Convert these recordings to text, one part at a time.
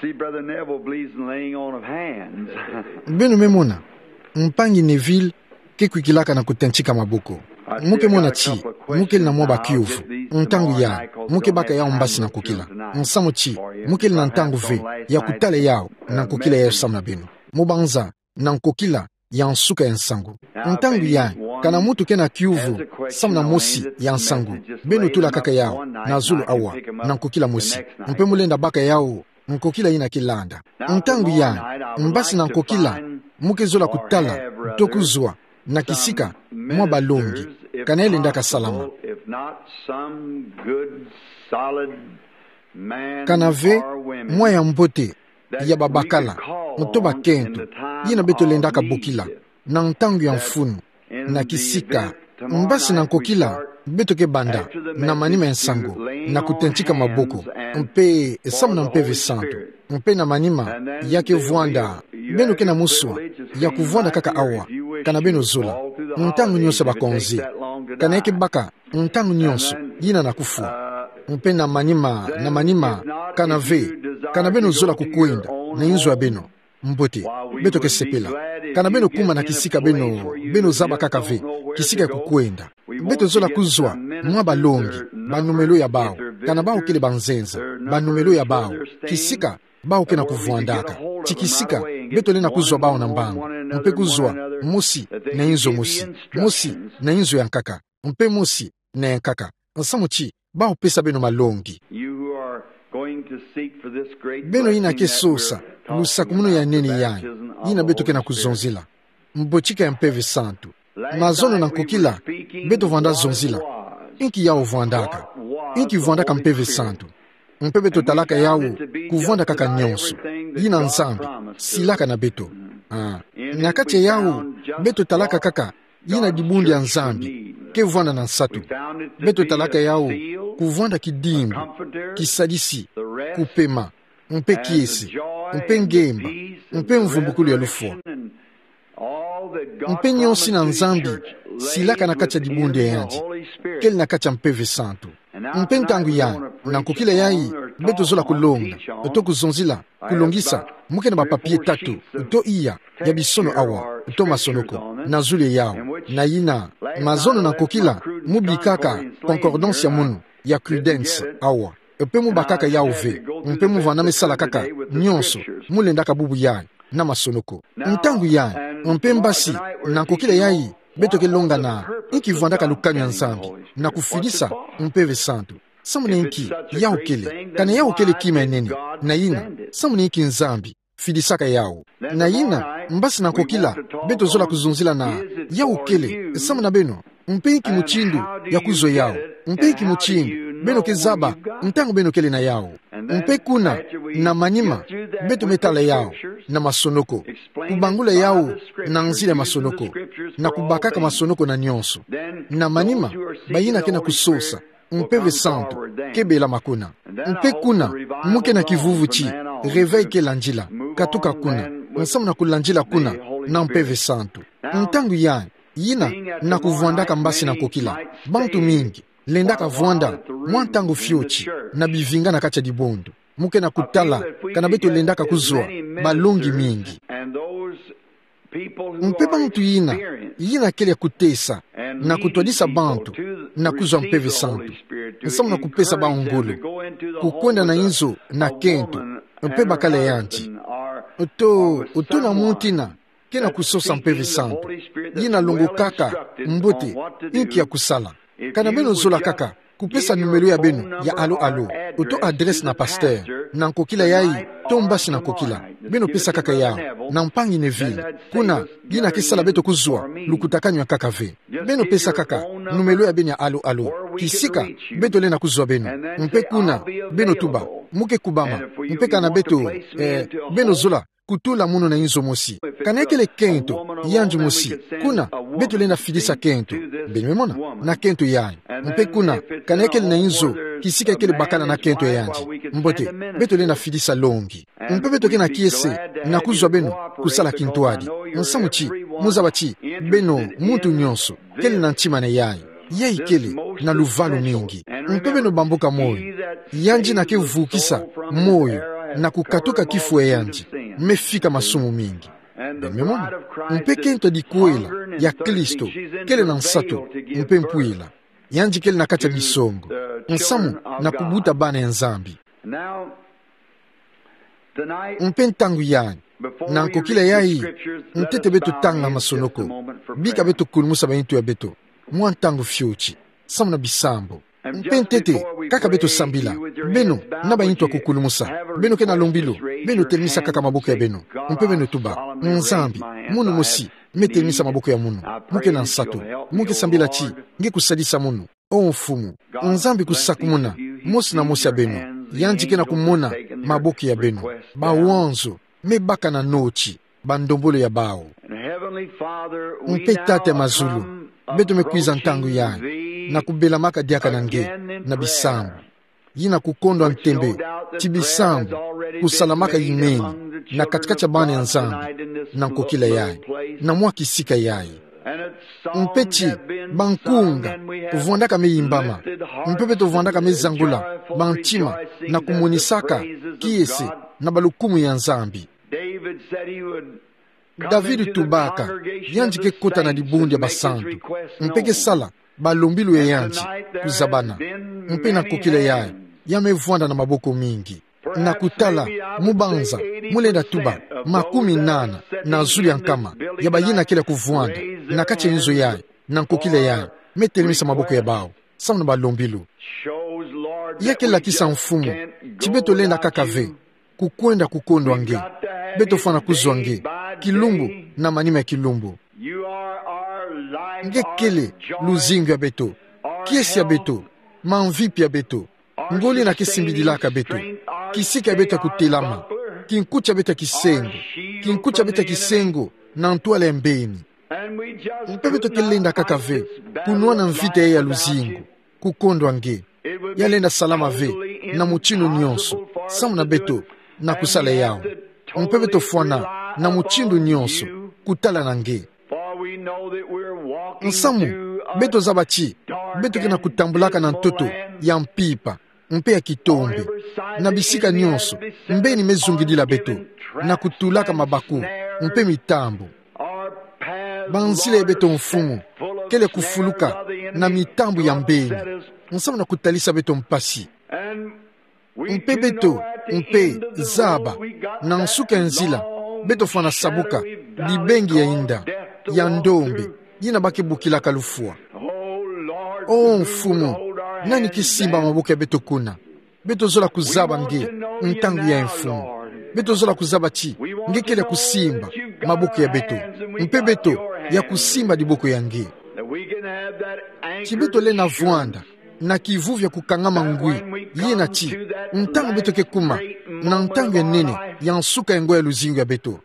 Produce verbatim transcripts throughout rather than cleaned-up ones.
See, Brother Neville believes in laying on of hands. Beno me mona, mpangi Neville ke kwikilaka na kutentsi ka maboko. Mo ke mona ti mo kele na mwa bakiuvu. Ntangu ya, mo ke baka yau mbasi na nkokila. Nsamu ti mo kele na ntangu ve ya kutala yau na nkokila ya samu na beno. Mo banza na nkokila ya nsuka ya nsangu. Ntangu ya, kana muntu ke na kiuvu samu na mosi ya nsangu, beno tula kaka yau na zulu awa, na nkokila mosi. Mpe mo lenda baka yau nkokila ina ke landa. Ntangu ya, mbasi na nkokila, mo ke zola kutala to kuzwa na kisika mwa balongi, kana ye lendaka salama. Kana ve mwa ya mbote ya babakala to bakento, yina beto lendaka bokila na ntangu ya mfunu, na kisika mbasi na nkokila beto ke banda na manima ya nsangu, na kutentsi ka maboko, mpe samu na Mpeve Santu, mpe na manima ya ke vwanda, beno ke na muswa ya kuvwanda kaka awa, kana beno zola, ntangu nionso bakonzi, kana ye ke baka ntangu nionso yina na kufwa. Mpe na manima, na manima, kana ve, kana beno zola kukwenda na inzo ya beno, mbote, beto ke sepela. Kana beno kuma na kisika beno, beno zaba kaka ve kisika ya kukwenda, beto zola kuzwa mwa balongi, banumelo ya bau, kana bau kele banzenza, banumelo ya bau, kisika bau ke na kuvwandaka. Ti kisika beto lenda kuzwa bau na mbangu, mpe kuzwa mosi na inzo mosi, mosi na inzo ya nkaka, mpe mosi na ya nkaka. Nsamu ti bau pesa beno malongi. Beno yina ke sosa lusakumunu ya nene yayi, yina beto ke na kuzonzila, mbotika ya Mpeve Santu. Mazono na nkokila, beto vwanda zonzila inki yau vwandaka, inki vwandaka Mpeve Santu. Mpe beto talaka yau kuvwanda kaka nionso yina Nzambi silaka na beto. Ah. Na kati ya yau, beto talaka kaka yina dibundu ya Nzambi ke vwanda na nsatu. Beto talaka yau kuvwanda kidimbu, kisadisi, kupema, mpe kiese, mpe ngemba, mpe mvumbukulu ya lufwa. Mpe nionso yina Nzambi silaka na kati ya dibundu ya yandi, kele na kati ya Mpeve Santu. Mpe ntangu yayi, na nkokila yayi, beto zola kulonga to kuzonzila, kulongisa, mo ke na ba papier tatu to iya ya bisono awa to masonoko na zulu ya yau. Na yina, mazono na nkokila, mo bikaka concordance ya munu, ya Credence awa, mpe mo bakaka yau ve, mpe mo vwanda me sala kaka nionso mo lendaka bubu yayi na masonoko. Ntangu yayi, mpe mbasi na nkokila yayi, beto ke longana inki vwandaka lukanu ya Nzambi na kufidisa Mpeve Santu. Samu na inki yau kele, kana yau kele kima ya nene, na yina, samu na inki Nzambi fidisaka yau. Na yina, mbasi na nkokila, beto zola kuzonzila na yau kele samu na beno, mpe inki mutindu ya kuzwa yau, mpe inki mutindu beno ke zaba ntangu beno kele na yau. Mpe kuna, na manima, beto me tala yau na masonoko, kubangula yau na nzila ya masonoko, na kubakaka masonoko na nionso. Na manima, bayina ke na kusosa, Mpeve Santu ke bela makuna. Mpe kuna, mo ke na kivuvu ti réveil ke landila, katuka kuna, nsamu na kulandila kuna na Mpeve Santu. Ntangu yayi, yina, na kuvwandaka mbasi na nkokila, bantu mingi lendaka vwanda mwa ntangu fioti na bivinga na kati ya dibundu. Mo ke na kutala kana beto lendaka kuzwa balongi mingi. Mpe bantu yina, yina kele ya kutesa na kutwadisa bantu na kuzwa Mpeve Santu, nsamu na kupesa bau ngolo kukwenda na inzo na kento, mpe bakala yandi, to, to na muntu yina ke na kusosa Mpeve Santu, yina longokaka mbote inki ya kusala. Kana beno zola kaka kupesa numelo ya beno ya alo-alo, to adresse na pasteur, na nkokila yayi, to mbasi na nkokila, beno pesa kaka yau na mpangi Neville, kuna, yina ke sala beto kuzwa lukutakanu ya nkaka ve. Beno pesa kaka numelo ya beno ya alo-alo, kisika beto lenda kuzwa beno. Mpe kuna, beno tuba, mo ke kubama, mpe kana beto, eh, beno zola kutula munu na inzo mosi. Kana ye kele kento yandi mosi, kuna, beto lenda fidisa kento. Beno me mona, na kento yayi. Mpe kuna, kana ye kele na inzo kisika ye kele bakala na kento ya yandi, mbote, beto lenda fidisa longi. Mpe beto ke na kiese na kuzwa beno kusala kintwadi. Nsamu ti, mo zaba ti beno, muntu nionso kele na ntima na yayi. Yayi kele na luvalu mingi. Mpe beno bamboka moyo, yandi na kevukisa moyo na kukatuka kifo ya yandi, me fika masumu mingi. Beno me mona, mpe kento dikwela ya Kristo kele na nsatu, mpe mpwila. Yandi kele na kati ya bisongo, nsamu na kubuta bana ya Nzambi. Mpe ntangu yayi, na nkokila yayi, ntete beto tanga masonoko, bika beto kulumusa ba intu ya beto mwa ntangu fioti, samu na bisambu. Mpe ntete, kaka beto sambila, beno na ba intu ya kukulumusa, beno ke na lombilu, beno telemisa kaka maboko ya beno, mpe beno tuba: Nzambi, munu mosi, me telemisa maboko ya munu, mu ke na nsatu, mu ke sambila ti nge kusadisa munu. O Mfumu, Nzambi kusakumuna mosi na mosi ya beno. Yandi ke na kumona maboko ya beno. Bawanzo me baka na noti bandombolo ya bawu. Mpe Tata ya mazulu, beto me kwiza ntangu yayi na kubelamaka diaka na nge na bisambu, yina kukondwa ntembe ti bisambu kusalamaka yimeni na katikati ya bana ya Nzambi na nkokila yayi, na mwa kisika yayi. Mpe ti bankunga vwandaka me yimbama, mpe beto vwandaka me zangula bantima na kumonisaka kiese na balukumu ya Nzambi. David tubaka yandi ke kota na dibundu ya basantu, mpe ke sala balombilu ya yandi kuzabana. Mpe na nkokila yayi, ya me vwanda na maboko mingi, na kutala mubanza mu lenda tuba makumi nana na zulu ya nkama ya bayina kele kuvwanda na kati ya nzo yayi, na nkokila yayi, me telemisa maboko ya bawu samu na balombilu. Ya ke lakisa, Mfumu, ti beto lenda kaka ve kukwenda kukondwa nge. Beto fwana kuzwa nge kilumbu na manima ya kilumbu. Nge kele luzingu ya beto, kiese ya beto, mamvipi ya beto, ngoli na kisimbidilaka beto, kisika ya beto ya kutelama, kinkuti ya beto ya kisengo, kinkuti ya beto ya kisengo na ntwala ya mbeni. Mpe beto ke lenda kaka ve kunwana mvita ya luzingu, kukondwa nge. Ya lenda salama ve na mutindu nyonso samu na beto na kusala yawu. Mpe beto fwana na mutindu nyonso kutala na nge. Nsamu, beto zaba ti beto ke na kutambulaka na ntoto ya mpimpa mpe ya kitombe, na bisika nyonso mbeni me zungidila beto, na kutulaka mabaku mpe mitambu. Banzila ya beto, Mfumu, kele kufuluka na mitambu ya mbeni, nsamu na kutalisa beto mpasi. Mpe beto, mpe zaba, na nsuka ya nzila, beto fwana sabuka bibengi ya inda ya ndombe, yina ba ke bokilaka lufwa. O Mfumu, nani ke simba maboko ya beto kuna? Beto zola kuzaba nge ntangu yayi, Mfumu. Beto zola kuzaba ti nge kele ya kusimba maboko ya beto, mpe beto ya kusimba diboko ya nge. Ti beto lenda vwanda na kivuvi ya kukangama ngwi, yina ti ntangu beto ke kuma na ntangu ya nene ya nsuka ya ngo ya luzingu ya beto,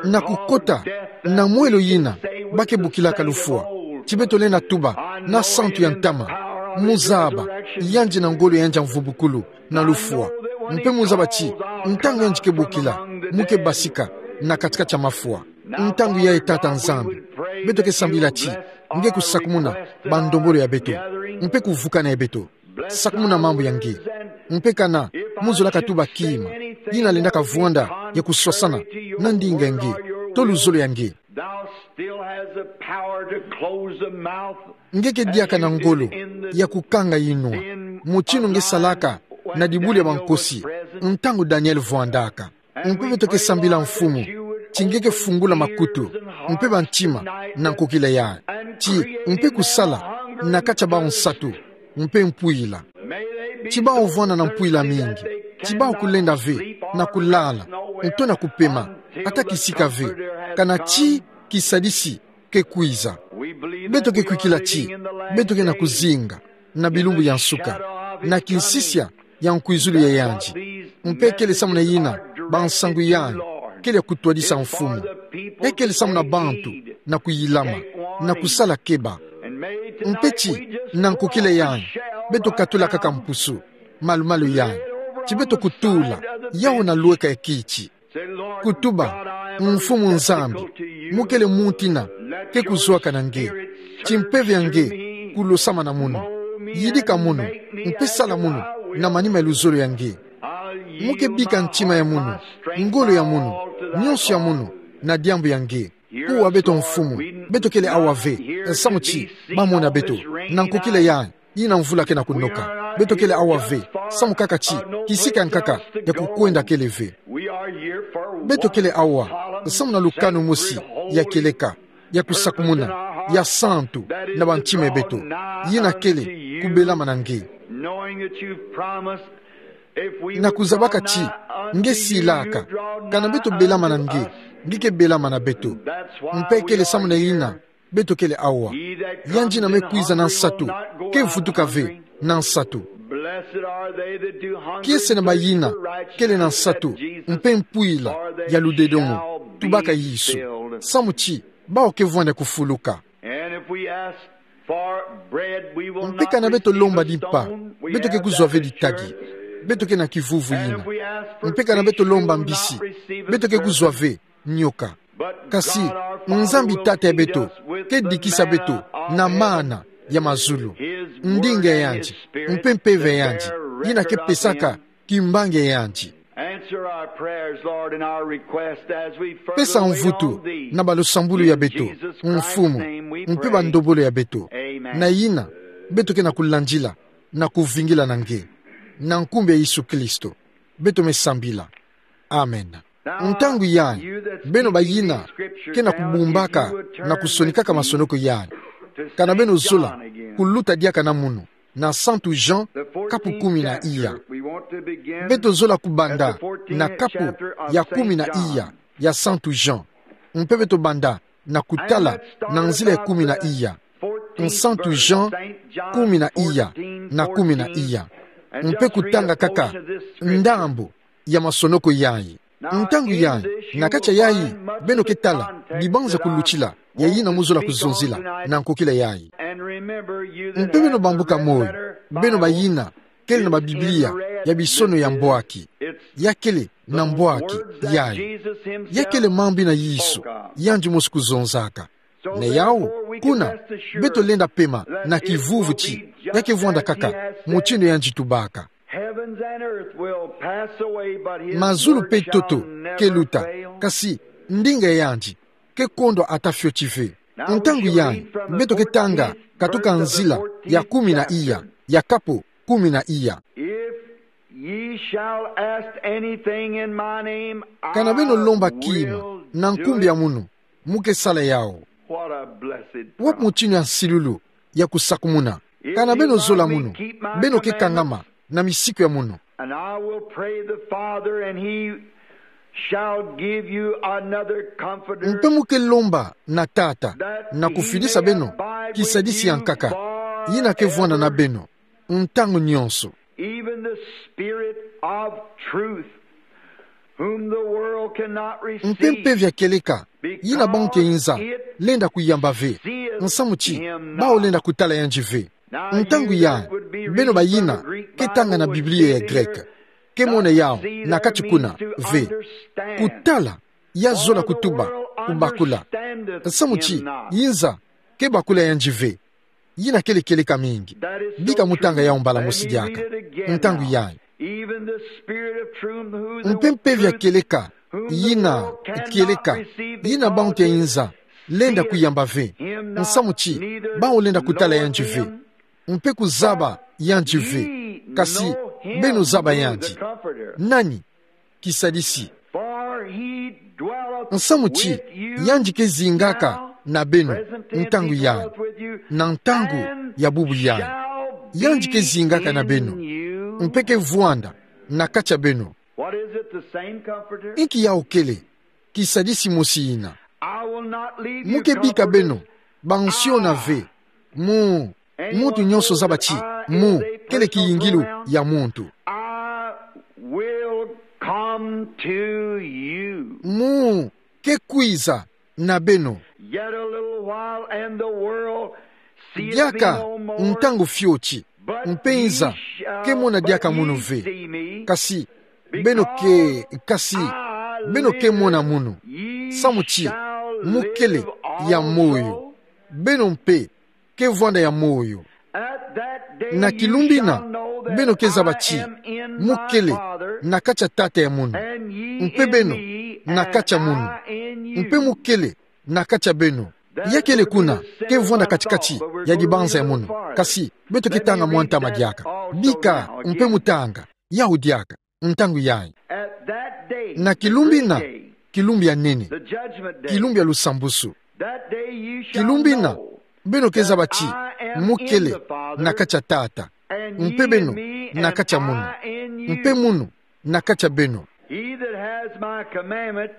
na kukota na mwelo yina ba ke bokilaka lufwa, ti beto lenda tuba na santu ya ntama: Mu zaba, yandi na ngolo, yandi ya mvumbukulu na lufwa. Mpe mu zaba ti ntangu yandi ke bokila, mu ke basika na katikati ya mafwa. Ntangu yayi, Tata Nzambi, beto ke sambila ti nge kusakumuna bandombolo ya beto, mpe kuvukana ya beto. Sakumuna mambu ya nge. Mpe kana mu zolaka tuba kima, yina lendaka vwanda ya kuswasana na ndinga ya nge, to luzolo ya nge, Thou still has the power to close the mouth. Nge ke diaka na ngolo ya kukanga inwa, mutindu nge salaka na dibulu ya bankosi, ntangu Daniel vwandaka. Mpe beto ke sambila, Mfumu, ti nge ke fungula makutu mpe bantima na nkokila yayi, ti mpe kusala na kati ya bawu nsatu mpe mpwila. Ti bawu vwanda na mpwila mingi, ti bawu kulenda ve na kulala, nto na kupema, ata kisika ve, kana ti kisadisi ke kwiza. Beto ke kwikila ti beto ke na kuzinga na bilumbu ya nsuka, na kinsisia ya nkwizulu ya yandi. Mpe kele samu na yina bansangu yandi kele ya kutwadisa, Mfumu. E kele samu na bantu na kuyilama, na kusala keba. Mpe ti na nkokila yandi, beto katula kaka mpusu, malumalu yandi, ti beto kutula yawu na lweka ya kiti, kutuba: Mfumu Nzambi, mu kele muntina ke kuzuaka na nge. Ti mpeve ya nge kulosamana mono. Yidika mono, mpe sala mono na manima ya luzolo ya nge. Mo ke bika ntima ya mono, ngolo ya mono, nyonso ya mono, na diambu ya nge. Kuwa beto, Mfumu. Beto kele awa ve, samu ti ba mona beto. Na nkokila ya, yina mvula ke na kunoka. Beto kele awa ve, samu kaka ti kisika nkaka ya kukwenda kele ve. Beto kele awa, samu na lukanu mosi ya kieleka, ya kusakumuna, ya santu, na bantima ya beto. Yina kele kubelamana nge. Na kuzabaka ti nge silaka, kana beto belamana nge, nge ke belamana beto. Mpe kele samu na yina beto kele awa. Yandi yina me kwiza na nsatu ke vutuka ve na nsatu. Kiese na bayina kele na nsatu mpe mpwila ya ludedomo, tubaka Yesu. Samu ti bawu ke vwanda kufuluka. Mpe kana beto lomba dimpa, beto ke kuzwa ve ditagi. Beto ke na kivuvu yina. Mpe kana beto lomba mbisi, beto ke kuzwa ve nyoka. Kasi Nzambi Tata ya beto ke dikisa beto na mana ya mazulu. Ndinga ya yandi mpe mpeve ya yandi yina ke pesaka kimbangi ya yandi. Pesa mvutu na balusambulu ya beto, Mfumu, mpe bandombolo ya beto. Na yina beto ke na kulandila na kuvingila na nge. Na nkumbu ya Yesu Kristo beto me sambila. Amen. Ntangu yayi, beno bayina ke na kubumbaka na kusonikaka masonoko yayi, kana beno zola kuluta diaka na munu na Santu Jean, kapu kumi na iya. Beto zola kubanda na kapu ya kumi na iya ya Santu Jean. Mpe beto banda na kutala na nzila ya kumi na iya. Santu Jean kumi na iya na kumi na iya. Mpe kutanga kaka ndambu ya masonoko yayi. Ntangu yayi, na kati ya yayi beno ke tala dibanza kulutila ya yina mo zola kuzonzila na nkokila yayi. Mpe beno bambuka moyo, beno bayina kele na ba Biblia ya bisono ya mbwaki. Ya kele na mbwaki yayi. Ya kele mambu yina Yesu yandi mosi kuzonzaka. Na yawu, kuna, beto lenda pema na kivuvu ti ya ke vwanda kaka mutindu yandi tubaka. Mazulu mpe ntoto ke luta, kasi ndinga ya yandi ke kondwa ata fioti ve. Ntangu yayi, beto ke tanga katuka nzila ya kumi na iya ya kapu kumi na iya. Kana beno lomba kima na nkumbu ya munu, mo ke sala yawu. Wapi mutindu ya nsilulu ya kusakumuna! Kana beno zola munu, beno ke kangama na misiku ya munu. Mpe mo ke lomba na Tata na kufidisa beno kisadisi ya nkaka, yina ke vwanda na beno ntangu nyonso. Mpe Mpeve ya kieleka, yina bantu ya inza lenda kuyamba ve, nsamu ti bawu lenda kutala yandi ve. Ntangu yayi, beno bayina ke tanga na Biblia ya Greke, ke mona yawu na kati kuna ve. Kutala, ya zola kutuba kubakula, nsamu ti inza ke bakula yandi ve. Yina kele kieleka mingi. Bika mo tanga yawu mbala mosi diaka. Ntangu yayi. Mpe Mpeve ya kieleka, yina kieleka, yina bantu ya inza lenda kuyamba ve, nsamu ti bawu lenda kutala yandi ve, mpe kuzaba yandi ve. Kasi beno zaba yandi. Nani? Kisadisi. Nsamu ti yandi ke zingaka na beno ntangu yayi, na ntangu ya bubu yayi. Yandi ke zingaka na beno, mpe ke vwanda na kati ya beno. Inki yawu kele? Kisadisi mosi yina. Mo ke bika beno bansiona ve. Mo, muntu nyonso zaba ti mo kele kiyingilu ya muntu. Mo ke kwiza na beno. Diaka ntangu fioti, mpe inza ke mona diaka munu ve. Kasi beno ke, kasi beno ke mona munu, samu ti mo kele ya moyo. Beno mpe ke vwanda ya moyo. Na kilumbu ina, beno ke zaba ti mu kele na kati ya Tata ya mono, mpe beno na kati ya mono, mpe mu kele na kati ya beno. Ya kele kuna, ke vwanda kati-kati ya dibanza ya mono. Kasi beto ke tanga mwa ntama diaka. Bika mpe mu tanga yau diaka ntangu yayi. Na kilumbu ina, kilumbu ya nene, kilumbu ya lusambusu. Kilumbu ina, beno ke zaba ti mu kele na kati ya Tata, mpe beno na kati ya mono, mpe mono na kati ya beno. He that has my commandment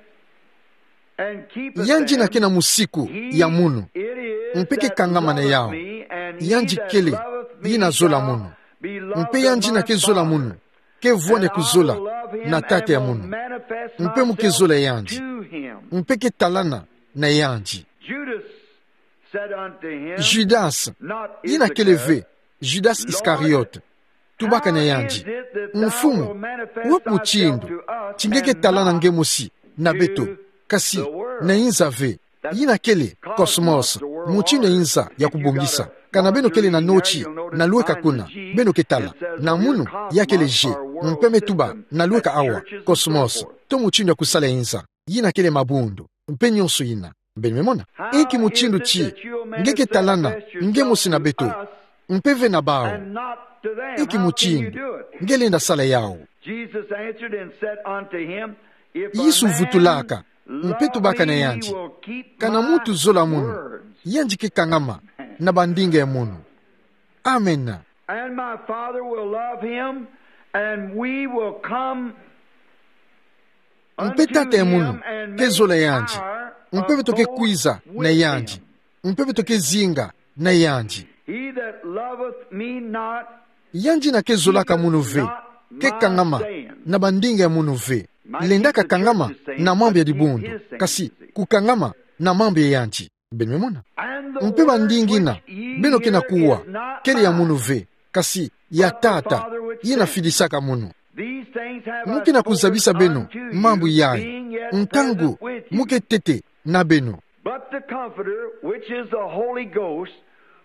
and keepeth Yandi ina ke na musiku ya mono, mpe ke kangama na yau, yandi kele ina zola mono. Mpe yandi ina ke zola mono ke vwanda kuzola na Tata ya mono, mpe mu ke zola yandi, mpe ke talana na yandi. Judas, ina kele ve Judas Iscariot, tubaka na yandi: Mfumu, wapi mutindu ti nge ke talana nge mosi na beto, kasi na inza ve? Ina kele cosmos, mutindu ya inza ya kubongisa. Kana beno kele na noti na lweka kuna, beno ke tala. Na mono ya kele je, mpe me tuba na lweka awa, cosmos, to mutindu ya kusala inza. Ina kele mabundu mpe nionso ina. Beno me mona? Inki mutindu ti nge ke talana nge mosi na beto, mpe ve na bawu? Inki mutindu nge lenda sala yau? Yesu vutulaka mpe tubaka na yandi: Kana muntu zola mono, yandi ke kangama na bandinga ya mono. Amen. And my Father will love him, and we will come Mpe Tata ya mono ke zola yandi, mpe beto ke kwiza na yandi, mpe beto ke zinga na yandi. He that loveth me not, Yandi ina ke zolaka mono ve, ke kangama na bandinga ya mono ve. Lendaka kangama na mambu ya dibundu, kasi kukangama na mambu ya yandi. Beno me mona? Mpe bandinga ina beno ke na kuwa kele ya mono ve, kasi ya Tata ina fidisaka mono. Mu ke na kuzabisa beno mambu yayi, ntangu mu ke tete na beno. But the Comforter, which is the Holy Ghost,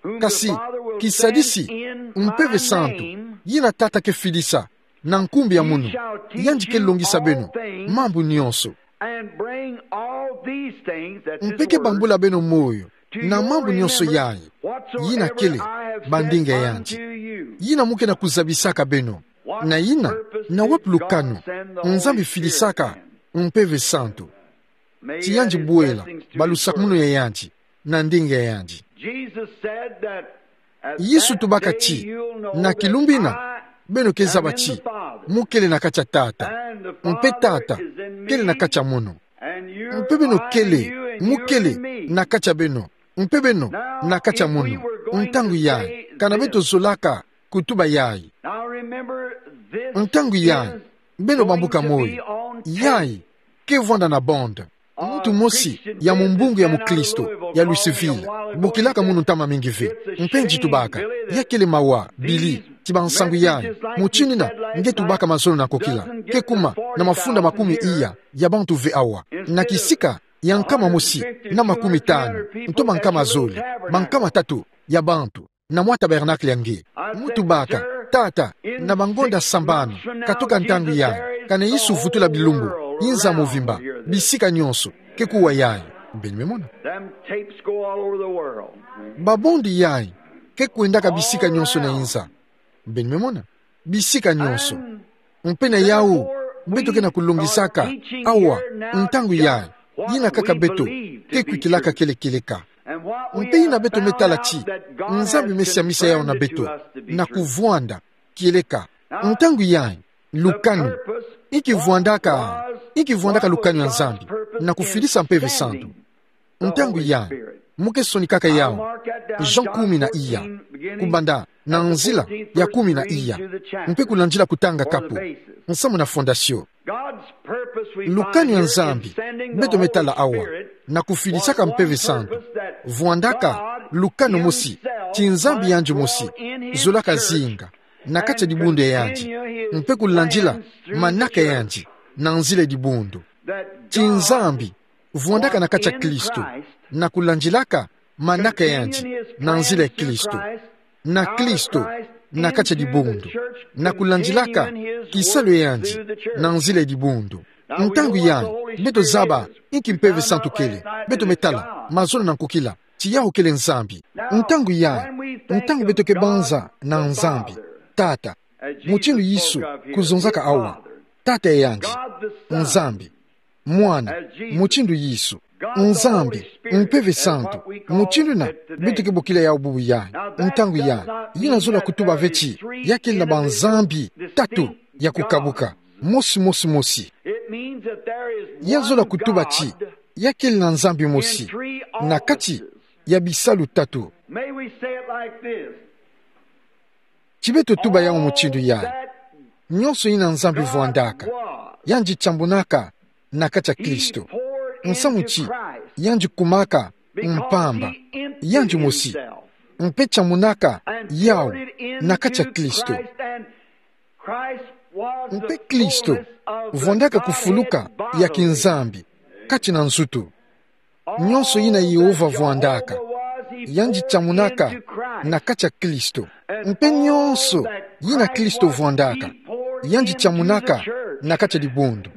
whom the Father will send in my name, Kasi kisadisi, Mpeve Santu, yina Tata ke fidisa na nkumbu ya mono, yandi ke longisa beno mambu nionso. And bring all these things, that's his word, to your remembrance, whatsoever I have said unto you. Mpe ke bambula beno moyo na mambu nionso yayi, yina kele bandinga yandi. Yina mu ke na kuzabisaka beno. Na yina, na wapi lukanu Nzambi fidisaka Mpeve Santu? Ti yandi bwela balusakumunu ya yandi na ndinga ya yandi. Yesu tubaka ti, na kilumbu yina, beno ke zaba ti mu kele na kati ya Tata, mpe Tata kele na kati ya mono. Mpe beno kele, mu kele na kati ya beno, mpe beno na kati ya mono. Ntangu yayi, kana beto zolaka kutuba yayi. Ntangu yayi, beno bambuka moyo. Yayi ke vwanda na bande. Muntu mosi ya mumbungu ya mukristo ya Louisville, bokilaka munu ntama mingi ve. Mpe nge tubaka, ya kele mawa, Billy, ti bansangu yayi, mutindu yina nge tubaka mazono na kokila, ke kuma na mafunda makumi iya ya bantu ve awa, na kisika ya nkama mosi na makumi tanu, nto bankama zole, bankama tatu ya bantu, na mwa tabernacle ya nge. Mu tubaka, Tata, na bangonda sambanu katoka ntangu yayi, kana Yesu vutula bilumbu, inza mobimba, bisika nionso, ke kuwa yayi. Beno me mona? Them tapes go all over the world. Babande yayi ke kwendaka bisika nionso na inza. Beno me mona? Bisika nionso. Mpe na yawu, beto ke na kulongisaka awa, ntangu yayi, yina kaka beto ke kwikilaka kele kieleka. Mpe yina beto me tala ti Nzambi me siamisa yawu na beto, na kuvwanda kieleka. Ntangu yayi, lukanu. Inki vwandaka, inki vwandaka lukanu ya Nzambi na kufidisa Mpeve Santu? Ntangu yayi, mu ke sonikaka yawu. Jean kumi na iya, kubanda na nzila ya kumi na iya, mpe kulandila kutanga kapu, nsamu na fondation. Lukanu ya Nzambi beto me tala awa, na kufidisaka Mpeve Santu, vwandaka lukanu mosi, ti Nzambi yandi mosi zolaka zinga na kati ya dibundu ya yandi, mpe kulandila manaka ya yandi na nzila ya dibundu. Ti Nzambi vwandaka na kati ya Kristo, na kulandilaka manaka yandi na nzila ya Kristo, na Kristo na kati ya dibundu, na kulandilaka kisalu yandi na nzila ya dibundu. Ntangu yayi, beto zaba inki Mpeve Santu kele, beto me tala, mazono na nkokila, ti yawu kele Nzambi. Ntangu yayi, ntangu beto ke banza na Nzambi Tata, mutindu Yesu kuzonzaka awa, Tata yandi, Nzambi Mwana, mutindu Yesu, Nzambi Mpeve Santu, mutindu na beto ke bokila yawu bubu yayi. Ntangu yayi, yina zola kutuba ve ti ya kele na banzambi tatu ya kukabuka, mosi, mosi, mosi. Ya zola kutuba ti ya kele na Nzambi mosi na kati ya bisalu tatu. Ti beto tuba yawu mutindu yayi: Nyonso yina Nzambi vwandaka, yandi tambunaka na kati ya Kristo. Nsamu ti yandi kumaka mpamba yandi mosi, mpe tambunaka yawu na kati ya Kristo. Mpe Kristo vwandaka kufuluka ya kinzambi kati na nzutu. Nyonso yina Yehova vwandaka, yandi tambunaka na kati ya Kristo. Mpe nyonso yina Kristo vwandaka, yandi tambunaka na kati ya dibundu.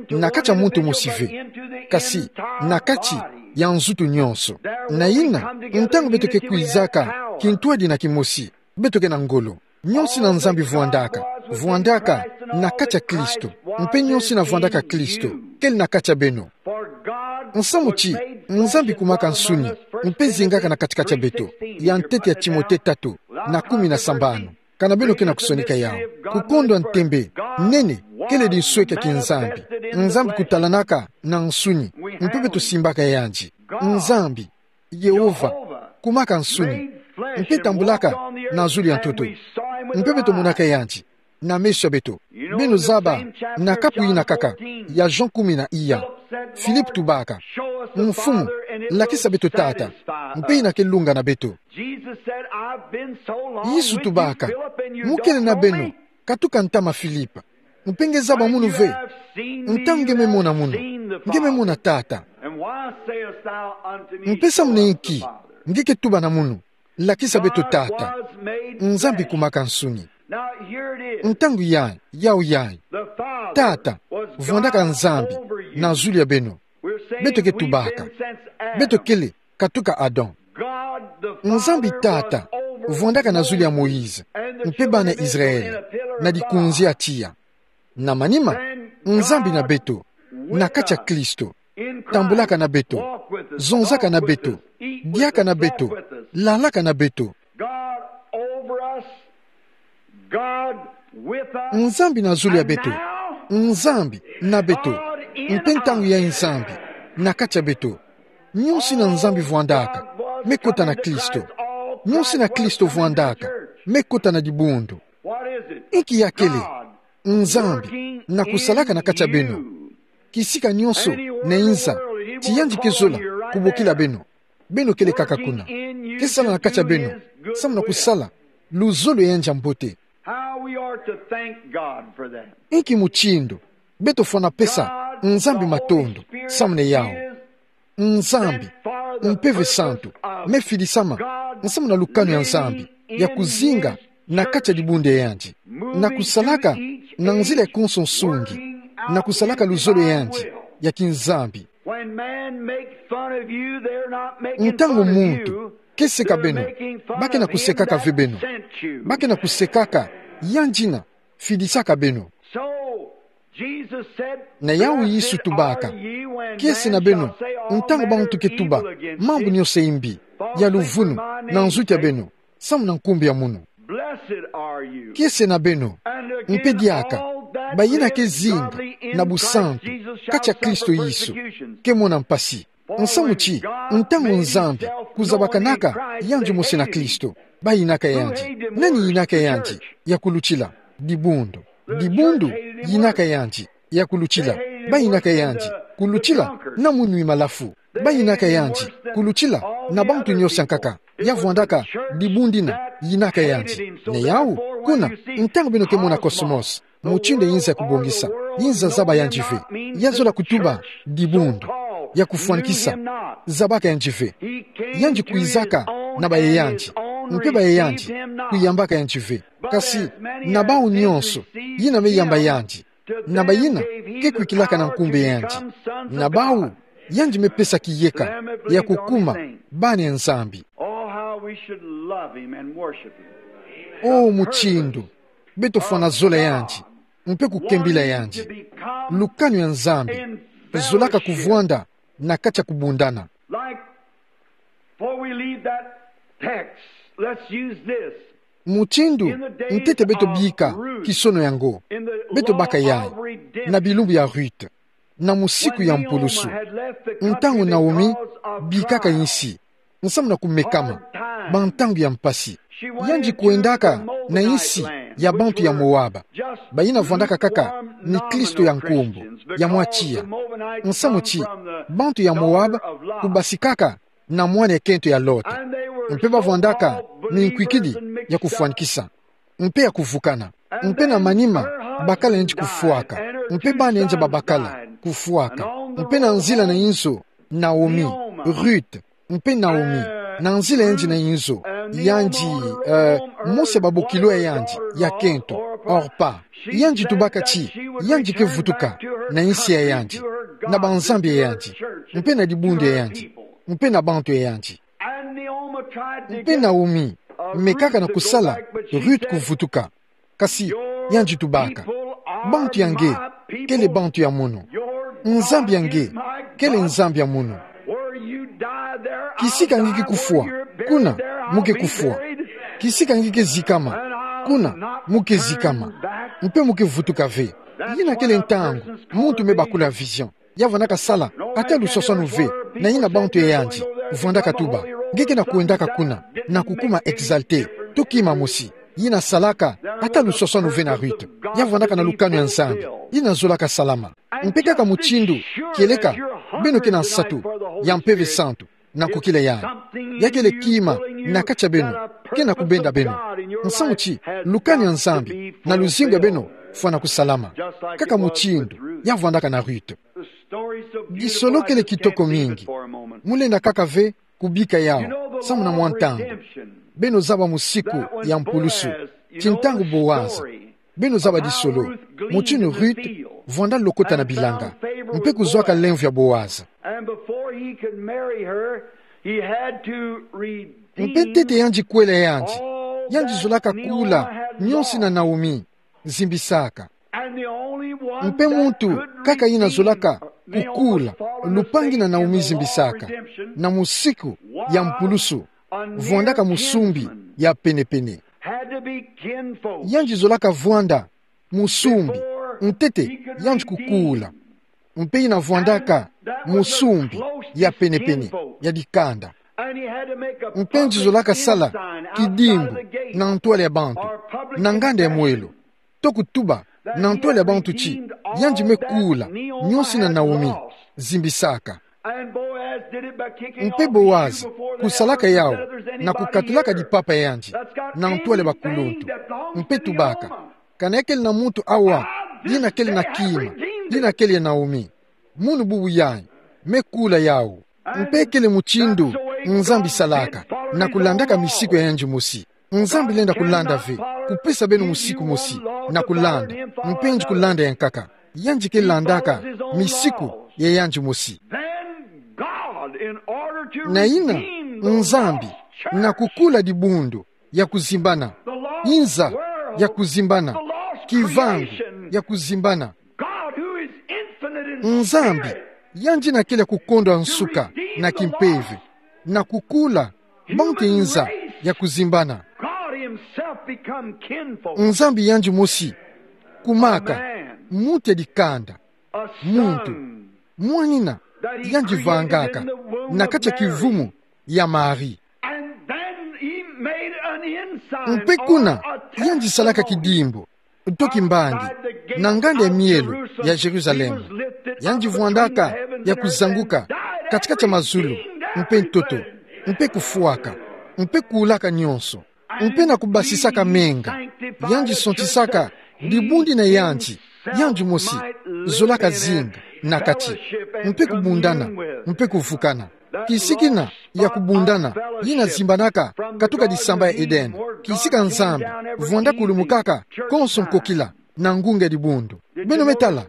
Na kati ya muntu mosi ve, kasi na kati ya nzutu nyonso. Na yina, ntangu beto ke kwizaka kintwadi na kimosi, beto ke na ngolo. Nyonso yina Nzambi vwandaka, vwandaka na kati ya Kristo. Mpe nyonso yina vwandaka Kristo kele na kati ya beno. Nsamu ti Nzambi kumaka nsuni, mpe zingaka na kati-kati ya beto, ya ntete ya Timote tatu, na kumi na sambanu. Kana beno ke na kusonika yawu. Kukondwa ntembe nene kele dinsweki ya kinzambi. Nzambi kutalanaka na nsuni, mpe beto simbaka yandi. Nzambi Yehova kumaka nsuni, mpe tambulaka na zulu ya ntoto, mpe beto monaka yandi na meso ya beto. Beno zaba, na kapu yina kaka ya Jean kumi na iya, Philippe tubaka: Mfumu, lakisa beto Tata, mpe yina ke lunga na beto. Yesu tubaka: Mu kele na beno katuka ntama Philippe, mpe nge zaba munu ve? Ntangu nge me mona munu, nge me mona Tata. Mpe samu na inki nge ke tuba na munu: Lakisa beto Tata? Nzambi kumaka nsuni. Ntangu yayi, yawu yayi, Tata vwandaka Nzambi na zulu ya beno. Beto ke tubaka, beto kele katuka Adam. Nzambi Tata vwandaka na zulu ya Moïse mpe bana Israël na dikunzi ya tiya. Na manima, Nzambi na beto, na kati ya Kristo, tambulaka na beto, zonzaka na beto, diaka na beto, lalaka na beto. Nzambi na zulu ya beto, Nzambi na beto, mpe ntangu yayi Nzambi na kati ya beto. Nyonso yina Nzambi vwandaka me kota na Kristo. Nyonso yina Kristo vwandaka me kota na dibundu. Inki ya kele? Nzambi na kusalaka na kati ya beno. Kisika nyonso na inza ti yandi ke zola kubokila beno, beno kele kaka kuna. Ke sala na kati ya beno samu na kusala luzolo ya yandi ya mbote. How we are to thank God for that. Inki mutindu beto fwana pesa Nzambi matondo samu na yawu. Nzambi Mpeve Santu me fidisama nsamu na lukanu ya Nzambi ya kuzinga na kati ya dibundu ya yandi, na kusalaka na nzila ya konso nsungi, na kusalaka luzolo ya yandi ya kinzambi. When man make fun of you, they're not making fun of you. Ntangu muntu ke seka beno, ba ke na kusekaka ve beno. Ba ke na kusekaka yandi yina fidisaka beno. So, Jesus said, na yawu Yesu tubaka: Kiese na beno ntangu bantu ke tuba mambu nyonso ya imbi ya luvunu na nzutu ya beno samu na nkumbu ya munu. Kiese na beno, mpe diaka bayina ke zinga na busantu kati ya Kristo Yesu, ke mona mpasi. Nsamu ti, ntangu Nzambi kuzabakanaka yandi mosi na Kristo, bayinaka yandi. Nani yinaka yandi ya kulutila? Dibundu. Dibundu yinaka yandi ya kulutila. Bayinaka yandi kulutila na munwi malafu. Bayinaka yandi kulutila na bantu nyonso ya nkaka ya vwandaka dibundu yina yinaka yandi. Na yawu, kuna, ntangu beno ke mona cosmos mutindu ya inza kubongisa, inza zaba yandi ve, ya zola kutuba dibundu. ya kufwanikisa. Zabaka yandi ve. Yandi kwizaka na baye yandi. Mpe baye yandi kuyambaka yandi ve. Kasi, na bawu nyonso yina me yamba yandi, na bayina ke kwikilaka na nkumbu yandi, na bawu yandi me pesa kiyeka ya kukuma bana ya Nzambi. Oh, how we should love him and worship him. Oh, mutindu beto fwana zola yandi, mpe kukembila yandi. Lukanu ya Nzambi zolaka kuvwanda na kati ya kubundana. Like, before we leave that text, let's use this. Mutindu ntete beto bika kisono yango, beto baka yayi na bilumbu ya Ruth, na musiku ya mpulusu, ntangu Naomi bikaka insi, nsamu na kumekama, bantangu ya mpasi. Yandi kwendaka na insi ya bantu ya Moab, bayina vwandaka kaka ni Klisto ya nkumbu, ya mwa tiya. Nsamu ti bantu ya Moab kubasikaka na mwana ya kento ya Lot. Mpe bavwandaka minkwikidi ya kufwanikisa, mpe ya kuvukana. Mpe na manima, bakala yandi kufwaka, mpe bana yandi babakala kufwaka. Mpe na nzila na inzo, Naomi, Ruth, mpe Naomi, na nzila yandi na inzo, yandi, eh, mosi ya babokilo ya yandi ya kento, Orpa. Yandi tubaka ti yandi ke vutuka na insi ya yandi, na banzambi ya yandi, mpe na dibundu ya yandi, mpe na bantu ya yandi. Mpe Naomi mekaka na kusala Ruth kuvutuka. Kasi yandi tubaka: Bantu ya nge kele bantu ya mono. Nzambi ya nge kele Nzambi ya mono. Kisika nge ke kufwa, kuna mu ke kufwa. Kisika nge ke zikama, kuna mu ke zikama. Mpe mu ke vutuka ve. Yina kele ntangu muntu me bakula vision. Ya vwandaka sala ata luswaswanu ve na yina bantu ya yandi vwandaka tuba. Nge ke na kwendaka kuna, na kukuma exalté, to kima mosi. Yina salaka ata luswaswanu ve na Ruth. Ya vwandaka na lukanu ya Nzambi. Yina zolaka salama. Mpe kaka mutindu, kieleka beno ke na nsatu ya Mpeve Santu, na kukila yayi, ya kele kima na kati ya beno, ke na kubenda beno. Nsamu ti lukanu ya Nzambi na luzingu ya beno fwana kusalama, kaka mutindu ya vwandaka na Ruth. Disolo kele kitoko mingi. Mu lenda kaka ve kubika yawu, samu na mwa ntangu. Beno zaba musiku ya mpulusu, ti ntangu Boaz. Beno zaba disolo mutindu Ruth vwanda lokota na bilanga, mpe kuzwaka lemvo ya Boaz. And before he could marry her, he had to redeem. Mpe ntete yandi kwela yandi, yandi zolaka kula nyonso yina Naomi zimbisaka. And the only one mpe that muntu could kaka yina redeem zolaka Naomi's kukula part of the lupangi na Naomi zimbisaka, na musiku ya mpulusu, vwandaka musumbi ya penepene. Had to be kinfolk. Yandi zolaka vwanda musumbi ntete yandi kukula. Mpe yina vwandaka musumbi ya penepene ya dikanda. Mpe yandi zolaka sala kidimbu na ntwala ya bantu, na nganda ya mwelo, to kutuba na ntwala ya bantu ti yandi me kula nyonso yina Naomi zimbisaka. Mpe Boaz kusalaka yawu na kukatulaka dipapa ya yandi na ntwala ya bakuluntu, mpe tubaka: Kana kele na muntu awa yina kele na kima yina kele ya Naomi? Munu bubu yayi me kula yawu. Mpe kele mutindu Nzambi salaka, na kulandaka misiku ya yandi mosi. Nzambi lenda kulanda ve kupesa beno musiku mosi na kulanda, mpe yandi kulanda ya nkaka. Yandi ke landaka misiku ya yandi mosi. Na yina, Nzambi, na kukula dibundu ya kuzimbana, inza ya kuzimbana, kivangu ya kuzimbana. Nzambi, yandi yina kele ya kukondwa nsuka na kimpeve, na kukula bantu ya inza ya kuzimbana. Nzambi yandi mosi kumaka muntu ya dikanda, muntu, mwanina, yandi vangaka na kati ya kivumu ya Marie. Mpe kuna, yandi salaka kidimbu to kimbangi na nganda ya mielo ya Yerusalem. Yandi vwandaka ya kuzanguka kati-kati ya mazulu, mpe ntoto, mpe kufwaka, mpe kulaka nyonso, mpe na kubasisaka menga. Yandi sontisaka dibundu na yandi, yandi mosi, zolaka zinga na kati. Mpe kubundana, mpe kuvukana. Kisika ina ya kubundana, yina zimbanaka katuka disamba ya Edene. Kisika Nzambi vwanda kulumukaka konso nkokila na ngunga ya dibundu. Beno me tala,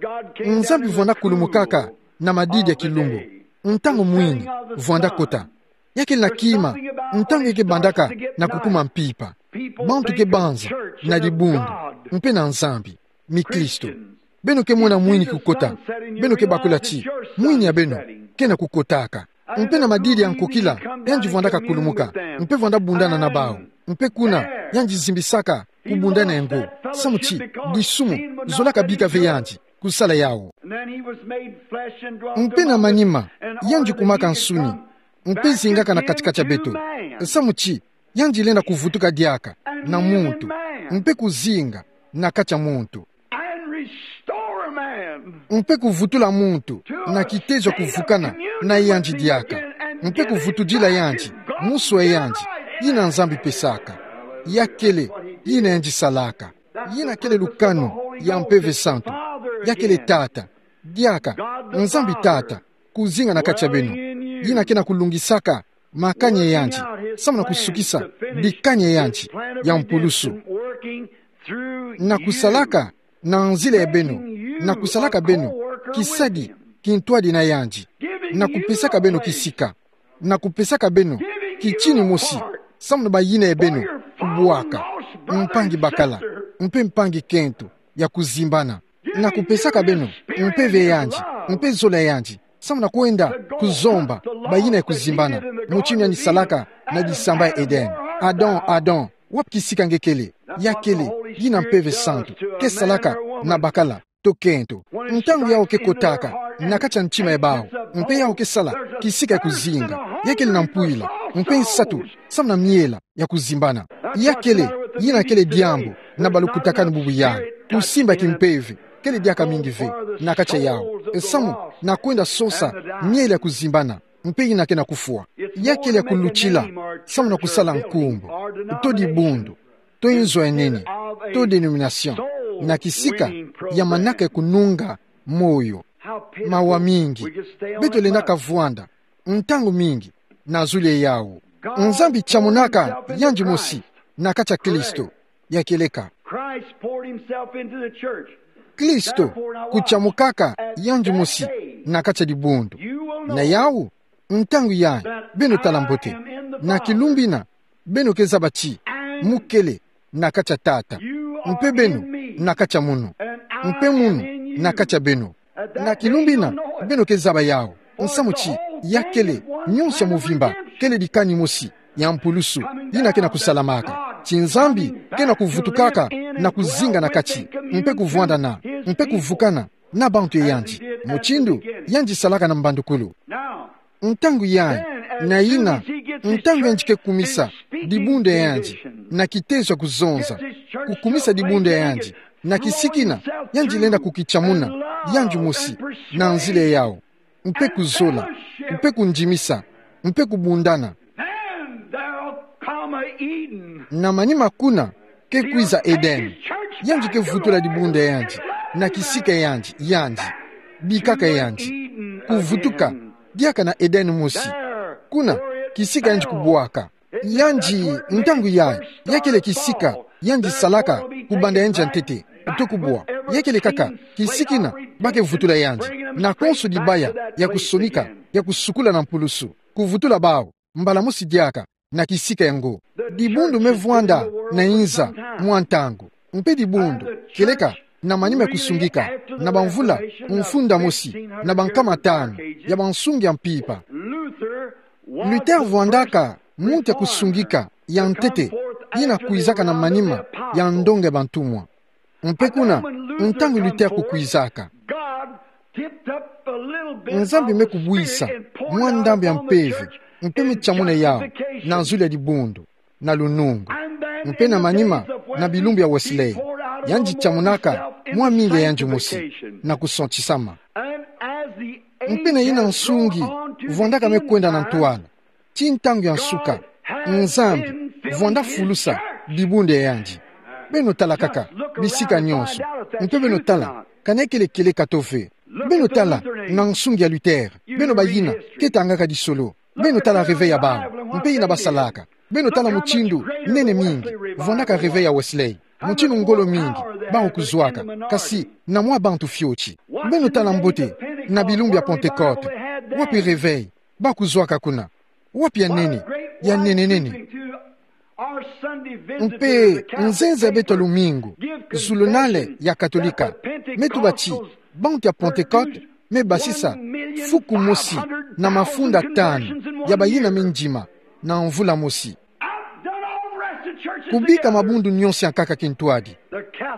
Nzambi vwanda kulumukaka na madidi ya kilumbu. Ntangu mwini vwanda kota. Ya kele na kima, ntangu ke bandaka na kukuma mpimpa. Bantu ke banza na dibundu, mpe na Nzambi, mikristo. Beno ke mona mwini kukota. Beno ke bakula ti mwini ya beno ke na kukotaka. Mpe na madidi ya nkokila, yandi vwandaka kulumuka, mpe vwanda bundana na bawu. Mpe kuna, yandi zimbisaka kubundana yango. Samu ti disumu zolaka bika ve yandi kusala yawu. Mpe na manima, yandi kumaka nsuni, mpe zingaka na katikati ya beto. Samu ti yandi lenda kuvutuka diaka na muntu, mpe kuzinga na kati ya muntu, mpe kuvutula muntu na kitezo ya kuvukana na yandi diaka, mpe kuvutudila yandi musu ya yandi yina Nzambi pesaka. Ya kele yina yandi salaka. Yina kele lukanu ya Mpeve Santu. Ya kele Tata, diaka, Nzambi Tata, kuzinga na kati ya beno. Yina ke na kulungisaka makani ya yandi, samu na kusukisa dikani ya yandi ya mpulusu, na kusalaka na nzila ya beno, na kusalaka beno kisadi kintwadi na yandi, na kupesaka beno kisika, na kupesaka beno kitini mosi, samu na bayina ya beno kubwaka, mpangi bakala, mpe mpangi kento ya kuzimbana, na kupesaka beno mpeve ya yandi, mpe zola ya yandi, samu na kwenda kuzomba bayina ya kuzimbana, mutindu yandi salaka na disamba ya Edene. Adam, Adam, wapi kisika nge kele? Ya kele yina Mpeve Santu ke salaka na bakala to kento. Ntangu yawu ke kotaka na kati ya ntima ya bawu, mpe yawu ke sala kisika ya kuzinga, ya kele na mpwila, mpe nsatu, samu na miela ya kuzimbana. Ya kele yina kele diambu na balukutakanu bubu yayi. Kusimba kimpeve kele diaka mingi ve na kati ya yawu, samu na kwenda sosa miela ya kuzimbana, mpe yina ke na kufwa. Ya kele ya kulutila, samu na kusala nkumbu, to dibundu, to inzo ya nene, to dénomination, na kisika ya manaka ya kununga moyo. Mawa mingi. Beto lenda kavwanda ntangu mingi na zulu ya yawu. Nzambi tiamunaka yandi mosi na kati ya Kristo. Ya kieleka, Christ poured himself into the church. Kristo kutiamukaka yandi mosi na kati ya dibundu. Na yawu, ntangu yayi, beno tala mbote. Na kilumbu ina, beno ke zaba ti mu kele na kati ya Tata, mpe beno na kati ya munu, mpe munu na kati ya beno. Na kilumbu ina, beno ke zaba yawu, nsamu ti ya kele, nyonso ya muvimba kele dikani mosi ya mpulusu yina ke na kusalamaka. Ti Nzambi ke na kuvutukaka na kuzinga na kati, mpe kuvwandana, mpe kuvukana na bantu ya yandi, mutindu yandi salaka na mbandukulu. Ntangu yayi, na yina, ntangu yandi ke kumisa dibundu ya yandi na kitezo ya kuzonza, kukumisa dibundu ya yandi na kisika ina, yandi lenda kukitiamuna yandi mosi na nzila ya yawu, mpe kuzola, mpe kundimisa, mpe kubundana. Then there'll come a Eden. Na manima kuna ke kwiza Edene. Yandi ke vutula dibundu ya yandi na kisika ya yandi, yandi, bikaka ya yandi, kuvutuka diaka na Edene mosi. Kuna, kisika yandi kubwaka. Yandi, ntangu yayi, ya kele kisika yandi salaka kubanda yandi ya ntete, to kubwa. Ya kele kaka kisika ina ba ke vutula yandi na konso dibaya ya kusonika, ya kusukula na mpulusu, kuvutula bawu mbala mosi diaka na kisika yango. Dibundu me vwanda na inza mwa ntangu, mpe dibundu, kieleka na manima ya kusungika, na bamvula mfunda mosi na bankama tanu ya bansungi ya mpimpa. Luther vwandaka muntu ya kusungika ya ntete, yina kwizaka na manima ya ndonga ya bantumwa. Mpe kuna, ntangu Luther kukwizaka, Nzambi me kubwisa mwa ndambu ya mpeve, mpe me tiamuna yawu na nzulu ya dibundu na lunungu. Mpe na manima, na bilumbu ya Wesley, yandi tiamunaka mwa mingi ya yandi mosi na kusantisama. Mpe na yina nsungi vwandaka me kwenda na ntwala, ti ntangu ya nsuka, Nzambi vwanda fulusa dibundu ya yandi. Beno tala kaka bisika nyonso, mpe beno tala, kana kele kieleka to ve. Beno tala, na nsungi ya Luther. Beno bayina ke tangaka tisolo. Beno tala réveil ya bawu, mpe yina basalaka. Beno tala mutindu nene mingi vwandaka réveil ya Wesley. Mutindu ngolo mingi bawu kuzwaka, kasi na mwa bantu fioti. Beno tala mbote na bilumbu ya Pentecôte. Wapi réveil bawu kuzwaka kuna? Wapi ya nene, ya nene nene? Mpe nzenza ya beto ya lumingu, zulunale ya Katolika me tuba ti bantu ya Pentecôte me basisa fuku mosi na mafunda tanu ya bayina mindima na mvula mosi. Kubika mabundu nyonso ya nkaka kintwadi.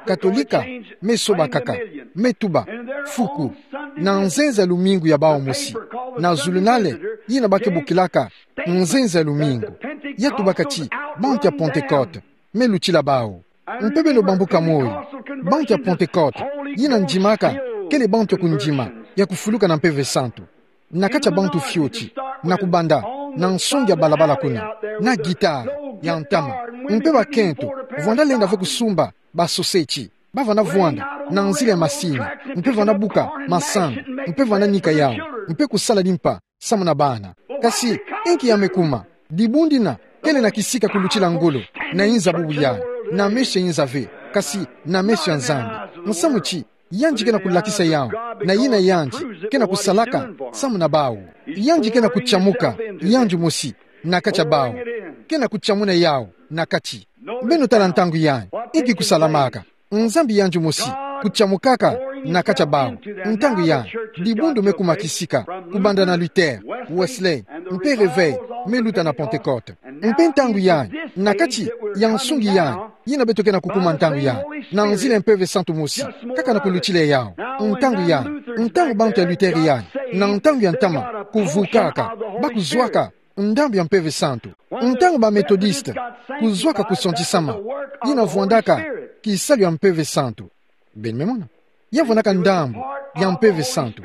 Katolika me soba kaka, me tuba fuku na nzenza ya lumingu ya bawu mosi, na zulunale yina ba ke bokilaka nzenza ya lumingu, ya tubaka ti bantu ya Pentecôte me lutila bawu. Mpe beno bambuka moyo, bantu ya Pentecôte yina ndimaka kele bantu ya kundima ya kufuluka na Mpeve Santu na kati ya bantu fioti, na kubanda na nsongi ya balabala kuna, na guitare ya ntama. Mpe bakento vwanda lenda ve kusumba basoseti, ba vwanda vwanda na nzila ya masini, mpe vwanda buka masangu, mpe vwanda nika yawu, mpe kusala dimpa samu na bana. Kasi inki ya me kuma? Dibundu dina kele na kisika kulutila ngolo na inza bubu yai, na meso ya inza ve, kasi na meso ya Nzambi. Nsamu ti yandi ke na kulakisa yawu, na yina yandi ke na kusalaka samu na bawu. Yandi ke na kutiamuka yandi mosi na kati ya bawu, ke na kutiamuna yawu na kati. Beno tala ntangu yai, inki kusalamaka? Nzambi yandi mosi kutiamukaka na kati ya bawu. Ntangu yai, dibundu me kuma kisika, kubanda na Luther, Wesley, mpe réveil me luta na Pentecôte. Mpe ntangu yai, na kati ya nsungi yai, yina beto ke na kukuma ntangu yai, na nzila ya Mpeve Santu mosi, kaka na kulutila yawu. Ntangu yai, ntangu bantu ya Luther yai, na ntangu ya ntama, kuvukaka, ba kuzwaka ndambu ya Mpeve Santu. Ntangu ba Methodiste kuzwaka kusantisama, yina vwandaka kisalu ya Mpeve Santu. Beno me mona? Ya vwandaka ndambu ya Mpeve Santu.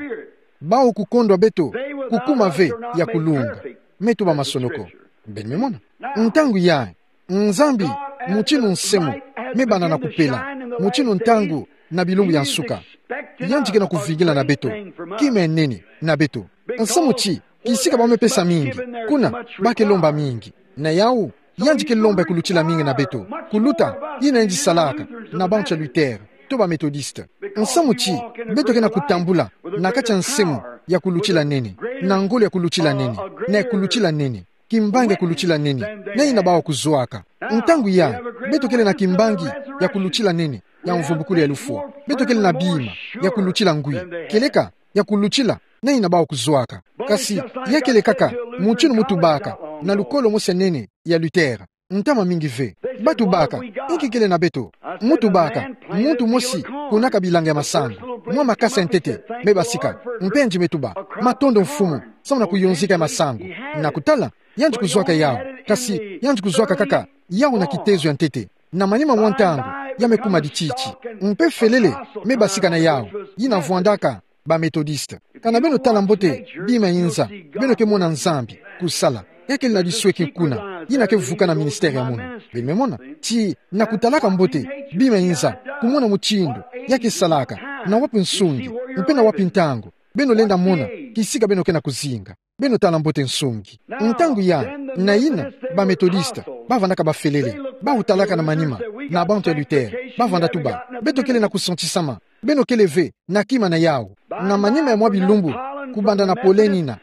Bawu kukondwa beto kukuma ve ya kulunga, me tuba masonoko. Beno me mona? Ntangu yai, Nzambi, mutindu nsemo me banda na kupela, mutindu ntangu na bilumbu ya nsuka, yandi ke na kuvingila na beto kima ya nene na beto. Nsamu ti kisika ba me pesa mingi, kuna ba ke lomba mingi. Na yawu, yandi ke lomba ya kulutila mingi na beto kuluta yina yandi salaka na bantu ya Luther to ba Methodiste. Nsamu ti beto ke na kutambula na kati ya nsemo ya kulutila nene, na ngolo ya kulutila nene, na ya kulutila nene, kimbangi ya kulutila nene na yina bawu kuzwaka. Ntangu yai, beto kele na kimbangi ya kulutila nene ya mvumbukulu ya lufwa. Beto kele na bima ya kulutila ngwi, kieleka ya kulutila na yina bawu kuzwaka. Kasi ya kele kaka mutindu mu tubaka na lukolo mosi ya nene ya Luther, ntama mingi ve. Ba tubaka: Inki kele na beto? Mu tubaka: Muntu mosi kunaka bilanga ya masangu, mwa makasa ya ntete, me basika. Mpe yandi me tuba: Matondo Mfumu, samu na kuyonzika ya masangu. Na kutala, yandi kuzwaka yawu, kasi yandi kuzwaka kaka yawu na kitezo ya ntete. Na manima mwa ntangu, ya me kuma dititi. Mpe felele me basika na yawu, yina vwandaka ba Methodiste. Kana beno tala mbote bima inza, beno ke mona Nzambi kusala. Ya kele na lisweki kuna, yina ke vuka na ministère ya munu. Beno me mona ti na kutalaka mbote bima inza, kumona mutindu ya ke salaka, na wapi nsungi, mpe na wapi ntangu, beno lenda mona kisika beno ke na kuzinga. Beno tala mbote nsungi. Ntangu yai, na yina, ba Methodiste ba vwandaka bafelele, ba utalaka na manima na bantu ya Luther, ba vwanda tuba: Beto kele na kusantisama, beno kele ve na kima na yawu. Na manima ya mwa bilumbu, kubanda na Polenina,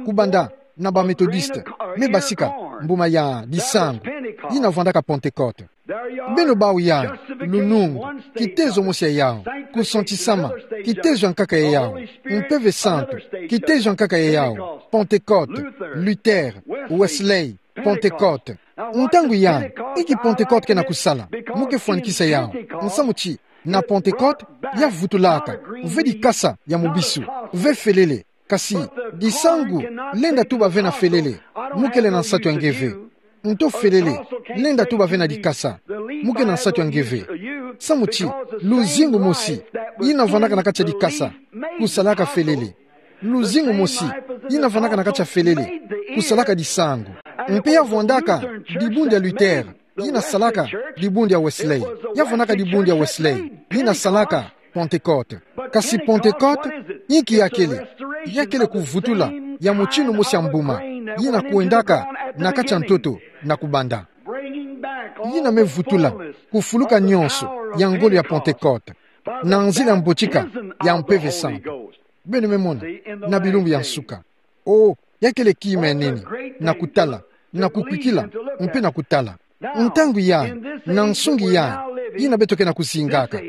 kubanda na ba Methodiste, me basika mbuma ya disangu, yina vwandaka Pentecôte. Beno bawu yai, lunungu, kitezo mosi ya yawu, kusantisama, kitezo ya nkaka ya yawu, Mpeve Santu, kitezo ya nkaka ya yawu, Pentecôte, Luther, Wesley, Pentecôte. Ntangu yai, inki Pentecôte ke na kusala? Mu ke fwanikisa yawu. Nsamu ti na Pentecôte, ya vutulaka ve dikasa ya mubisu, ve felele. Kasi disangu lenda tuba ve na felele, mu kele na nsatu ya nge ve. Nto felele lenda tuba ve na dikasa, mu ke na nsatu ya nge ve. Samu ti luzingu mosi, yina vwandaka na kati ya dikasa, kusalaka felele. Luzingu mosi, yina vwandaka na kati ya felele, kusalaka disangu. Mpe ya vwandaka dibundu ya Luther, yina salaka dibundu ya Wesley. Ya vwandaka dibundu ya Wesley, yina salaka Pentecote. Kasi Pentecote, inki ya kele? Ya kele kuvutula ya mutindu mosi ya mbuma yina kwendaka na kati ya ntoto na kubanda. Yina me vutula kufuluka nyonso ya ngolo ya Pentecote na nzila ya mbotika ya Mpeve Santu. Beno me mona, na bilumbu ya nsuka. O, ya kele kima ya nene, na kutala, na kukwikila, mpe na kutala. Ntangu yayi, na nsungi yayi, yina beto ke na kuzingaka.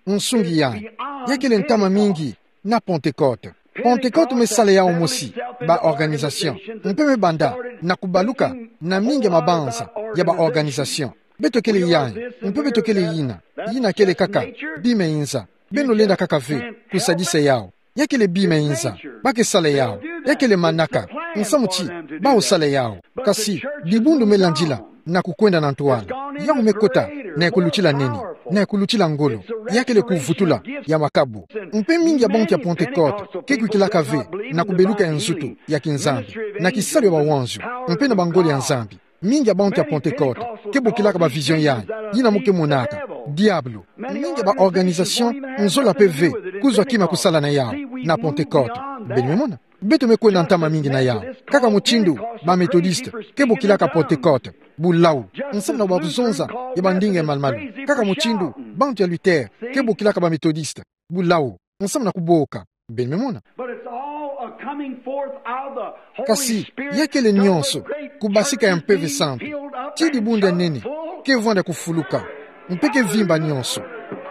Nsungi yayi, ya kele ntama mingi na Pentecote. Pentecote me sala yawu mosi, ba organisation. Mpe me banda na kubaluka na mingi ya mabanza ya ba organisation. Beto kele yayi, mpe beto kele yina. Yina kele kaka bima ya inza. Beno lenda kaka ve kusadisa yawu. Ya kele bima ya inza. Ba ke sala yawu. Ya kele manaka. Nsamu ti bawu sala yawu. Kasi dibundu me landila na kukwenda na ntwala. Yawu me kota na ya kulutila nene, na ya kulutila ngolo. Ya kele kuvutula ya makabu. Mpe mingi ya bantu ya Pentecote ke kwikilaka ve na kubeluka ya nzutu ya kinzambi, na kisalu ya bawanzu, mpe na bangolo ya Nzambi. Mingi ya bantu ya Pentecote ke bokilaka ba vision yayi, yina mo ke monaka diabulu. Mingi ya ba organisation nzola mpe ve kuzwa kima kusala na yawu na Pentecote. Beno me mona, beto me kwenda ntama mingi na yawu. Kaka mutindu ba Methodiste ke bokilaka Pentecote bulawu, nsamu na ba kuzonza ya bandinga ya malumalu. Kaka mutindu bantu ya Luther ke bokilaka ba Methodiste bulawu, nsamu na kuboka. Beno me mona. But it's all a coming forth of the Holy Spirit. Kasi ya kele nyonso kubasika ya Mpeve Santu. Ti dibundu ya nene ke vwanda kufuluka, mpe ke vimba nyonso.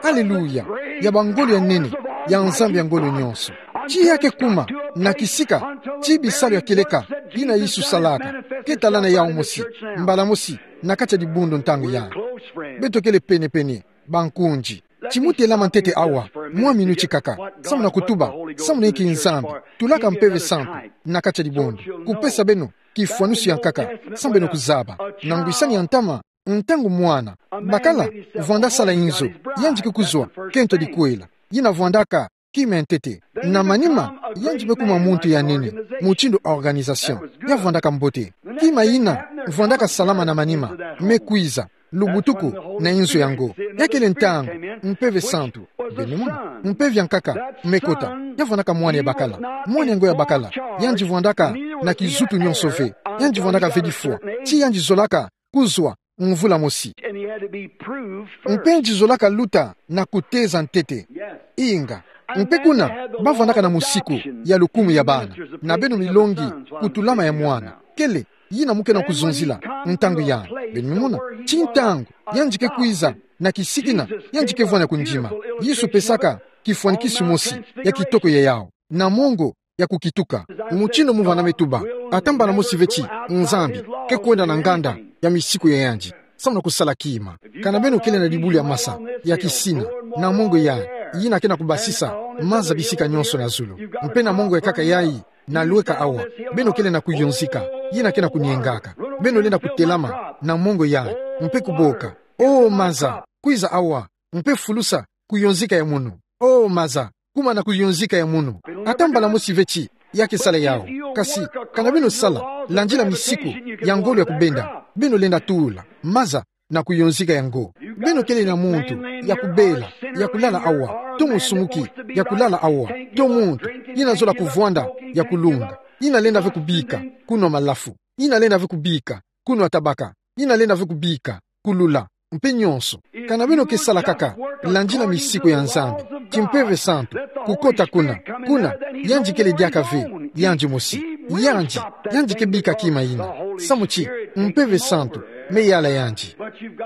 Aleluya. Ya bangolo ya nene ya Nzambi ya ngolo nyonso. Ti ya ke kuma na kisika ti bisalu ya kieleka yina Yesu salaka ke talana yawu mosi, mbala mosi, na kati ya dibundu ntangu yayi. Beto kele pene-pene, bankunzi. Ti mo telama ntete awa mwa minuti kaka, samu na kutuba samu na inki Nzambi tulaka Mpeve Santu na kati ya dibundu, kupesa beno kifwanusu ya nkaka samu beno kuzaba. Na ngwisani ya ntama, ntangu mwana bakala vwanda sala inzo, yandi ke kuzwa kento dikwela. Yina vwandaka kima ya ntete. Na manima, yandi me kuma muntu ya nene, mutindu organisation. Ya vwandaka mbote. Kima yina vwandaka salama na manima me kwiza, lubutuku, na inzo yango. Ya kele ntangu Mpeve Santu. Beno me mona, mpeve ya nkaka me kota. Ya vwandaka mwana ya bakala. Mwana yango ya bakala, yandi vwandaka na kizutu nyonso ve. Yandi vwandaka ve difwa ti yandi zolaka kuzwa mvula mosi. Mpe yandi zolaka luta na kuteza ntete. Inga. Mpe kuna, ba vwandaka na musiku ya lukumu ya bana, na beno milongi kutulama ya mwana. Kele yina mo ke na kuzonzila ntangu yayi. Beno me mona, ti ntangu yandi ke kwiza na kisika yina yandi ke vwanda kundima. Yesu pesaka kifwanikisu mosi ya kitoko ya yawu, na mongo ya kukituka. Mutindu mvana me tuba, ata mbala mosi ve ti Nzambi ke kwenda na nganda ya misiku ya yandi samu na kusala kima. Kana beno kele na dibulu ya masa ya kisina, na mongo yayi, yina ke na kubasisa maza bisika nyonso na zulu. Mpe na mongo ya nkaka yayi na lweka awa, beno kele na kuyonzika yina ke na kuniengaka. Beno lenda kutelama na mongo yayi mpe kuboka: O maza, kwiza awa, mpe fulusa kuyonzika ya munu. O maza, kuma na kuyonzika ya munu. Ata mbala mosi ve ti ya ke sala yawu. Kasi kana beno sala landila misiku ya ngolo ya kubenda, beno lenda tula maza na kuyonzika yango. Beno kele na muntu ya kubela, ya kulala awa, to musumuki ya kulala awa, to muntu yina zola kuvwanda ya kulunga, yina lenda ve kubika kunwa malafu, yina lenda ve kubika kunwa tabaka, yina lenda ve kubika kulula, mpe nyonso. Kana beno ke sala kaka landila misiku ya Nzambi, ti Mpeve Santu kukota kuna, kuna yandi kele diaka ve yandi mosi. Yandi, yandi ke bika kima yina, samu ti Mpeve Santu me yala yandi.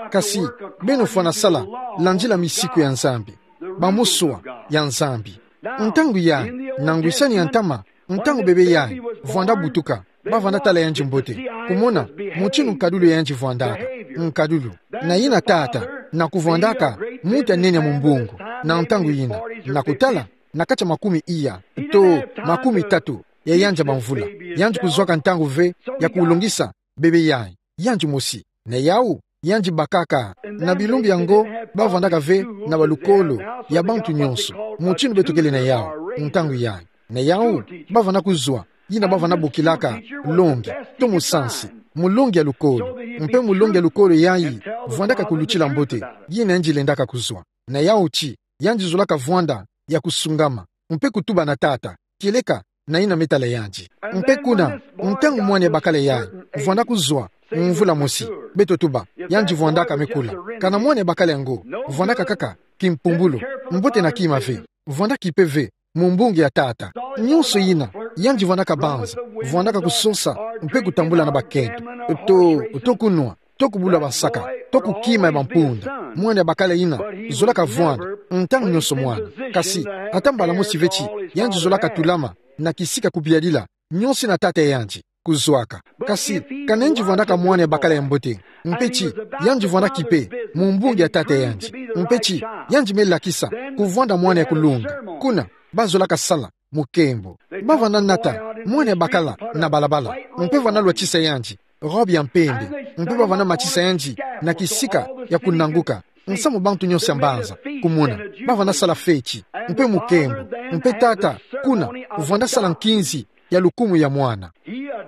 Kasi beno fwana sala landila misiku ya Nzambi, bamuswa ya Nzambi. Ntangu yayi, na ngwisani ya ntama, ntangu bebe yayi vwanda butuka, ba vwanda tala yandi mbote, kumona mutindu nkadulu ya yandi vwandaka. Nkadulu. Na yina tata, na kuvwandaka muntu ya nene ya mumbungu na ntangu yina, na kutala, na kati ya makumi iya to makumi tatu ya yandi ya bamvula, yandi kuzwaka ntangu ve ya kulongisa bebe yayi, yandi mosi. Na yawu, yandi bakaka. Na bilumbu yango, ba vwandaka ve na balukolo ya bantu nyonso, mutindu beto kele na yawu ntangu yayi. Na yawu, ba vwanda kuzwa yina ba vwanda bokilaka longi, to musansi, mulongi ya lukolo. Mpe mulongi ya lukolo yayi vwandaka kulutila mbote yina yandi lendaka kuzwa. Na yawu ti yandi zolaka vwanda ya kusungama, mpe kutuba na Tata, kieleka na yina me tala yandi. Mpe kuna, ntangu mwana ya bakala yayi vwanda kuzwa, mvula mosi, beto tuba, yandi vwandaka me kula. Kana mwana ya bakala yango vwandaka kaka kimpumbulu, mbote na kima ve, vwanda kipe ve, mu mbungi ya Tata. Nyonso yina, yandi vwandaka banza, vwandaka kusosa, mpe kutambula na bakento. To, to kunwa, to kubula basaka, to kukima ya bampunda. Mwana ya bakala yina zolaka vwanda, ntangu nyonso mwana. Kasi, ata mbala mosi ve ti yandi zolaka tulama na kisika kubialila nyonso yina tata ya yandi kuzwaka. Kasi, kana yandi vwandaka mwana ya bakala ya mbote, mpe ti yandi vwanda kipe mu mbungi ya tata ya yandi, mpe ti yandi me lakisa kuvwanda mwana ya kulunga, kuna, ba zolaka sala mu nkembo. Ba vwanda nata mwana ya bakala na balabala, mpe vwanda lwatisa yandi robe ya mpembe, mpe ba vwanda matisa yandi na kisika ya kunanguka, nsamu bantu nyonso ya mbanza kumona. Ba vwanda sala feti, mpe mu nkembo, mpe tata, kuna, vwanda sala nkinzi ya lukumu ya mwana.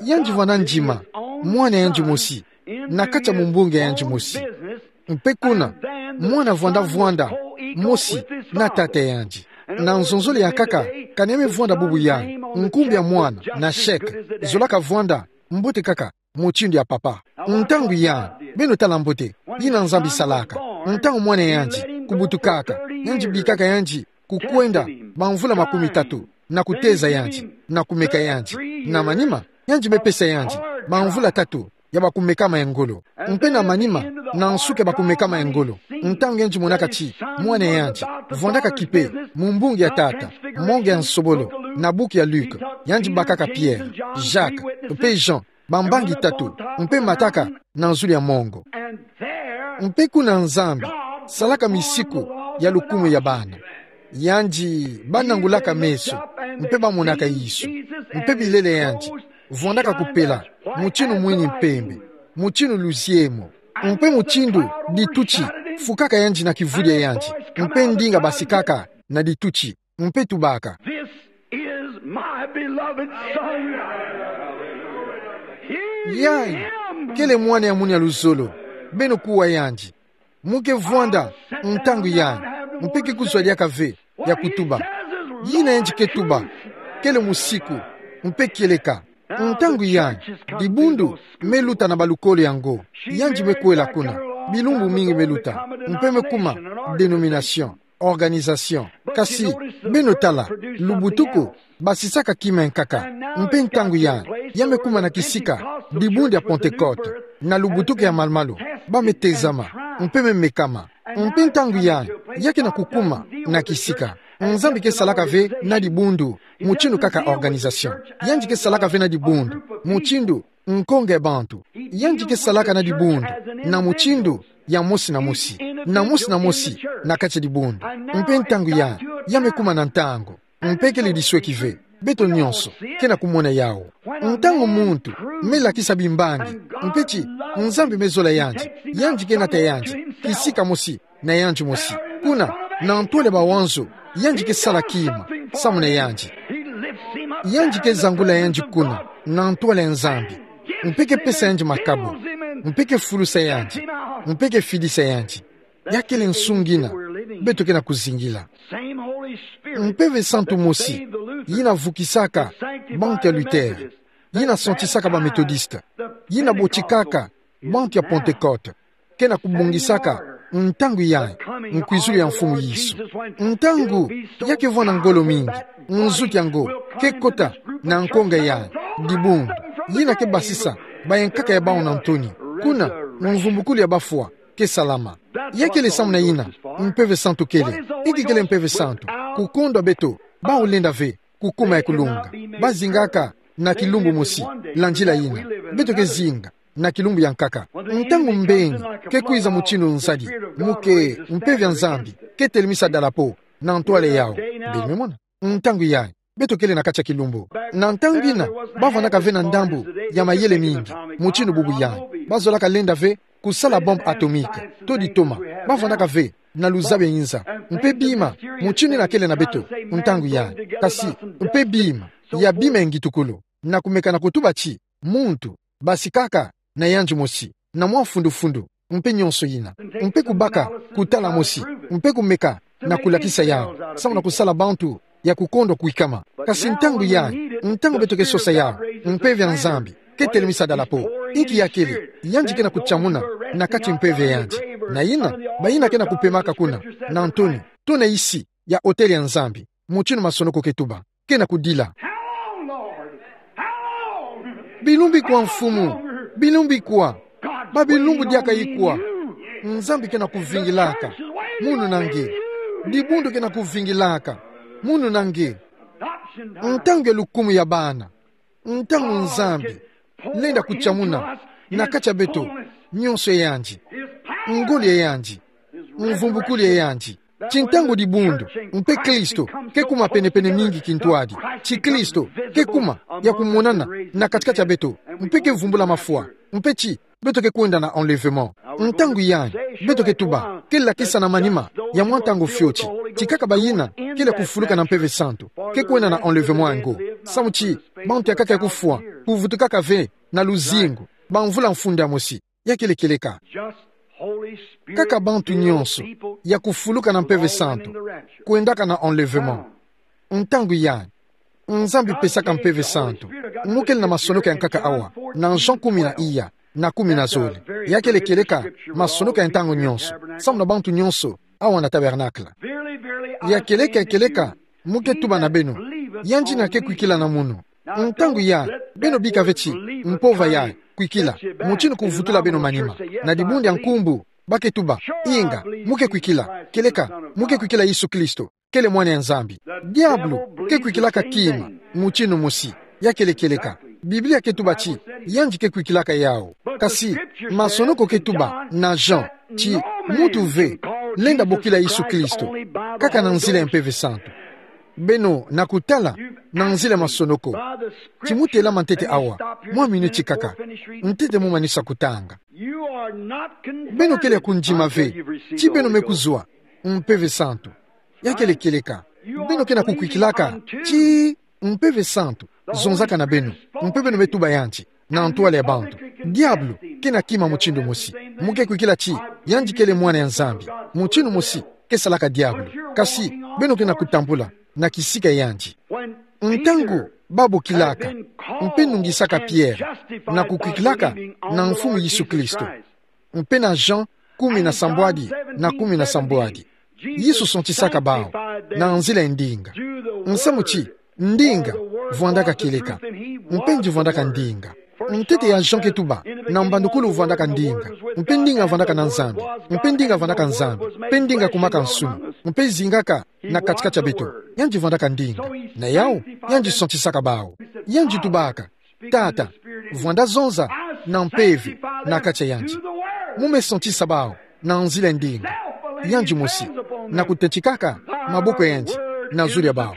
Yandi vwanda ndima mwana ya yandi mosi na kati ya mumbungi ya yandi mosi. Mpe kuna, mwana vwanda vwanda mosi na tata ya yandi. Na nzonzolo ya nkaka, kana ya me vwanda bubu yayi, nkumbu ya mwana na chèque zolaka vwanda mbote kaka mutindu ya papa. Ntangu yayi, beno tala mbote yina Nzambi salaka. Ntangu mwana ya yandi kubutukaka, yandi bikaka yandi kukwenda bamvula makumi tatu, na kuteza yandi, na kumeka yandi. Na manima, yandi me pesa yandi bamvula tatu ya bakumekama ya ngolo. Mpe na manima, na nsuka ya bakumekama ya ngolo, ntangu yandi monaka ti mwana ya yandi vwandaka kipe mu mbungi ya Tata, monge ya nsobolo, na buku ya Luc, yandi bakaka Pierre, Jacques, mpe Jean, bambangi tatu, mpe mataka na nzulu ya mongo. Mpe kuna Nzambi salaka misiku ya lukumu ya bana. Yandi ba nangulaka meso, mpe ba monaka Yesu, mpe bilele ya yandi vwandaka kupela mutinu mwini mpembe, mutinu luziemo, mpe mutindu dituti fukaka yandi na kivuli ya yandi, mpe ndinga basikaka na dituti, mpe tubaka: This is my beloved Son. Hear Yayi him. Kele mwana ya munu ya luzolo, beno kuwa yandi. Mu ke vwanda ntangu yayi, mpe ke kuzwa diaka ve ya kutuba. Yina yandi ke tuba kele musiku, mpe kieleka. Ntangu yayi, dibundu me luta na balukolo yango. Yandi me kwela kuna, bilumbu mingi me luta, mpe me kuma dénomination, organisation. Kasi, beno tala, lubutuku basisaka kima ya nkaka. Mpe ntangu yayi, ya me kuma na kisika dibundu ya Pentecôte, na lubutuku ya malu-malu, ba me tezama, mpe me mekama. Mpe ntangu yayi, ya ke na kukuma na kisika. Nzambi ke salaka ve na dibundu mutinu kaka organisation. Yandi ke salaka ve na dibundu mutinu nkonge ya bantu. Yandi ke salaka na dibundu na mutinu ya mosi na mosi, na mosi na mosi na kati ya dibundu. Mpe ntangu yayi, ya me kuma na ntangu. Mpe kele disweki ve. Beto nyonso ke na kumona yawu. Ntangu muntu me lakisa bimbangi, mpe ti Nzambi me zola yandi, yandi ke nata yandi kisika mosi na yandi mosi. Kuna, na ntwala ya bawanzo, yandi ke sala kima samu na yandi. Yandi ke zangula yandi kuna na ntwala ya Nzambi, mpe ke pesa yandi makabu, mpe ke fulusa yandi, mpe ke fidisa yandi. Ya kele nsu ngina beto ke na kuzingila. Mpeve santu mosi, yina vukisaka bantu ya Luther, yina santisaka ba Methodiste, yina botikaka bantu ya Pentecôte, ke na kubongisaka ntangu yayi, nkwizulu ya Mfumu Yesu. Ntangu ya ke vwanda ngolo mingi, nzuki yango ke kota na nkonga yayi, dibundu, yina ke basisa bayankaka ya bawu na ntoni. Kuna, mvumbukulu ya bafwa ke salama. Ya kele samu na yina mpeve santu kele. Inki kele mpeve santu? Kukondwa beto bawu lenda ve kukuma ya kulunga. Ba zingaka na kilumbu mosi, landila yina beto ke zinga na kilumbu ya nkaka. Ntangu mbeni ke kwiza mutinu nzadi, mu ke mpeve ya Nzambi ke telemisa dalapo na ntwala yawu. Beno me mona? Ntangu yayi, beto kele na kati ya kilumbu. Na ntangu yina, ba vwandaka ve na ndambu ya mayele mingi mutinu bubu yayi. Ba zolaka lenda ve kusala bombe atomique, to ditoma. Ba vwandaka ve na luzabi ya inza, mpe bima mutinu yina kele na beto ntangu yayi. Kasi, mpe bima, ya bima ya ngitukulu, na kumeka na kutuba ti muntu basikaka na yandi mosi, na mwa fundu-fundu, mpe nyonso yina. Mpe kubaka kutala mosi, mpe kumeka na kulakisa yau, samu na kusala bantu ya kukondwa kwikama. Kasi ntangu yayi, ntangu beto ke sosa yau, Mpeve ya Nzambi ke telemisa dalapo. Inki ya kele, yandi ke na kutia muna na kati mpeve yandi. Na yina, bayina ke na kupemaka kuna, na ntoni, to na isi ya otele ya Nzambi, mutinu masonoko ke tuba, ke na kudila: How long, Lord? How long? Bilumbu kwa, Mfumu? Bilumbu kwa? Ba bilumbu diaka ikwa? Nzambi ke na kuvingilaka. Munu na nge. Dibundu ke na kuvingilaka. Munu na nge. Ntangu ya lukumu ya bana. Ntangu Nzambi lenda kutia muna na kati ya beto nyonso ya yandi, ngolo ya yandi, mvumbukulu ya yandi. Ti ntangu dibundu, mpe Kristo ke kuma penepene mingi kintwadi. Ti Kristo ke kuma ya kumonana na katikati ya beto, mpe ke vumbula mafwa, mpe ti beto ke kwenda na enlèvement. Ntangu yayi, beto ke tuba, ke lakisa na manima ya mwa ntangu fioti, ti kaka bayina kele kufuluka na Mpeve Santu ke kwenda na enlèvement ya ngo. Samu ti bantu ya kaka ya kufwa, kuvutukaka ve na luzingu, ba mvula mfunda mosi. Ya kele kieleka. Kaka bantu nyonso ya kufuluka na Mpeve Santu kwendaka na enlèvement. Ntangu yayi, Nzambi pesaka Mpeve Santu. Mu kele na masonoko ya nkaka awa, na Jean kumi na iya, na kumi na zole. Ya kele kieleka masonoko ya ntangu nyonso, samu na bantu nyonso awa na tabernacle. Ya kieleka, kieleka, mu ke tuba na beno, yandi na ke kwikila na munu. Ntangu yayi, beno bika ve ti mpova yayi kwikila, mutinu kuvutula beno manima. Na dibundu ya nkumbu, ba ke tuba: Inga, mu ke kwikila, kieleka mu ke kwikila Yesu Kristo kele Mwana ya Nzambi. Diabulu ke kwikilaka kima mutinu mosi. Ya kele kieleka. Biblia ke tuba ti yandi ke kwikilaka yau. Kasi masonoko ke tuba na Jean ti muntu ve lenda bokila Yesu Kristo, kaka na nzila ya Mpeve Santu. Beno na kutala na nzila ya masonoko. Ti mu telama ntete awa, mwa minuti kaka, ntete mu manisa kutanga. Beno kele ya kundima ve ti beno me kuzwa Mpeve Santu. Ya kele kieleka. Beno ke na kukwikilaka ti Mpeve Santu zonzaka na beno, mpe beno me tuba yandi na ntwala ya bantu. Diabulu ke na kima mutinu mosi. Mu ke kwikila ti yandi kele Mwana ya Nzambi. Mutinu mosi ke salaka diabulu. Kasi beno ke na kutambula na kisika ya yandi. Ntangu ba bokilaka mpe nungisaka Pierre na kukwikilaka na Mfumu Yesu Kristo, mpe na Jean kumi na sambwadi na kumi na sambwadi, Yesu santisaka bau na nzila ya ndinga. Nsamu ti ndinga vwandaka kieleka, mpe yandi vwandaka ndinga. Ntete ya Jean ke tuba, na mbandukulu vwandaka ndinga, mpe ndinga vwandaka na Nzambi, mpe ndinga vwandaka Nzambi, mpe ndinga kumaka nsumu, mpe zingaka na katikati ya beto. Yandi vwandaka ndinga. Na yau, yandi santisaka bau. Yandi tubaka: Tata, vwanda zonza na mpeve na kati ya yandi. Mu me santisa bau na nzila ya ndinga. Yandi mosi, na kutentikaka maboko ya yandi na zulu ya bau.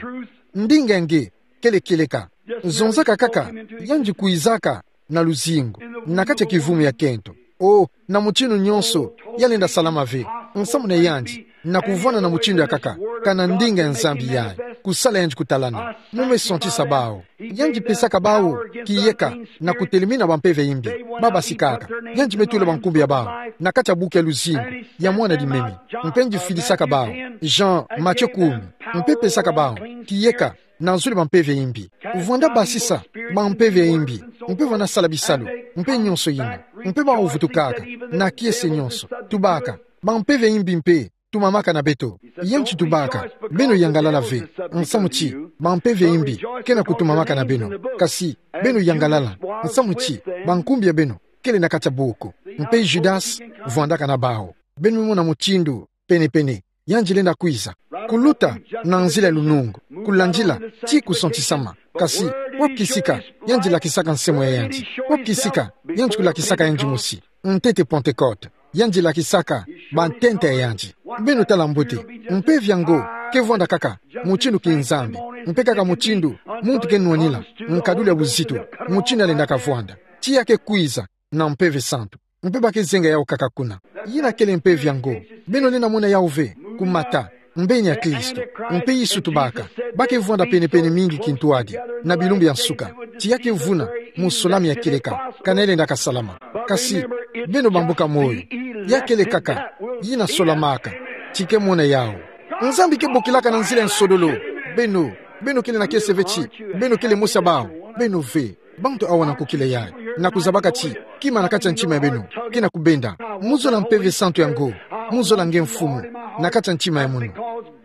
Ndinga ya nge kele kieleka. Zonzaka kaka, yandi kwizaka na luzingu, na kati ya kivumu ya kento. O, na mutinu nyonso, ya lenda salama ve. Nsamu na yandi na kuvwanda na mutinu ya kaka, kana ndinga ya Nzambi yayi, kusala yandi kutalana. Mu me santisa bau. Yandi pesaka bau kiyeka na kutelemina bampeve ya imbi. Ba basikaka. Yandi me tula bankumbu ya bau na kati ya buku ya luzingu ya mwana dimemi. Mpe yandi fidisaka bau. Jean, Matthieu kumi. Mpe pesaka bau kiyeka na zulu bampeve ya imbi. Vwanda basisa bampeve ya imbi, mpe vwanda sala bisalu, mpe nyonso yina. Mpe bau vutukaka na kiese nyonso. Tubaka: Bampeve ya imbi mpe tumamaka na beto. Yandi tubaka: Beno yangalala ve, nsamu ti bampeve ya imbi ke na kutumamaka na beno. Kasi beno yangalala, nsamu ti bankumbu ya beno kele na kati ya buku. Mpe Judas vwandaka na bau. Beno me mona mutindu penepene yandi lenda kwiza. Kuluta na nzila ya lunungu, kulandila tii kusantisama. Kasi wapi kisika yandi lakisaka nsomo ya yandi? Wapi kisika yandi kulakisaka yandi mosi? Ntete Pentecote, yandi lakisaka bantenta ya yandi. Beno tala mbote, mpeve ya ngo ke vwanda kaka mutindu ki Nzambi, mpe kaka mutindu muntu ke nwanila nkadulu ya buzitu, mutindu ya lendaka vwanda, tii ya ke kwiza na Mpeve Santu. Mpe ba ke zenga yau kaka kuna. Yina kele mpeve ya ngo. Beno lenda mona yau ve kumata mbeni ya Kristo. Mpe Yesu tubaka: Ba ke vwanda penepene mingi kintwadi na bilumbu ya nsuka, tii ya ke vuna musolami ya kieleka, kana ya lendaka salama. Kasi beno bambuka moyo, ya kele kaka yina solamaka, tii ke mona yau. Nzambi ke bokilaka na nzila ya nsodolo. Beno, beno kele na kiese ve ti beno kele mosi ya bawu. Beno ve, bantu awa na nkokila yayi, na kuzabaka ti kima na kati ya ntima ya beno ke na kubenda: Mu zola Mpeve Santu yango. Mu zola nge, Mfumu, na kati ya ntima ya munu.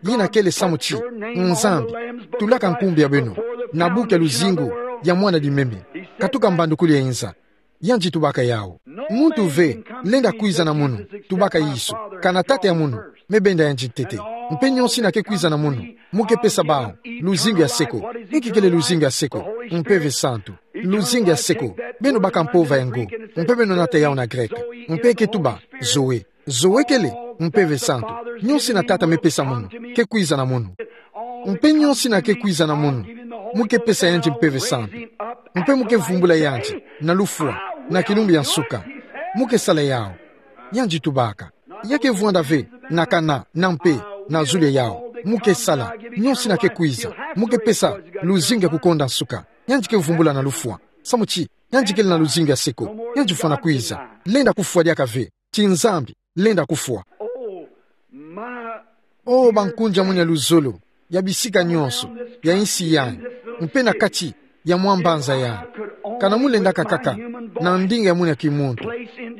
Yina kele samu ti Nzambi tulaka nkumbu ya beno na buku ya luzingu ya Mwana Dimeme, katuka mbandukulu ya inza. Yandi tubaka yawu. Muntu ve lenda kwiza na munu, tubaka Yesu, kana Tata ya munu me benda yandi ntete. Mpe nyonso yina ke kwiza na munu, mu ke pesa bawu luzingu ya seko. Inki kele luzingu ya seko? Mpeve Santu. Luzingu ya seko, beno baka mpova yango, mpe beno nata yawu na greke. Mpe ke tuba Zoe. Zoe kele Mpeve Santu. Nyonso yina Tata me pesa munu ke kwiza na munu. Mpe nyonso yina ke kwiza na munu, mu ke pesa yandi Mpeve Santu. Mpe mu ke vumbula yandi na lufwa, na kilumbu ya nsuka. Mu ke sala yawu. Yandi tubaka. Ya ke vwanda ve na kana, na mpe, na zulu ya yawu. Mu ke sala. Nyonso yina ke kwiza, mu ke pesa luzingu ya kukonda nsuka. Yandi ke vumbula na lufwa, samu ti yandi kele na luzingu ya seko. Yandi fwana kwiza. Lenda kufwa diaka ve. Ti Nzambi lenda kufwa. Oh, bankunja munu ya luzolo, ya bisika nyonso ya insi yayi, mpe na kati ya mwa mbanza yayi. Kana mu lendaka kaka, na ndinga ya munu ya kimuntu,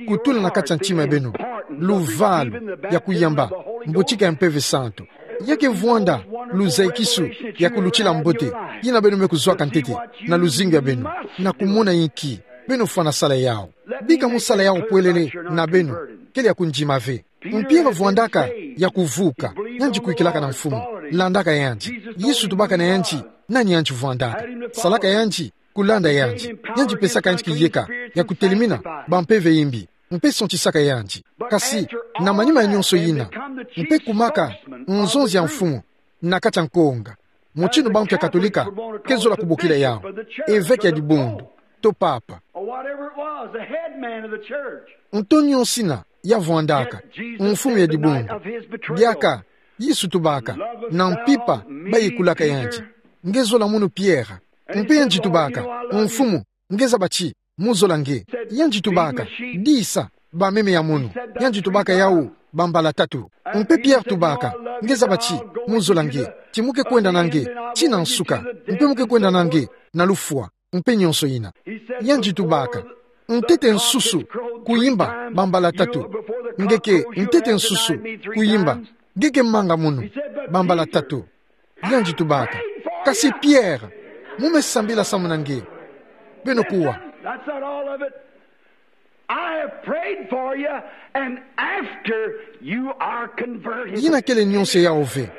kutula na kati ya ntima ya beno luvalu ya kuyamba mbotika ya Mpeve Santu. Ya ke vwanda luzayikisu ya kulutila mbote yina beno me kuzwaka ntete na luzingu ya beno, na kumona inki beno fwana sala yawu. Bika mu sala yawu pwelele na beno, kele ya kundima ve. Mpierre vwandaka ya kuvuka, yandi kwikilaka na Mfumu, landaka yandi. Yesu tubaka na yandi nani yandi vwandaka. Salaka yandi kulanda yandi. Yandi pesaka yandi kiyeka ya kutelimina bampeve imbi, mpe sontisaka yandi. Kasi na manima ya nyonso yina, mpe kumaka nzonzi ya Mfumu na kati ya nkonga, mutindu bantu ya Katolika ke zola kubokila yawu, eveke ya dibundu, to papa. Or whatever it was, the head man of the church. Nto nyonso yina ya vwandaka, mfumu ya dibundu. Diaka Yesu tubaka na mpimpa bayikulaka yandi: Nge zola munu Pierre. Mpe yandi tubaka: Mfumu, nge zaba ti mu zola nge. Yandi tubaka: Disa bameme ya munu. Yandi tubaka yawu bambala tatu. Mpe Pierre tubaka: Nge zaba ti mu zola nge, ti mu ke kwenda na nge ti na nsuka, mpe mu ke kwenda na nge na lufwa, mpe nyonso yina. Yandi tubaka: Ntete nsusu kuyimba bambala tatu. Nge ke ntete nsusu kuyimba, nge ke manga munu bambala tatu. Yandi tubaka: Kasi Pierre, mu me sambila samu na nge. Beno kuwa. That's not all of it. I have prayed for you, and after you are converted. Yina kele nyonso yawu ve.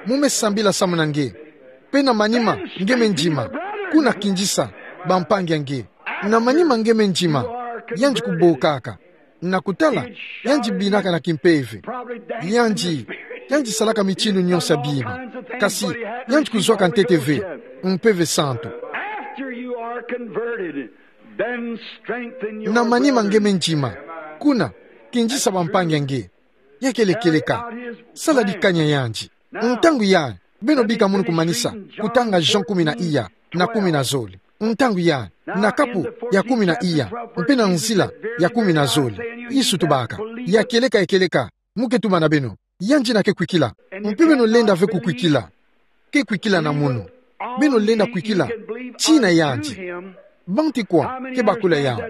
Mu me sambila samu na nge. Mpe na manima nge me ndima, kuna kindisa bampangi ya nge. Na manima nge me ndima, yandi kubokaka na kutala, yandi binaka na kimpeve. Yandi, yandi salaka mitindu nyonso ya bima. Kasi yandi kuzwaka ntete ve Mpeve Santu. After you are converted, then strengthen your brethren. Na manima nge me ndima, kuna kindisa bampangi ya nge. Ya kele kieleka. Sala dikani ya yandi. Ntangu yayi, beno bika munu kumanisa kutanga Jean kumi na iya na kumi na zole. Ntangu yayi, na kapu ya kumi na iya, mpe na nzila ya kumi na zole, Yesu tubaka: Ya kieleka, ya kieleka, mu ke tuba na beno: Yandi yina ke kwikila. Mpe beno lenda ve kukwikila. Ke kwikila na munu. Beno lenda kwikila tii na yandi. Banti kwa ke bakula yawu?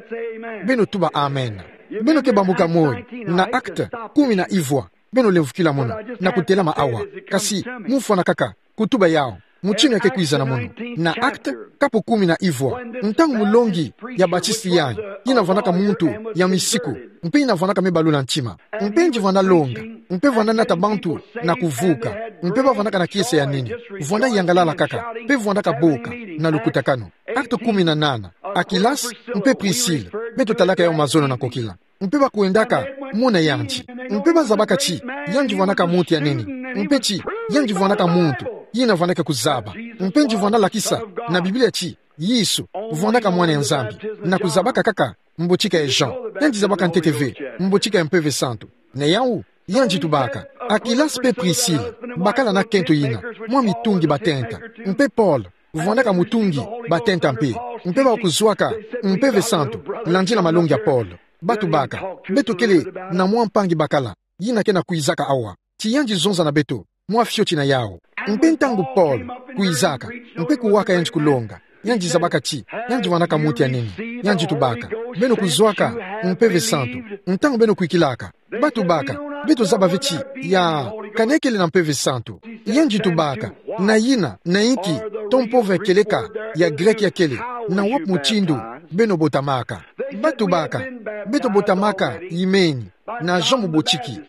Beno tuba amen. Beno ke bambuka moyo na Actes kumi na ivwa. Beno lemvukila munu na kutelama awa. Kasi mu fwana kaka kutuba yawu mutindu ya ke kwiza na munu. Na Actes, kapu kumi na ivwa, ntangu mulongi ya Baptiste yayi, yina vwandaka muntu ya misiku, mpe yina vwandaka me balula ntima, mpe yandi vwanda longa, mpe vwanda nata bantu na kuvuka, mpe bavwandaka na kiese ya nene, vwanda yangalala kaka, mpe vwandaka boka na lukutakanu. Actes kumi na nana. Aquillas mpe Priscille, beto talaka yawu mazono na nkokila. Mpe bakwendaka mona yandi. Mpe bazabaka ti yandi vwandaka muntu ya nene. Mpe ti yandi vwandaka muntu yina vwandaka kuzaba. Mpe yandi vwanda lakisa na Biblia ti Yesu vwandaka Mwana ya Nzambi. Na kuzabaka kaka mbotika ya Jean, yandi zabaka ntete ve mbotika ya Mpeve Santu. Na yawu, yandi tubaka: Aquillas mpe Priscille bakala na kento yina, mwa mitungi batenta. Mpe Paul vwandaka mutungi batenta mpe. Mpe bakuzwaka Mpeve Santu landila malongi ya Paul. Batubaka: Beto kele na mwa mpangi bakala, yina ke na kwizaka awa. Ti yandi zonza na beto. mwa fioti na yawu. Mpe ntangu Paul kwizaka, mpe kuwaka yandi kulonga, yandi zabaka ti yandi vwandaka muntu ya nene, yandi tubaka: Beno kuzwaka Mpeve Santu? Ntangu beno kwikilaka, batubaka: Beto zaba ve ti ya kana kele na Mpeve Santu. Yandi tubaka: Na yina, na inki, to mpova ya kieleka ya Greke ya kele, na wapi mutindu beno botamaka? Batubaka: Beto botamaka yimeni, na Jean Mubotiki.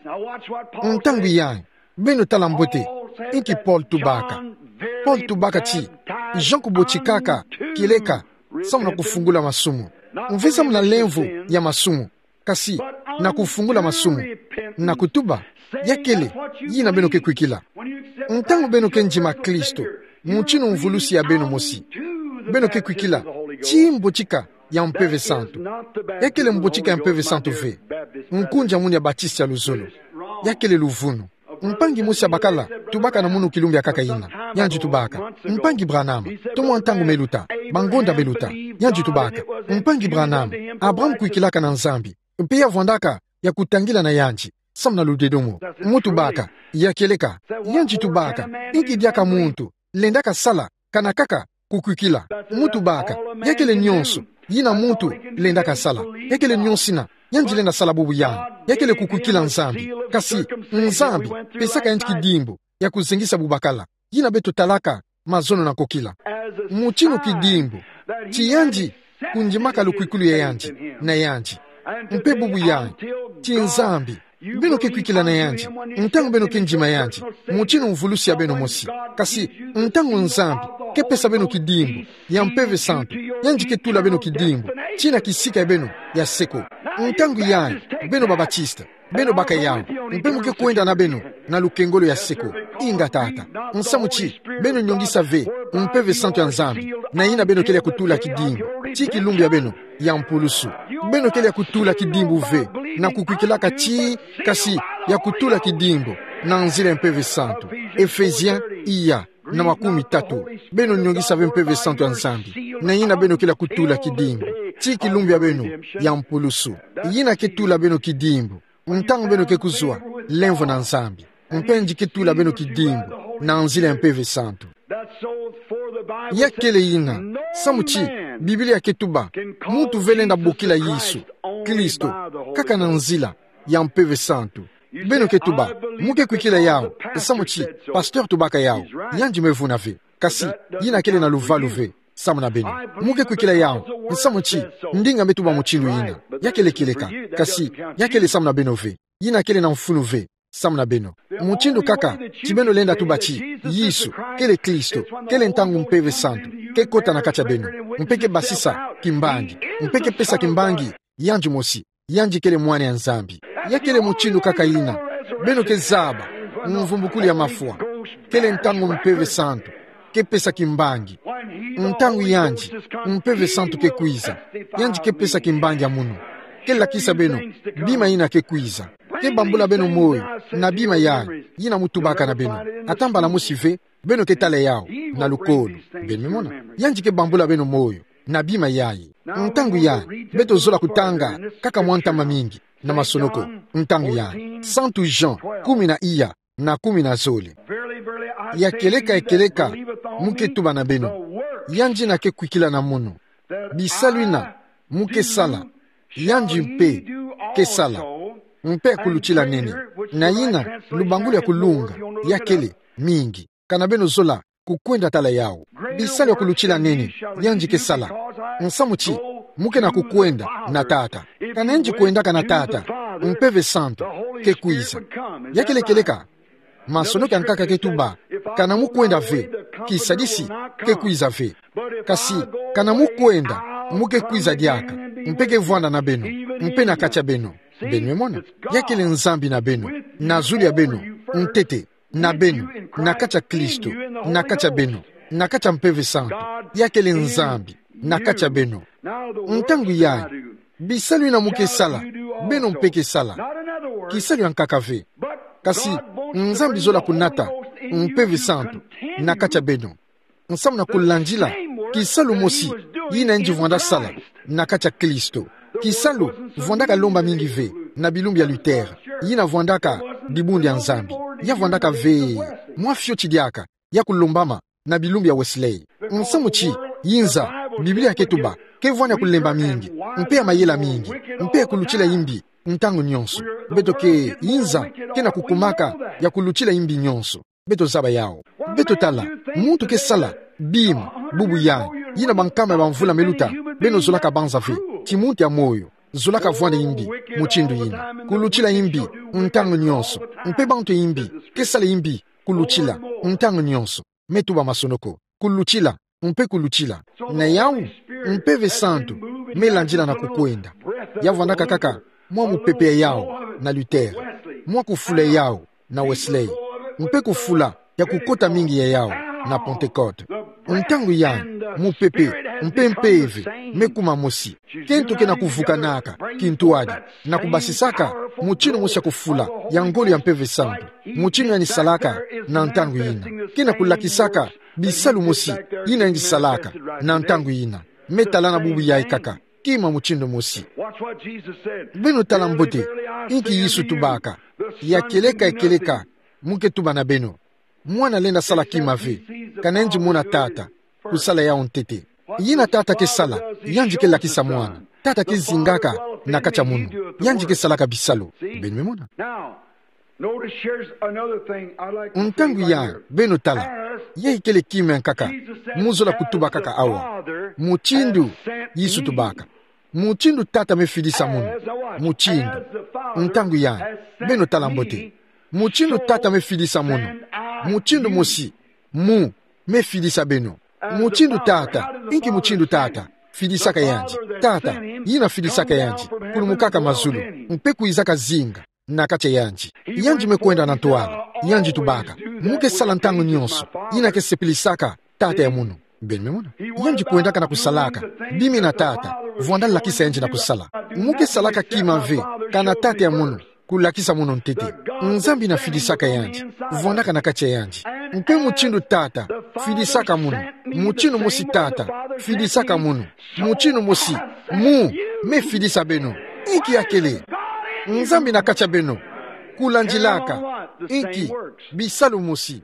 Ntangu yayi, beno tala mbote inki Paul tubaka. Paul tubaka ti Jean kubotikaka kieleka samu na kufungula masumu. Mve samu na lemvo ya masumu, kasi na kufungula masumu, na kutuba: Ya kele yina beno ke kwikila. Ntangu beno ke ndima Kristo, mutindu mvulusi ya beno mosi, beno ke kwikila ti mbotika ya Mpeve Santu. Ya kele mbotika ya Mpeve Santu ve nkunzi ya munu ya Batiste ya luzolo. Ya kele luvunu. Mpangi mosi ya bakala tubaka na munu kilumbu ya nkaka yina. Yandi tubaka: Mpangi Branham, to mwa ntangu me luta, bangonda me luta. Yandi tubaka: Mpangi Branham, Abraham kwikilaka na Nzambi, mpe ya vwandaka ya kutangila na yandi samu na ludedomo. Mu tubaka: Ya kieleka. Yandi tubaka: Inki diaka muntu lendaka sala kana kaka kukwikila? Mu tubaka: Ya kele nyonso yina muntu lendaka sala. Ya kele nyonso yina yandi lenda sala bubu yandi. Ya kele kukwikila Nzambi. Kasi Nzambi pesaka yandi kidimbu ya kuzengisa bu bakala. Yina beto talaka mazono na nkokila. Mutindu kidimbu ti yandi kundimaka lukwikulu ya yandi na yandi. Mpe bubu yayi, ti Nzambi beno ke kwikila na yandi ntangu beno ke ndima yandi mutindu mvulusi ya beno mosi. Kasi ntangu Nzambi ke pesa beno kidimbu ya Mpeve Santu, yandi ke tula beno kidimbu tii na kisika ya beno ya seko. Ntangu yayi, beno ba Batiste, beno baka yawu, mpe mu ke kwenda na beno na lukengolo ya seko. Inga tata, nsamu ti beno nyongisa ve Mpeve Santu ya Nzambi, na yina beno kele ya kutula kidimbu tii kilumbu ya beno ya mpulusu. Beno kele ya kutula kidimbu ve na kukwikilaka tii, kasi ya kutula kidimbu na nzila ya Mpeve Santu. Ephésiens iya na makumi tatu. Beno nyongisa ve Mpeve Santu ya Nzambi, na yina beno kele ya kutula kidimbu tii kilumbu ya beno ya mpulusu. Yina ke tula beno kidimbu ntangu beno ke kuzwa lemvo na Nzambi. Mpe yandi ke tula beno kidimbu na nzila ya Mpeve Santu. Ya kele yina, samu ti Biblia ke tuba: Muntu ve lenda bokila Yesu Kristo kaka na nzila ya Mpeve Santu. Beno ke tuba: Mu ke kwikila yawu, nsamu ti pasteur tubaka yawu. Yandi me vuna ve. Kasi yina kele na luvalu ve samu na beno. Mu ke kwikila yawu, nsamu ti ndinga me tuba mutindu yina. Ya kele kieleka. Kasi ya kele samu na beno ve. Yina kele na mfunu ve samu na beno. Mutindu kaka ti beno lenda tuba ti Yesu kele Kristo, kele ntangu Mpeve Santu ke kota na kati ya beno, mpe ke basisa kimbangi, mpe ke pesa kimbangi yandi mosi. Yandi kele Mwana ya Nzambi. Ya kele mutindu kaka yina beno ke zaba mvumbukulu ya mafwa. Kele ntangu Mpeve Santu ke pesa kimbangi. Ntangu yandi Mpeve Santu ke kwiza, yandi ke pesa kimbangi ya munu. Ke lakisa beno bima yina ke kwiza. Ke bambula beno moyo na bima yayi yina mu tubaka na beno. Ata mbala mosi ve beno ke tala yawu na lukolo. Beno me mona. Yandi ke bambula beno moyo na bima yayi. Ntangu yayi, beto zola kutanga kaka mwa ntama mingi na masonoko. Ntangu yayi, Santu Jean, kumi na iya na kumi na zole. Ya kieleka, ya kieleka, mu ke tuba na beno, yandi yina ke kwikila na munu, bisalu yina mu ke sala, yandi mpe ke sala, mpe ya kulutila nene. Na yina lubangulu ya kulunga, ya kele mingi. Kana beno zola kukwenda tala yawu. Bisalu ya kulutila nene yandi ke sala. Nsamu ti mu ke na kukwenda na Tata. Kana yandi kwendaka na Tata, Mpeve Santu ke kwiza. Ya kele kieleka, masonoko ya nkaka ke tuba: Kana mu kwenda ve, kisadisi ke kwiza ve. Kasi kana mu kwenda, mu ke kwiza diaka, mpe ke vwanda na beno, mpe na kati ya beno. Beno me mona. Ya kele Nzambi na beno, na zulu ya beno, ntete, na beno, na kati ya Kristo, na kati ya beno, na kati ya Mpeve Santu. Ya kele Nzambi na kati ya beno. Ntangu yayi, bisalu yina mu ke sala, beno mpe ke sala. Kisalu ya nkaka ve. Kasi Nzambi zola kunata Mpeve Santu na kati ya beno, nsamu na kulandila kisalu mosi yina yandi vwanda sala na kati ya Kristo. Kisalu vwandaka lomba mingi ve na bilumbu ya Luther, yina vwandaka dibundu ya Nzambi. Ya vwandaka ve mwa fioti diaka ya kulombama na bilumbu ya Wesley. Nsamu ti, yinza, Biblia ke tuba, ke vwani ya kulemba mingi, mpe ya mayela mingi, mpe ya kulutila imbi ntangu nyonso. Beto ke, yinza, ke na kukumaka ya kulutila imbi nyonso. Beto zaba yawu. Beto tala, muntu ke sala bima, bubu yai, yina bankama ya bamvula me luta, beno zolaka banza ve ti muntu ya moyo zolaka vwanda imbi mutindu yina. Kulutila imbi ntangu nyonso. Mpe bantu ya imbi ke sala imbi kulutila ntangu nyonso. Me tuba masonoko. Kulutila, mpe kulutila. Na yawu, Mpeve Santu me landila na kukwenda. Ya vwandaka kaka mwa mupepe ya yawu na Luther, mwa kufula ya yawu na Wesley, mpe kufula ya kukota mingi ya yawu na Pentecote. Ntangu yai, mupepe mpe mpeve me kuma mosi. Kento ke na kuvukanaka kintwadi, na kubasisaka mutindu mosi ya kufula ya ngolo ya Mpeve Santu, mutindu yandi salaka na ntangu yina. Ke na kulakisaka bisalu mosi yina yandi salaka na ntangu yina. Me tala na bubu yai kaka, kima mutindu mosi. Beno tala mbote inki Yesu tubaka: Ya kieleka, ya kieleka, mu ke tuba na beno, Mwana lenda sala kima ve, kana yandi mona Tata kusala yawu ntete. Yina Tata ke sala, yandi ke lakisa Mwana. Tata ke zingaka na kati ya munu, yandi ke salaka bisalu. Beno me mona. Ntangu yai, beno tala, yai kele kima ya nkaka mu zola kutuba kaka awa, mutindu Yesu tubaka: Mutindu Tata me fidisa munu, mutindu. Ntangu yai, beno tala mbote: Mutindu Tata me fidisa munu, mutindu mosi mu me fidisa beno. Mutindu Tata, inki mutindu Tata fidisaka yandi? Tata, yina fidisaka yandi, kulumukaka mazulu, mpe kwizaka zinga na kati ya yandi. Yandi me kwenda na ntwala, yandi tubaka: Mu ke sala ntangu nyonso yina ke sepelisaka Tata ya munu. Beno me mona. Yandi kwendaka na kusalaka bima yina Tata vwanda lakisa yandi na kusala. Mu ke salaka kima ve, kana Tata ya munu kulakisa munu ntete. Nzambi yina fidisaka yandi vwandaka na kati ya yandi. Mpe mutindu Tata fidisaka munu, mutindu mosi Tata fidisaka munu, mutindu mosi mu me fidisa beno. Inki ya kele? Nzambi na kati ya beno, kulandilaka inki? Bisalu mosi.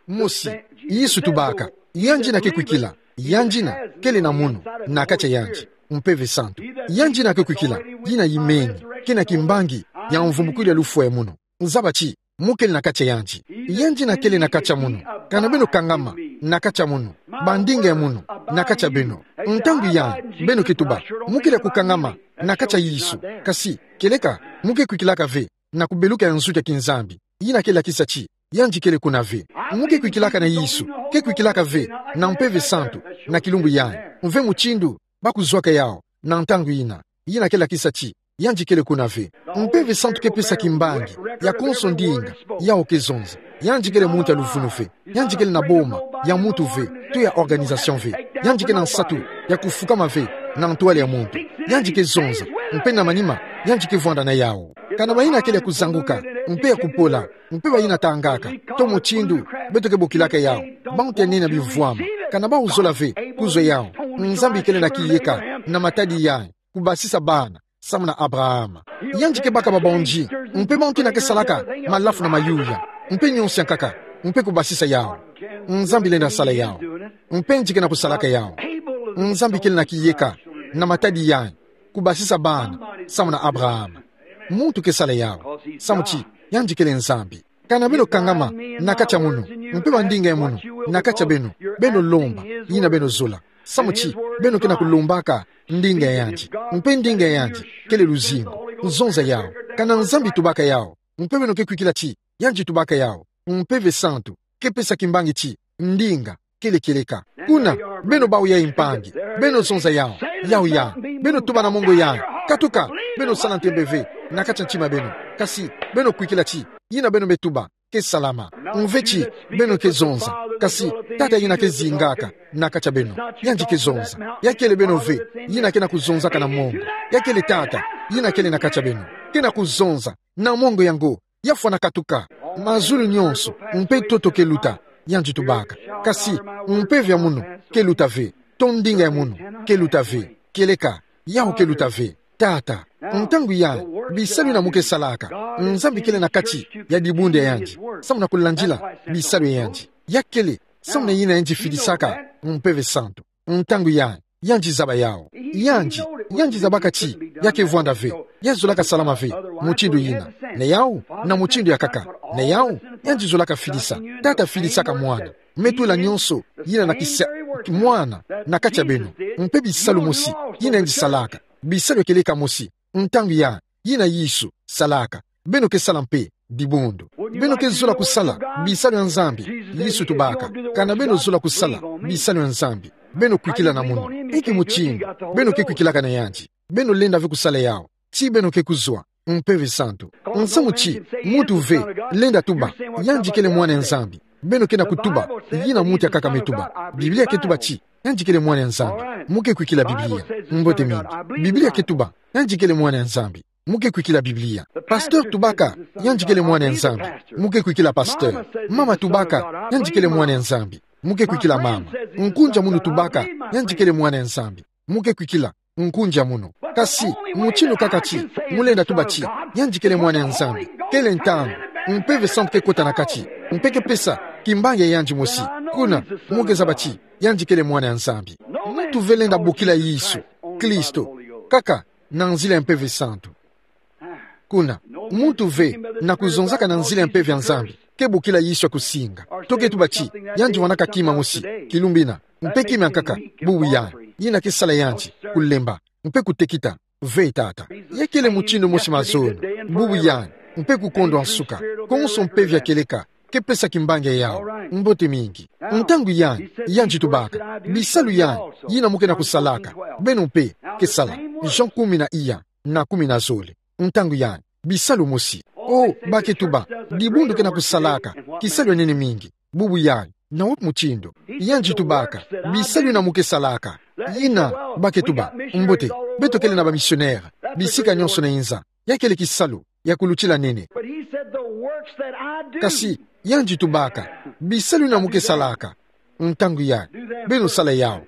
Mosi, Yesu tubaka, yandi yina ke kwikila, yandi yina kele na munu na kati ya yandi, Mpeve Santu. Yandi yina ke kwikila, yina yimeni, ke na kimbangi ya mvumbukulu ya lufwa ya munu. Zaba ti, mu kele na kati ya yandi. Yandi yina kele na kati ya munu, kana beno kangama na kati ya munu, bandinga ya munu na kati ya beno. Ntangu yai, beno ke tuba, mu kele ya kukangama na kati ya Yesu, kasi, kieleka, mu ke kwikilaka ve na kubeluka ya nsuki ya kinzambi, yina ke lakisa ti yandi kele kuna ve. Mu ke kwikilaka na Yesu, ke kwikilaka ve na Mpeve Santu na kilumbu yai, mve mutindu ba kuzwaka yawu na ntangu yina, yina ke lakisa ti yandi kele kuna ve. Mpeve Santu ke pesa kimbangi ya konso ndinga, yawu ke zonza. Yandi kele muntu ya luvunu ve, yandi kele na boma ya muntu ve, to ya organisation ve. Yandi ke na nsatu ya kufukama ve na ntwala ya muntu. Yandi ke zonza, mpe na manima, yandi ke vwanda na yawu. Kana bayina kele ya kuzanguka, mpe ya kupola, mpe bayina tangaka, to mutindu beto ke bokilaka yawu, bantu ya nene ya bivwama, kana bawu zola ve kuzwa yawu? Nzambi kele na kiyeka na matadi yai, kubasisa bana samu na Abrahama. Yandi ke baka babonzi, mpe bantu yina ke salaka malafu na mayuya, mpe nyonso ya nkaka, mpe kubasisa yawu. Nzambi lenda sala yawu. Mpe yandi ke na kusalaka yawu. Nzambi kele na kiyeka na matadi yai, kubasisa bana samu na Abrahama. Muntu ke sala yawu, samu ti yandi kele Nzambi. Kana beno kangama na kati ya munu, mpe bandinga ya munu na kati ya beno, beno lomba yina beno zola. Samu ti beno ke na kulombaka ndinga ya yandi, mpe ndinga ya yandi kele luzingu, zonza yawu. Kana Nzambi tubaka yawu, mpe beno ke kwikila ti yandi tubaka yawu, Mpeve Santu ke pesa kimbangi ti ndinga kele kieleka. Kuna, beno bawu yai mpangi, beno zonza yawu, yawu yai, beno tuba na mongo yai: Katuka. Beno sala ntembe ve na kati ya ntima beno, kasi beno kwikila ti yina beno me tuba ke salama. Mve ti beno ke zonza, kasi Tata yina ke zingaka na kati ya beno, yandi ke zonza. Ya kele beno ve yina ke na kuzonzaka na mongo. Ya kele Tata yina kele na kati ya beno, ke na kuzonza na mongo yango. Ya fwana katuka. Mazulu nyonso mpe ntoto ke luta, yandi tubaka. Kasi mpeve ya munu ke luta ve, to ndinga ya munu ke luta ve. Kieleka, yawu ke luta ve. Tata, ntangu yai, bisalu yina mu ke salaka, Nzambi kele na kati ya dibundu ya yandi, samu na kulandila bisalu ya yandi. Ya kele samu na yina yandi filisaka Mpeve Santu. Ntangu yai, yandi zaba yawu. Yandi, yandi zabaka ti ya ke vwanda ve, ya zolaka salama ve mutindu yina. Na yawu, na mutindu yakaka. Na yawu, yandi zolaka filisa. Tata filisaka mwana. Me tula nyonso yina na kisa, mwana, na kati ya beno. Mpe bisalu mosi yina yandi salaka, bisalu ya kieleka mosi, ntangu yai, yina Yesu salaka. Beno ke sala mpe dibundu. Beno ke zola kusala bisalu ya Nzambi? Yesu tubaka: Kana beno zola kusala bisalu ya Nzambi, beno kwikila na munu. Inki mutindu beno ke kwikilaka na yandi? Beno lenda ve kusala yawu, ti beno ke kuzwa Mpeve Santu. Nsamu ti muntu ve lenda tuba yandi kele mwana ya Nzambi. Beno ke na kutuba yina muntu yakaka me tuba. Biblia ke tuba ti yandi kele mwana ya Nzambi. Mu ke kwikila Biblia? Mbote mingi. Biblia ke tuba yandi kele mwana ya Nzambi. Mu ke kwikila Biblia? Pasteur tubaka yandi kele mwana ya Nzambi. Mu ke kwikila pasteur? Mama tubaka yandi kele mwana ya Nzambi. Mu ke kwikila mama? Nkunzi ya munu tubaka yandi kele mwana ya Nzambi. Mu ke kwikila nkunzi ya munu? Kasi mutindu kaka ti mu lenda tuba ti yandi kele mwana ya Nzambi, kele ntangu Mpeve Santu ke kota na kati, mpe ke pesa kimbangi ya yandi mosi. Kuna mu ke zaba ti yandi kele mwana ya Nzambi. Muntu ve lenda bokila Yesu Kristo kaka na nzila ya Mpeve Santu. Kuna, muntu ve na kuzonzaka na nzila ya Mpeve ya Nzambi ke bokila Yesu ya kusinga, to ke tuba ti yandi vwanaka kima mosi kilumbu yina, mpe kima ya nkaka, bubu yandi, yina ke sala yandi kulemba mpe kutekita ve, Tata. Ya kele mutindu mosi mazono, bubu yandi, mpe kukondwa nsuka, konso mpeve ya kieleka ke pesa kimbangi ya yawu. Mbote mingi. Ntangu yandi, yandi tubaka: Bisalu yandi yina mu ke na kusalaka, beno mpe ke sala. Jean kumi na iya, na kumi na zole. Ntangu yandi, bisalu mosi. O, ba ke tuba: Dibundu ke na kusalaka kisalu ya nene mingi. Bubu yandi, na wapi mutindu? Yandi tubaka: Bisalu yina mu ke salaka. Yina, ba ke tuba: Mbote, beto kele na bamisionere bisika nyonso na inza. Ya kele kisalu ya kulutila nene. Kasi yandi tubaka: Bisalu yina mu ke salaka, ntangu yandi, beno sala yawu.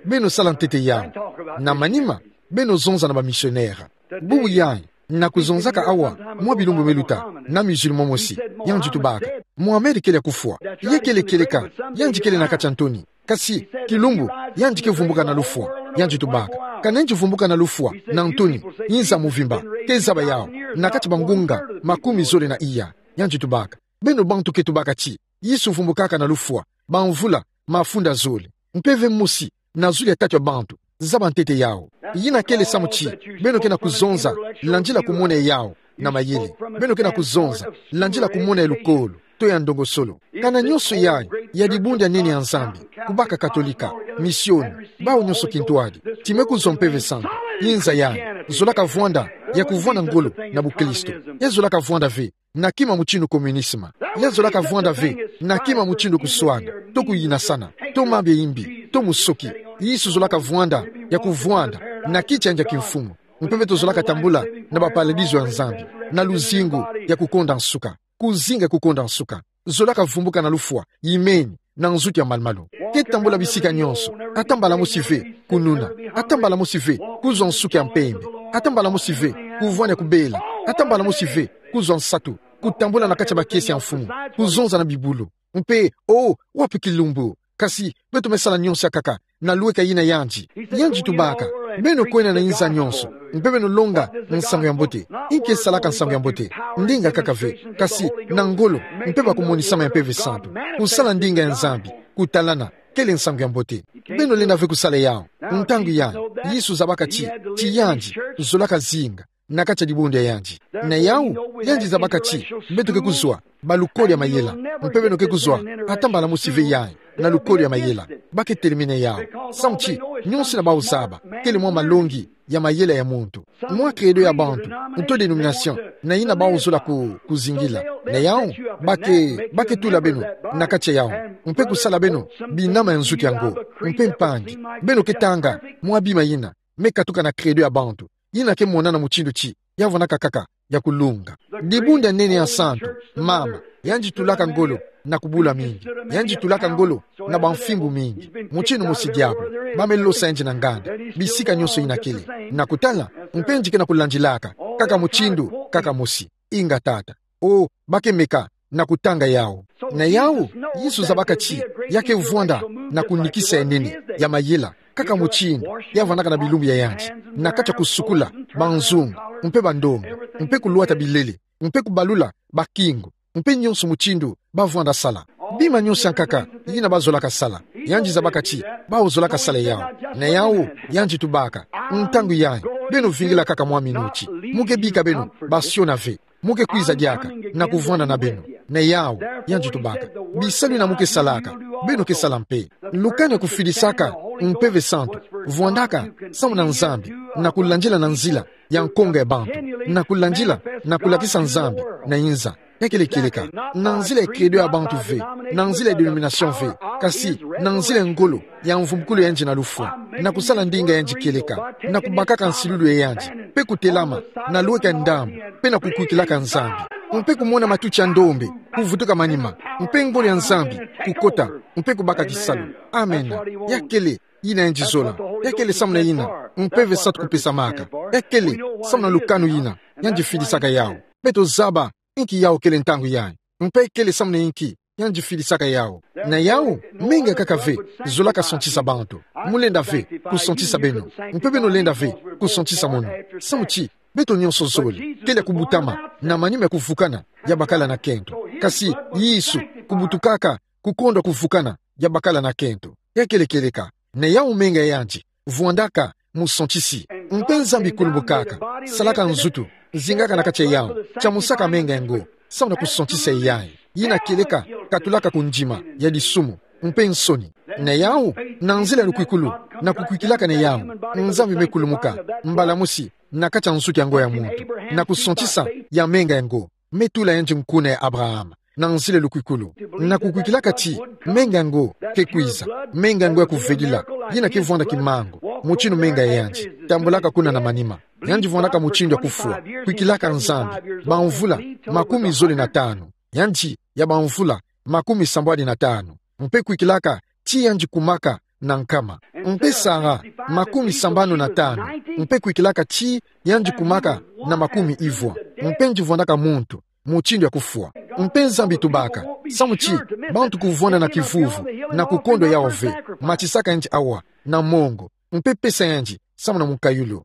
Beno sala ntete yawu. Na manima, beno zonza na bamisionere. Bubu yandi, na kuzonzaka awa mwa bilumbu me luta na musulman mosi, yandi tubaka: Mohamed kele ya kufwa. Ya kele kieleka yandi kele na kati ya ntoni. Kasi kilumbu, yandi ke vumbuka na lufwa. Yandi tubaka: Kana yandi vumbuka na lufwa na ntoni, inza muvimba ke zaba yawu na kati ya bangunga makumi zole na iya. Yandi tubaka: Beno bantu ke tubaka ti Yesu vumbukaka na lufwa bamvula mafunda zole, mpeve mosi na zulu ya tatu ya bantu zaba ntete yawu. Yina kele samu ti beno ke na kuzonza landila kumona yawu na mayele. Beno ke na kuzonza landila kumona ya lukolo to ya ndongosolo. Kana nyonso yai ya dibundu ya nene ya Nzambi, kubaka Katolika, misioni, bawu nyonso kintwadi, ti me kuzwa Mpeve Santu, inza yandi zolaka vwanda ya kuvwanda ngolo na bukristo. Ya zolaka vwanda ve na kima mutindu communisme. Ya zolaka vwanda ve na kima mutindu kuswana, to kuyinasana, to mambu ya imbi, to musoki. Yesu zolaka vwanda ya kuvwanda na kiti ya nge ya kimfumu. Mpeve tozolaka tambula na baparadiso ya Nzambi, na luzingu ya kukonda nsuka. Kuzinga kukonda nsuka. Zolaka vumbuka na lufwa, imeni, na nzutu ya malu-malu. Ke tambula bisika nyonso, ata mbala mosi ve kununa, ata mbala mosi ve kuzwa nsuka ya mpembe, ata mbala mosi ve kuvwanda ya kubela, ata mbala mosi ve kuzwa nsatu, kutambula na kati ya bakiese ya mfumu, kuzonza na bibulu. Mpe, o, wapi kilumbu? Kasi beto me sala nyonso ya nkaka na lweka yina yandi. Yandi tubaka: Beno kwenda na inza nyonso, mpe beno longa nsangu ya mbote. Inki esalaka nsangu ya mbote? Ndinga kaka ve, kasi na ngolo mpe bakumonisama ya Mpeve Santu. Kusala ndinga ya Nzambi, kutalana, kele nsangu ya mbote. Beno lenda ve kusala yawu. Ntangu yandi, Yesu zabaka ti, ti yandi zolaka zinga na kati ya dibundu ya yandi. Na yawu, yandi zabaka ti beto ke kuzwa balukolo ya mayela, mpe beno ke kuzwa ata mbala mosi ve yandi na lukolo ya mayela. Ba ke telemene yawu. Samu ti nyonso yina bawu zaba kele mwa malongi ya mayela ya muntu, mwa credo ya bantu, to dénomination na yina bawu zola ku, kuzingila. Na yawu, ba ke, ba ke tula beno na kati ya yawu, mpe kusala beno binama ya nzutu yango. Mpe mpangi, beno ke tanga mwa bima yina me katuka na credo ya bantu, yina ke monana mutindu ti ya vwandaka kaka ya kulunga. Dibundu ya nene ya santu, mama, yandi tulaka ngolo na kubula mingi. Yandi tulaka ngolo na bamfimbu mingi. Mutindu mosi diabulu, ba me losa yandi na nganda bisika nyonso yina kele. Na kutala, Mpe yandi ke na kulandilaka, kaka mutindu kaka mosi. Inga Tata. O, bake meka na kutanga yawu. Na yawu, Yesu zabaka ti ya ke vwanda na kunikisa ya nene, ya mayela, kaka mutindu ya vwandaka na bilumbu ya yandi, na kati ya kusukula banzungu, mpe bandonga, mpe kulwata bilele, mpe kubalula bakingu, mpe nionso mutindu ba vwanda sala. Bima nionso ya nkaka yina ba zolaka sala, yandi zabaka ti bawu zolaka sala yawu. Na yawu, yandi tubaka: Ntangu yayi, beno vingila kaka mwa minuti. Mu ke bika beno basiona ve. Mu ke kwiza diaka na kuvwanda na beno. Na yawu, yandi tubaka: Bisalu yina mu ke salaka, beno ke sala mpe. Lukani ya kufidisaka Mpeve Santu vwandaka samu na Nzambi, na kulandila na nzila ya nkonga ya bantu, na kulandila na kulakisa Nzambi na inza. Ya kele kieleka na nzila ya credo ya bantu ve, na nzila ya dénomination ve, kasi na nzila ya ngolo ya mvumbukulu ya yandi na lufwa, na kusala ndinga ya yandi kieleka, na kubakaka nsilulu ya yandi, mpe kutelama na lweka ndambu, mpe na kukwikilaka Nzambi, mpe kumona matuti ya ndombe kuvutuka manima, mpe ngolo ya Nzambi kukota, mpe kubaka kisalu. Amen. Ya kele yina yandi zola. Ya kele samu na yina Mpeve Santu kupesamaka. Ya kele samu na lukanu yina yandi fidisaka yawu. Beto zaba inki yawu kele ntangu yayi, mpe kele samu na inki yandi fidisaka yawu. Na yawu, menga kaka ve zolaka santisa bantu. Mu lenda ve kusantisa beno, mpe beno lenda ve kusantisa mono. Samu ti beto nionso zole, kele ya kubutama na manima ya kuvukana ya bakala na kento. Kasi Yesu, kubutukaka, kukondwa kuvukana ya bakala na kento. Ya kele kieleka na yawu menga ya yandi vwandaka musantisi. Mpe Nzambi kulumbukaka, salaka nzutu, zingaka na kati ya yawu, tiamusaka menga yango samu na kusantisa yayi, yina kieleka katulaka kundima ya disumu mpe nsoni. Na yawu, na nzila ya lukwikulu, na kukwikilaka na yawu, Nzambi me kulumuka mbala mosi na kati ya nsuki yango ya muntu, na kusantisa ya menga yango, me tula yandi nkuna ya Abraham na nzila ya lukwikulu, na kukwikilaka ti menga yango ke kwiza, menga yango ya kuvedila, yina ke vwanda kimangu mutindu menga ya yandi, tambulaka kuna na manima. Yandi vwandaka mutindu ya kufwa, kwikilaka Nzambi bamvula makumi zole na tanu, yandi ya bamvula makumi sambwadi na tanu, mpe kwikilaka ti yandi kumaka na nkama. Mpe Sara, makumi sambanu na tanu, mpe kwikilaka ti yandi kumaka na makumi ivwa, mpe yandi vwandaka muntu mutindu ya kufwa. Mpe Nzambi tubaka, samu ti bantu kuvwanda na kivuvu na kukondwa yawu ve, matisaka yandi awa na mongo, mpe pesa yandi samu na mukayulu.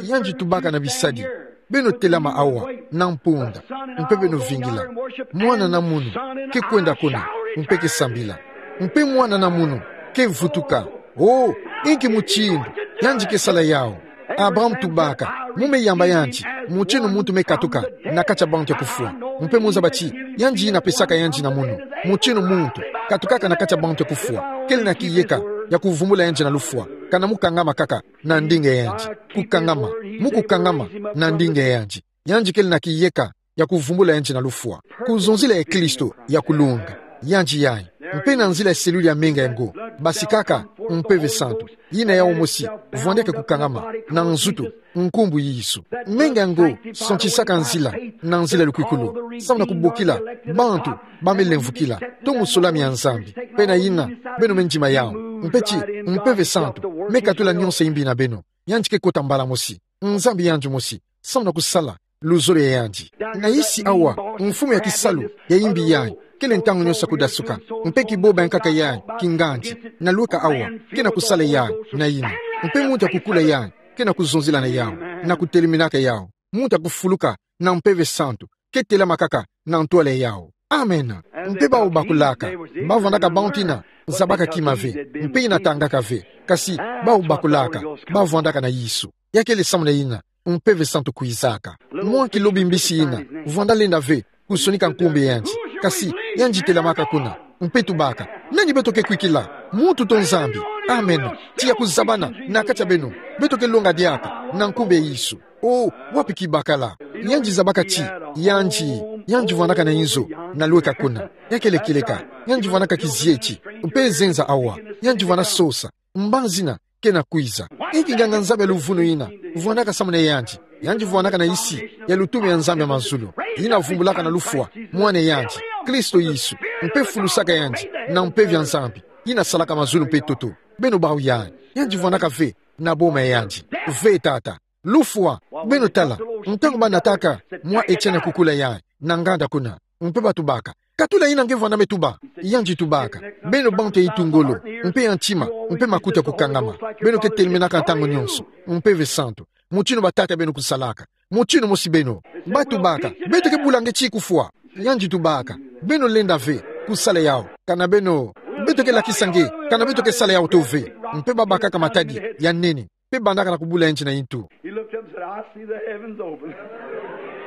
Yandi tubaka na bisadi: Beno telama awa na mpunda, mpe beno vingila. Mwana na munu ke kwenda kuna, mpe ke sambila. Mpe mwana na munu ke vutuka. O, inki mutindu yandi ke sala yawu! Abraham tubaka: Mu me yamba yandi mutindu muntu me katuka na kati ya bantu ya kufwa. Mpe mu zaba ti yandi yina pesaka yandi na munu mutindu muntu katukaka na kati ya bantu ya kufwa, kele na kiyeka ya kuvumbula yandi na lufwa, kana mu kangama kaka na ndinga ya yandi. Kukangama, mu kukangama na ndinga ya yandi, yandi kele na kiyeka ya kuvumbula yandi na lufwa. Kuzonzila ya Kristo ya kulunga, yandi yayi, mpe na nzila ya seluli ya menga yango, basikaka Mpeve Santu, yina yawu mosi vwandeke kukangama na nzutu, nkumbu Yesu. Menga yango santisaka nzila na nzila ya lukwikulu, samu na kubokila bantu ba me lemvukila to musolami ya Nzambi. Mpe na yina, beno me ndima yawu, mpe ti Mpeve Santu me katula nionso yimbi na beno. Yandi ke kota mbala mosi, Nzambi yandi mosi, samu na kusala luzolo ya yandi. Na isi awa, mfumu ya kisalu ya yimbi yayi kele ntangu nionso ya kudasuka, mpe kiboba ya nkaka yayi kingandi na lweka awa ke na kusala yayi na yina, mpe muntu ya kukula yayi ke na kuzonzila na yawu, na kuteleminaka yawu. Muntu ya kufuluka na Mpeve Santu ke telama kaka na ntwala yawu. Amen. Mpe bawu bakulaka, ba vwandaka bantu yina zabaka kima ve, mpe yina tangaka ve, kasi bawu bakulaka, ba vwandaka na Yesu. Ya kele samu na yina Mpeve Santu kwizaka. Mwa kilobi mbisi yina vwanda lenda ve kusonika nkumbu ya yandi, kasi yandi telamaka kuna, mpe tubaka: Nani beto ke kwikila, muntu to Nzambi? Amen. Tiya kuzabana na kati ya beno, beto ke longa diaka na nkumbu ya Yesu. O, wapi kibakala! Yandi zabaka ti yandi, yandi vwandaka na inzo na lweka kuna. Ya kele kieleka, yandi vwandaka kizieti, mpe zenza awa, yandi vwanda sosa, mbanzi yina ke na kwiza. Inki nganga-Nzambi ya luvunu yina vwandaka samu na yandi? Yandi vwandaka na isi ya lutumu ya Nzambi ya mazulu, yina vumbulaka na lufwa Mwana ya yandi, Kristo Yesu, mpe fulusaka yandi na mpeve ya Nzambi, yina salaka mazulu mpe ntoto. Beno bawu yayi, yandi vwandaka ve na boma ya yandi. Ve, Tata. Lufwa, beno tala, ntangu ba nataka mwa Etienne kukula yayi na nganda kuna, mpe batubaka: Katula ina nge vwanda me tuba. Yandi tubaka: Beno bantu ya itu ngolo, mpe ya ntima, mpe makutu ya kukangama, beno ke telemenaka ntangu nyonso, Mpeve Santu, motino batata beno kusalaka, motino mosi beno. Batubaka: Beto ke bula nge ti kufwa. Yandi tubaka: Beno lenda ve kusala yawu, kana beno, beto ke lakisa nge, kana beto ke sala yawu to ve. Mpe babakaka matadi ya nene, mpe bandaka na kubula yandi na intu. He looked up and said, "I see the heavens open."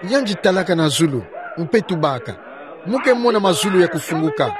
Yandi talaka na zulu, mpe tubaka: Mu ke mona mazulu ya kufunguka.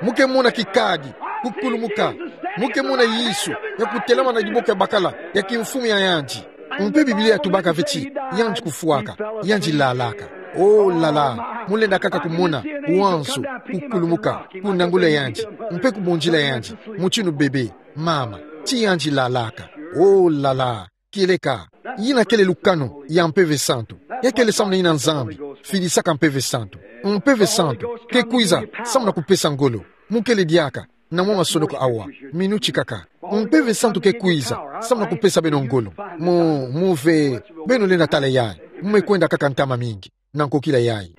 Mu ke mona kikadi kukulumuka. Mu ke mona Yesu ya kutelama na diboko ya bakala ya kimfumu ya yandi. Mpe Biblia yatubaka ve ti yandi kufwaka, yandi lalaka. Oh là là, mu lenda kaka kumona wanzu kukulumuka, kuna ngolo ya yandi, mpe kubondila yandi, motino bebe, mama, ti yandi lalaka. Oh là là, kieleka, yina kele lukanu ya Mpeve Santu. Ya kele samu na yina Nzambi filisaka Mpeve Santu. Mpeve Santu ke kwiza samu na kupesa ngolo. Mu kele diaka na mwa masonoko awa, minuti kaka. Mpeve Santu ke kwiza samu na kupesa beno ngolo. Mu, mu ve, beno lenda tala yayi. Mu me kwenda kaka ntama mingi na nkokila yayi.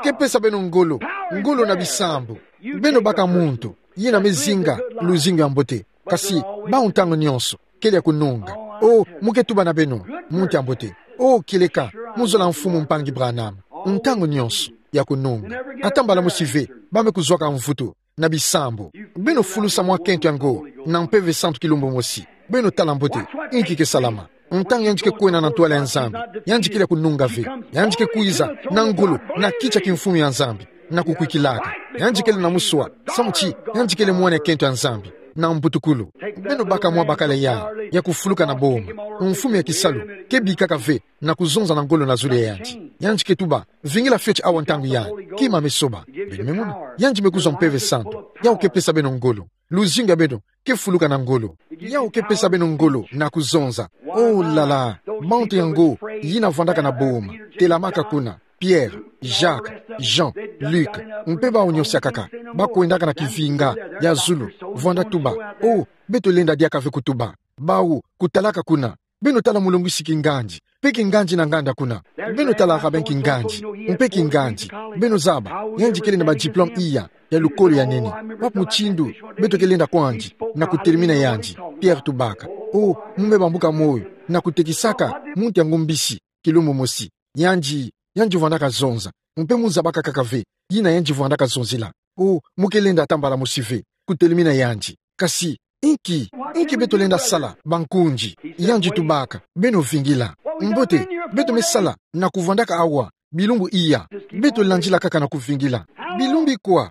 Ke pesa beno ngolo, ngolo na bisambu. Beno baka muntu yina me zinga luzingu ya mbote, kasi bawu ntangu nyonso kele ya kununga. Oh, mu ke tuba na beno, muntu ya mbote. Oh, kieleka, mu zola Mfumu Mpangi Branham, ntangu nyonso ya kununga. Ata mbala mosi ve ba me kuzwaka mvutu na bisambu. Beno fulusa mwa kento yango na Mpeve Santu kilumbu mosi. Beno tala mbote inki ke salama. Ntangu yandi ke kwenda na ntwala ya Nzambi, yandi kele ya kununga ve. Yandi ke kwiza na ngolo, na kiti ya kimfumu ya Nzambi, na kukwikilaka. Yandi kele na muswa, samu ti yandi kele mwana ya kento ya Nzambi na mbutukulu. Beno baka mwa bakala yayi ya kufuluka na boma. Mfumu ya kisalu ke bikaka ve na kuzonza na ngolo na zulu ya yandi. Yandi ke tuba: Vingila fioti awa ntangu yayi, kima me soba. Beno me mona, yandi me kuzwa Mpeve Santu, yawu ke pesa beno ngolo. Luzingu ya beno ke fuluka na ngolo. Yawu ke pesa beno ngolo na kuzonza. Oh là là, bantu yango yina vwandaka na boma, telamaka kuna: Pierre, Jacques, Jean, Luc, mpe bawu nyonso ya kaka, ba kwendaka na kivinga ya zulu, vwanda tuba. Oh, beto lenda diaka ve kutuba. Bawu kutalaka kuna: Beno tala Mulongisi Kingandi, mpe Kingandi na nganda kuna. Beno tala Raben Kingandi, mpe Kingandi. Beno zaba, yandi kele na ba diplôme iya ya lukolo ya nene. Wapi mutindu beto ke lenda kwandi na kutelemina yandi? Pierre tubaka: Oh, mu me bambuka moyo na kutekisaka muntu yango mbisi kilumbu mosi. Yandi, yandi vwandaka zonza. Mpe mu zabaka kaka ve yina yandi vwandaka zonzila. Oh, mu ke lenda ata mbala mosi ve kutelemina yandi. Kasi inki, inki beto lenda sala, bankundi? Yandi tubaka: Beno vingila. Mbote, beto me sala na kuvwandaka awa bilumbu iya? Beto landila kaka na kuvingila. Bilumbu ikwa?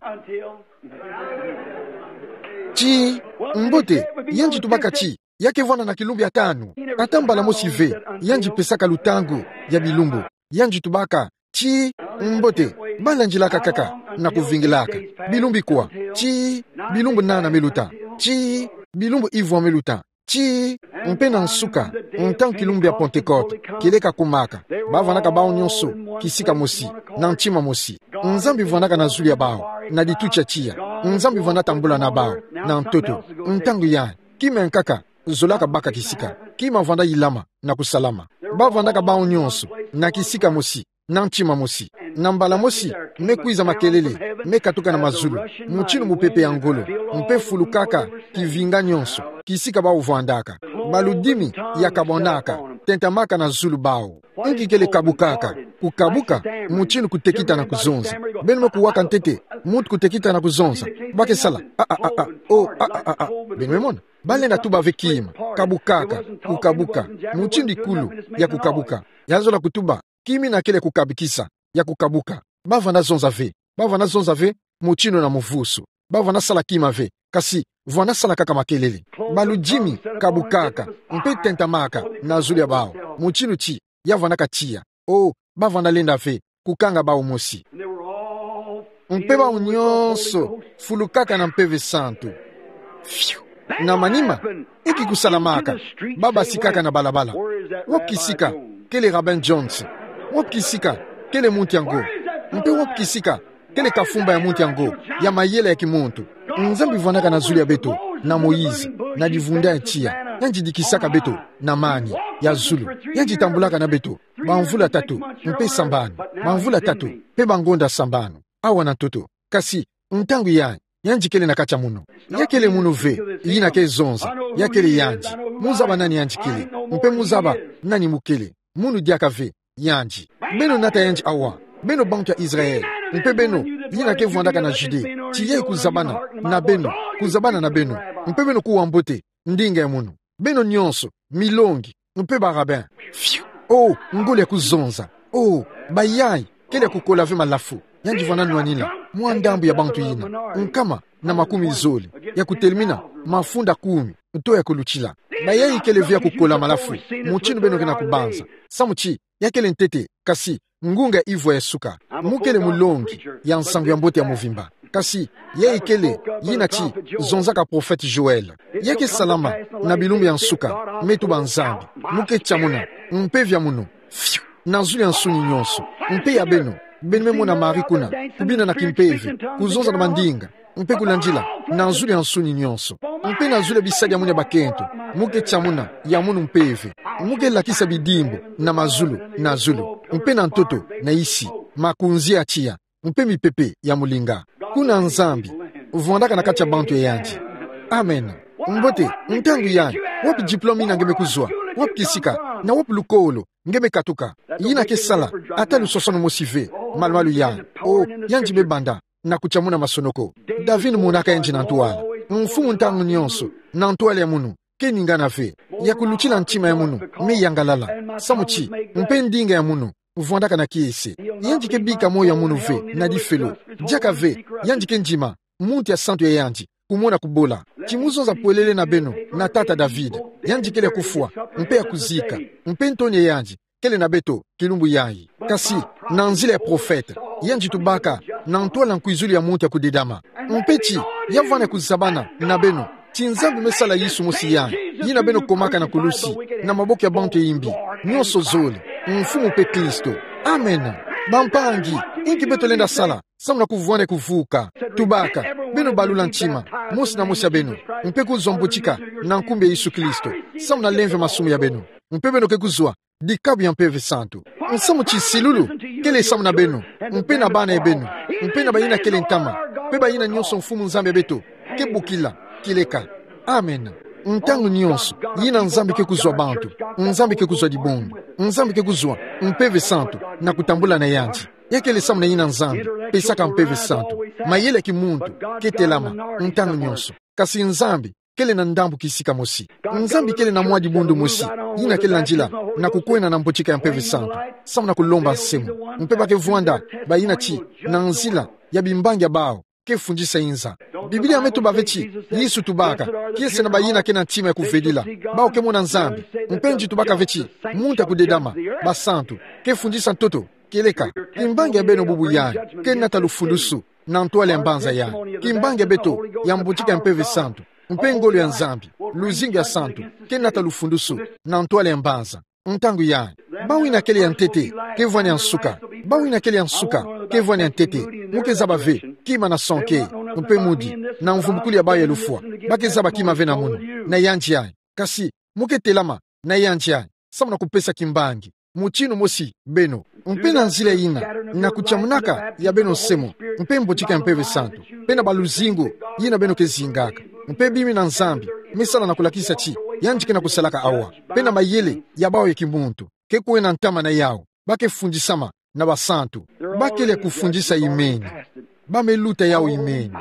Tii, mbote, yandi tubaka ti ya ke vwanda na kilumbu ya tanu. Ata mbala mosi ve yandi pesaka lutangu ya bilumbu. Yandi tubaka: Tii, mbote, ba landilaka kaka na kuvingilaka. Bilumbu ikwa? Tii, bilumbu nana me luta. Tii, bilumbu ivwa me luta. Tii, mpe na nsuka, ntangu kilumbu ya Pentecôte kieleka kumaka, ba vwandaka bawu nyonso kisika mosi, na ntima mosi. Nzambi vwandaka na zulu ya bawu, na lituti ya tiya. Nzambi vwanda tambula na bawu na ntoto. Ntangu yayi, kima ya nkaka zolaka baka kisika. Kima vwanda yilama na kusalama. Ba vwandaka bawu nyonso na kisika mosi, na ntima mosi. Na mbala mosi me kwiza makelele me katuka na mazulu, mutinu mupepe ya ngolo, mpe fulukaka kivinga nyonso kisika bawu vwandaka. Baludimi ya kabwanaka, tentamaka na zulu bawu. Inki kele kabukaka? Kukabuka, mutinu kutekita na kuzonza. Beno me kuwaka ntete muntu kutekita na kuzonza? Ba ke sala: A, a, a, a, oh, a, a, a, a. Beno me mona? Ba lenda tuba ve kima. Kabukaka, kukabuka, mutinu ikulu ya kukabuka. Ya zola kutuba: Kima ina kele kukabikisa, ya kukabuka. Ba vwanda zonza ve. Ba vwanda zonza ve mutinu na muvusu. Ba vwanda sala kima ve, kasi vwanda sala kaka makelele. Baludimi kabukaka, mpe tentamaka na zulu ya bawu, mutinu ti ya vwandaka tiya. Oh, ba vwanda lenda ve kukanga bawu mosi. Mpe bawu nyonso fulukaka na Mpeve Santu. Fiu! Na manima, inki kusalamaka? Ba basikaka na balabala. Wapi kisika kele Raben Jones? Wapi kisika kele muntu yango? Mpe wapi kisika kele kafumba ya muntu yango ya mayele ya kimuntu? Nzambi vwandaka na zulu ya beto na Moïse, na livunda ya tiya. Yandi dikisaka beto na mani ya zulu. Yandi tambulaka na beto bamvula tatu mpe sambanu, bamvula tatu mpe bangonda sambanu. Awa na ntoto. Kasi ntangu yandi, yandi kele na kati ya munu. Ya kele munu ve yina ke zonza. Ya kele yandi. Mu zaba nani yandi kele, mpe mu zaba nani mu kele. Munu diaka ve yandi. Beno nata yandi awa, beno bantu ya Israël, mpe beno yina ke vwandaka na Judée, ti yayi kuzabana na beno, kuzabana na beno, mpe beno kuwa mbote ndinga ya munu. Beno nyonso, milongi, mpe ba rabbin. Fiu! Oh, ngolo ya kuzonza. Oh, bayayi kele ya kukola ve malafu. Yandi vwanda nwanina mwa ndambu ya bantu yina, nkama na makumi zole, ya kutelemina mafunda kumi, nto ya kulutila. Bayayi kele ve ya kukola malafu, mutindu beno ke na kubanza. Samu ti ya kele ntete, kasi ngunga ivwa ya suka. Mu kele mulongi ya nsangu ya mbote ya movimba. Kasi yayi kele yina ti zonzaka prophète Joël. Ya ke salama na bilumbu ya nsuka, me tuba Nzambi. Mu ke tia muna mpeve ya munu. Fiu! Na zulu ya nsuni nyonso. Mpe ya beno, beno me mona Marie kuna, kubina na kimpeve, kuzonza na mandinga, mpe kulandila na zulu ya nsuni nyonso. Mpe na zulu ya bisadi ya munu ya bakento, mu ke tia muna ya munu mpeve. Mu ke lakisa bidimbu na mazulu, na zulu, mpe na ntoto, na isi, makunzi ya tiya, mpe mipepe ya molinga. Kuna Nzambi vwandaka na kati ya bantu ya yandi. Amen. Mbote, ntangu yayi, wapi diplôme yina nge me kuzwa? Wapi kisika? Na wapi lukolo nge me katuka? Yina ke sala ata lusosono mosi ve, malu-malu yayi. Oh, yandi me banda na kutia muna masonoko. David monaka yandi na ntwala. Mfumu ntangu nyonso, na ntwala ya munu, ke ningana ve. Ya kulutila ntima ya munu me yangalala. Samu ti, mpe ndinga ya munu vwandaka na kiese. Yandi ke bika moyo ya munu ve na difelo. Diaka ve yandi ke ndima muntu ya santu ya yandi kumona kubola. Ti mu zonza pwelele na beno na tata David. Yandi kele ya kufwa, mpe ya kuzika. Mpe ntoni ya yandi kele na beto kilumbu yayi. Kasi, na nzila ya prophète, yandi tubaka na ntwala nkwizulu ya muntu ya kudedama. Mpe ti ya vwanda kuzabana na beno, ti Nzambi me sala Yesu mosi yayi, yina beno komaka na kulusi, na maboko ya bantu ya imbi, nyonso zole, Mfumu mpe Kristo. Amen. Bampangi, inki beto lenda sala samu na kuvwanda kuvuka? Tubaka, beno balula ntima, mosi na mosi ya beno, mpe kuzwa mbotika na nkumbu ya Yesu Kristo, samu na lemvo ya masumu ya beno. Mpe beno ke kuzwa dikabu ya Mpeve Santu. Nsamu ti silulu kele samu na beno, mpe na bana ya beno, mpe na bayina kele ntama, mpe bayina nyonso Mfumu Nzambi ya beto ke bokila kieleka. Amen. Ntangu nyonso yina Nzambi ke kuzwa bantu, Nzambi ke kuzwa dibundu, Nzambi ke kuzwa Mpeve Santu na kutambula na yandi. Ya kele samu na yina Nzambi pesaka Mpeve Santu. Mayele ya kimuntu ke telama ntangu nyonso. Kasi Nzambi kele na ndambu kisika mosi. Nzambi kele na mwa dibundu mosi yina ke landila na kukwena na mbotika ya Mpeve Santu, samu na kulomba nsemo. Mpe ba ke vwanda bayina ti na nzila ya bimbangi ya bawu ke fundisa inza. Biblia me tuba ve ti Yesu tubaka kiese na bayina ke na ntima ya kuvedila, bawu ke mona Nzambi. Mpe nji tubaka ve ti muntu ya kudedama, basantu, ke fundisa ntoto kieleka. Kimbangi ya beno bubu yayi ke nata lufundusu na ntwala ya mbanza yayi. Kimbangi ya beto ya mbotika ya Mpeve Santu, mpe ngolo ya Nzambi, luzingu ya santu, ke nata lufundusu na ntwala ya mbanza. Ntangu yayi, bawu yina kele ya ntete ke vwani ya nsuka. Bawu yina kele ya nsuka ke vwani ya ntete. Mu ke zaba ve kima na sonke, mpe mudi, na mvumbukulu ya bawu ya lufwa, ba ke zaba kima ve na munu, na yandi yayi. Kasi mu ke telama na yandi yayi samu na kupesa kimbangi, mutindu mosi beno. Mpe na nzila yina, na kutiamunaka ya beno nsemo, mpe mbotika ya Mpeve Santu, mpe na baluzingu yina beno ke zingaka, mpe bimi na Nzambi me sala na kulakisa ti yandi ke na kusalaka awa, mpe na mayele ya bawu ya kimuntu ke kwena ntama na yawu, ba ke fundisama na basantu. Ba kele ya kufundisa imeni. Ba me luta yawu imeni.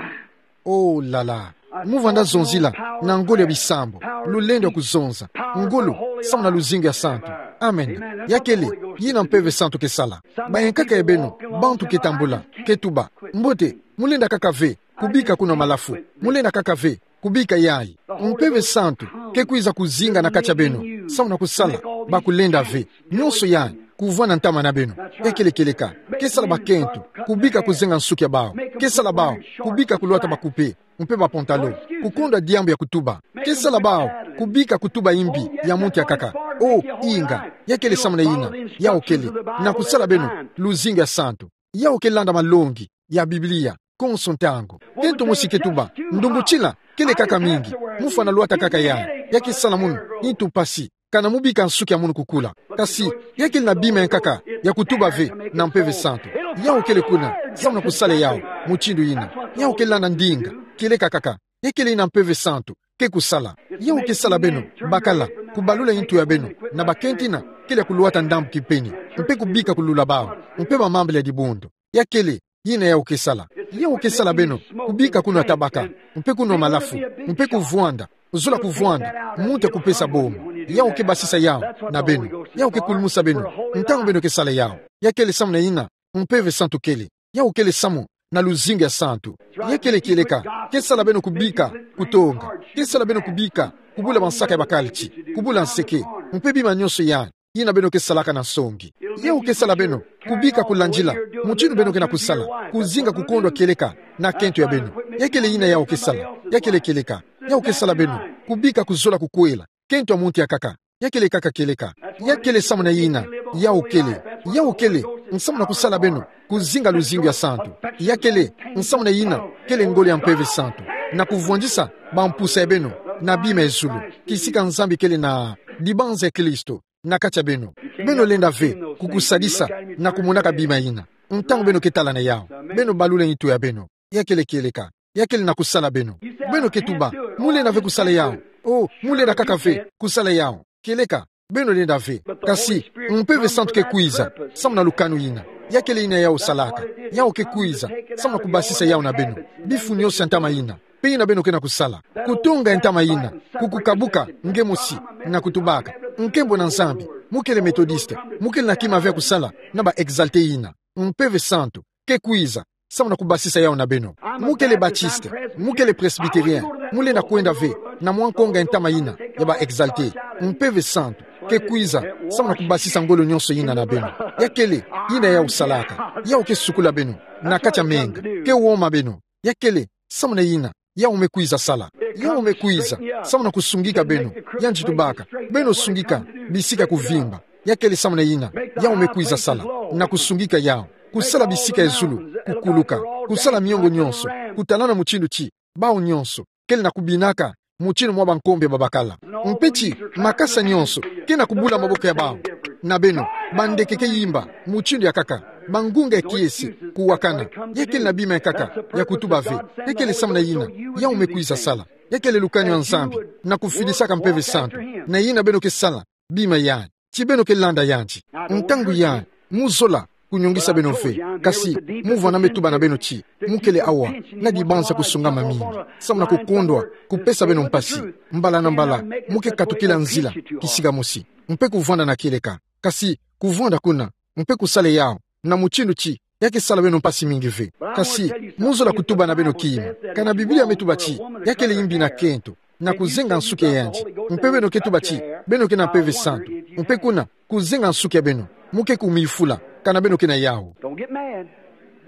Oh là là. Mu vwanda zonzila na ngolo ya bisambu, lulendo ya kuzonza, ngolo samu na luzingu ya santu. Amen. Ya kele yina Mpeve Santu ke sala. Bayankaka ya beno, bantu ke tambula, ke tuba: Mbote, mu lenda kaka ve kubika kuna malafu. Mu lenda kaka ve kubika yayi. Mpeve Santu ke kwiza kuzinga na kati ya beno samu na kusala ba kulenda ve nyonso yayi kuvwanda ntama na beno. Ya kele kieleka. Ke sala bakento kubika kuzenga nsuki ya bawu. Ke sala bawu kubika kulwata bakupe mpe bapantalon, kukondwa diambu ya kutuba. Ke sala bawu kubika kutuba imbi ya muntu ya nkaka. Oh, inga, ya kele samu na yina. Yawu kele na kusala beno luzingu ya santu. Yawu ke landa malongi ya Biblia. konso ntangu. Kento mosi ke tuba, ndumbu tila, kele kaka mingi, mufwana lwata kaka yandi, ya ke sala munu, ntu mpasi, kana mubika nsuki ya munu kukula. Kasi, ya kele na bima ya nkaka, ya kutuba ve, na Mpeve Santu. Yau kele kuna, samu na kusala yau, mutindu yina. Yau kele na ndinga, kieleka kaka, ya kele yina Mpeve Santu ke kusala. Yau ke sala beno, bakala, kubalula ntu ya beno, na bakento yina, kele ya kulwata ndambu kipeni, mpe kubika kulula bau, mpe bamambala ya dibundu. Ya kele, yina yau ke sala. Yau ke sala beno, kubika kunwa tabaka, mpe kunwa malafu, mpe kuvwanda, zola kuvwanda, muntu ya kupesa bomo. Yau ke basisa yau, na beno. Yau ke kulumusa beno, ntangu beno ke sala yau. Ya kele samu na yina, Mpeve Santu kele. Yau kele samu, na luzingu ya santu. Ya kele kieleka, ke sala beno kubika, kutonga. Ke sala beno kubika, kubula bansaka ya bakala ti, kubula nseke. Mpe bima nyonso ya, yina beno ke salaka na nsongi. Yau ke sala beno, kubika kulandila, mutindu beno ke na kusala, kuzinga kukondwa kieleka, na kento ya beno. Ya kele yina yau ke sala, ya kele kieleka, yau ke sala beno, kubika kuzola kukwela, kento ya muntu ya nkaka. Ya kele kaka kieleka. Ya kele samu na yina. Yau kele. Yau kele. Nsamu na kusala beno. Kuzinga luzingu ya santu. Ya kele. Nsamu na yina. Kele ngolo ya Mpeve Santu. Na kuvwandisa. Bampusa ya beno. Na bima ya zulu. Kisika Nzambi kele na. Dibanza ya Kristo. Na kati ya beno. Beno lenda ve. Kukusadisa. Na kumonaka bima yina. Ntangu beno ke tala na yau. Beno balula ntu ya beno. Ya kele kieleka. Ya kele na kusala beno. Beno ke tuba, mu lenda ve kusala yau. Oh, mu lenda kaka ve kusala yau. Kieleka, beno lenda ve. Kasi, Mpeve Santu ke kwiza, samu na lukanu yina. Ya kele yina yau salaka. Yau ke kwiza, samu na kubasisa yau na beno. Bifu nyonso ya ntama yina. Mpe yina beno ke na kusala. Kutonga ya ntama yina. Kukukabuka, nge mosi, na kutubaka. Nkembo na Nzambi, mu kele Methodiste, mu kele na kima ve ya kusala, na ba Exaltés yina. Mpeve Santu ke kwiza, samu na kubasisa yau na beno. Mu kele Baptiste, mu kele Presbytérien, mu lenda kwenda ve, na mwa nkonga ya ntama yina, ya ba Exaltés. Mpeve Santu ke kwiza, samu na kubasisa ngolo nyonso yina na beno. Ya kele, yina yau salaka, yau ke sukula beno, na kati ya menga, ke woma beno. Ya kele, samu na yina, yau me kwiza sala. Yau me kwiza, samu na kusungika beno, yandi tubaka, beno sungika, bisika kuvimba. Ya kele samu na yina, yau me kwiza sala, na kusungika yau, kusala bisika ya zulu, kukuluka, kusala miongo nyonso, kutalana mutindu ti, bau nyonso, kele na kubinaka, mutindu mwa bankombe babakala. Mpe ti, makasa nyonso, ke na kubula maboko ya bau. Na beno, bandeke ke yimba, mutindu ya nkaka, bangunga ya kiese, kuwakana, ya kele na bima ya nkaka, ya kutuba ve, ya kele samu na yina, yau me kwiza sala. Ya kele lukanu ya Nzambi, na kufidisaka Mpeve Santu, na yina beno ke sala, bima yandi, ti beno ke landa yandi. Ntangu yandi, mu zola, kunyongisa beno ve, kasi, mu vwanda me tuba na beno ti, mu kele awa, na dibanza kusungama mingi, samu na kukondwa, kupesa beno mpasi, mbala na mbala, mu ke katukila nzila, kisika mosi, mpe kuvwanda na kieleka, kasi, kuvwanda kuna, mpe kusala yau, na mutindu ti, ya ke sala beno mpasi mingi ve. Kasi, mu zola kutuba na beno kima. Kana Biblia me tuba ti, ya kele yimbi na kento, na kuzenga nsuki ya yandi. Mpe beno ke tuba ti, beno ke na Mpeve Santu. Mpe kuna, kuzenga nsuki ya beno. Mu ke kumifula, kana beno ke na yau.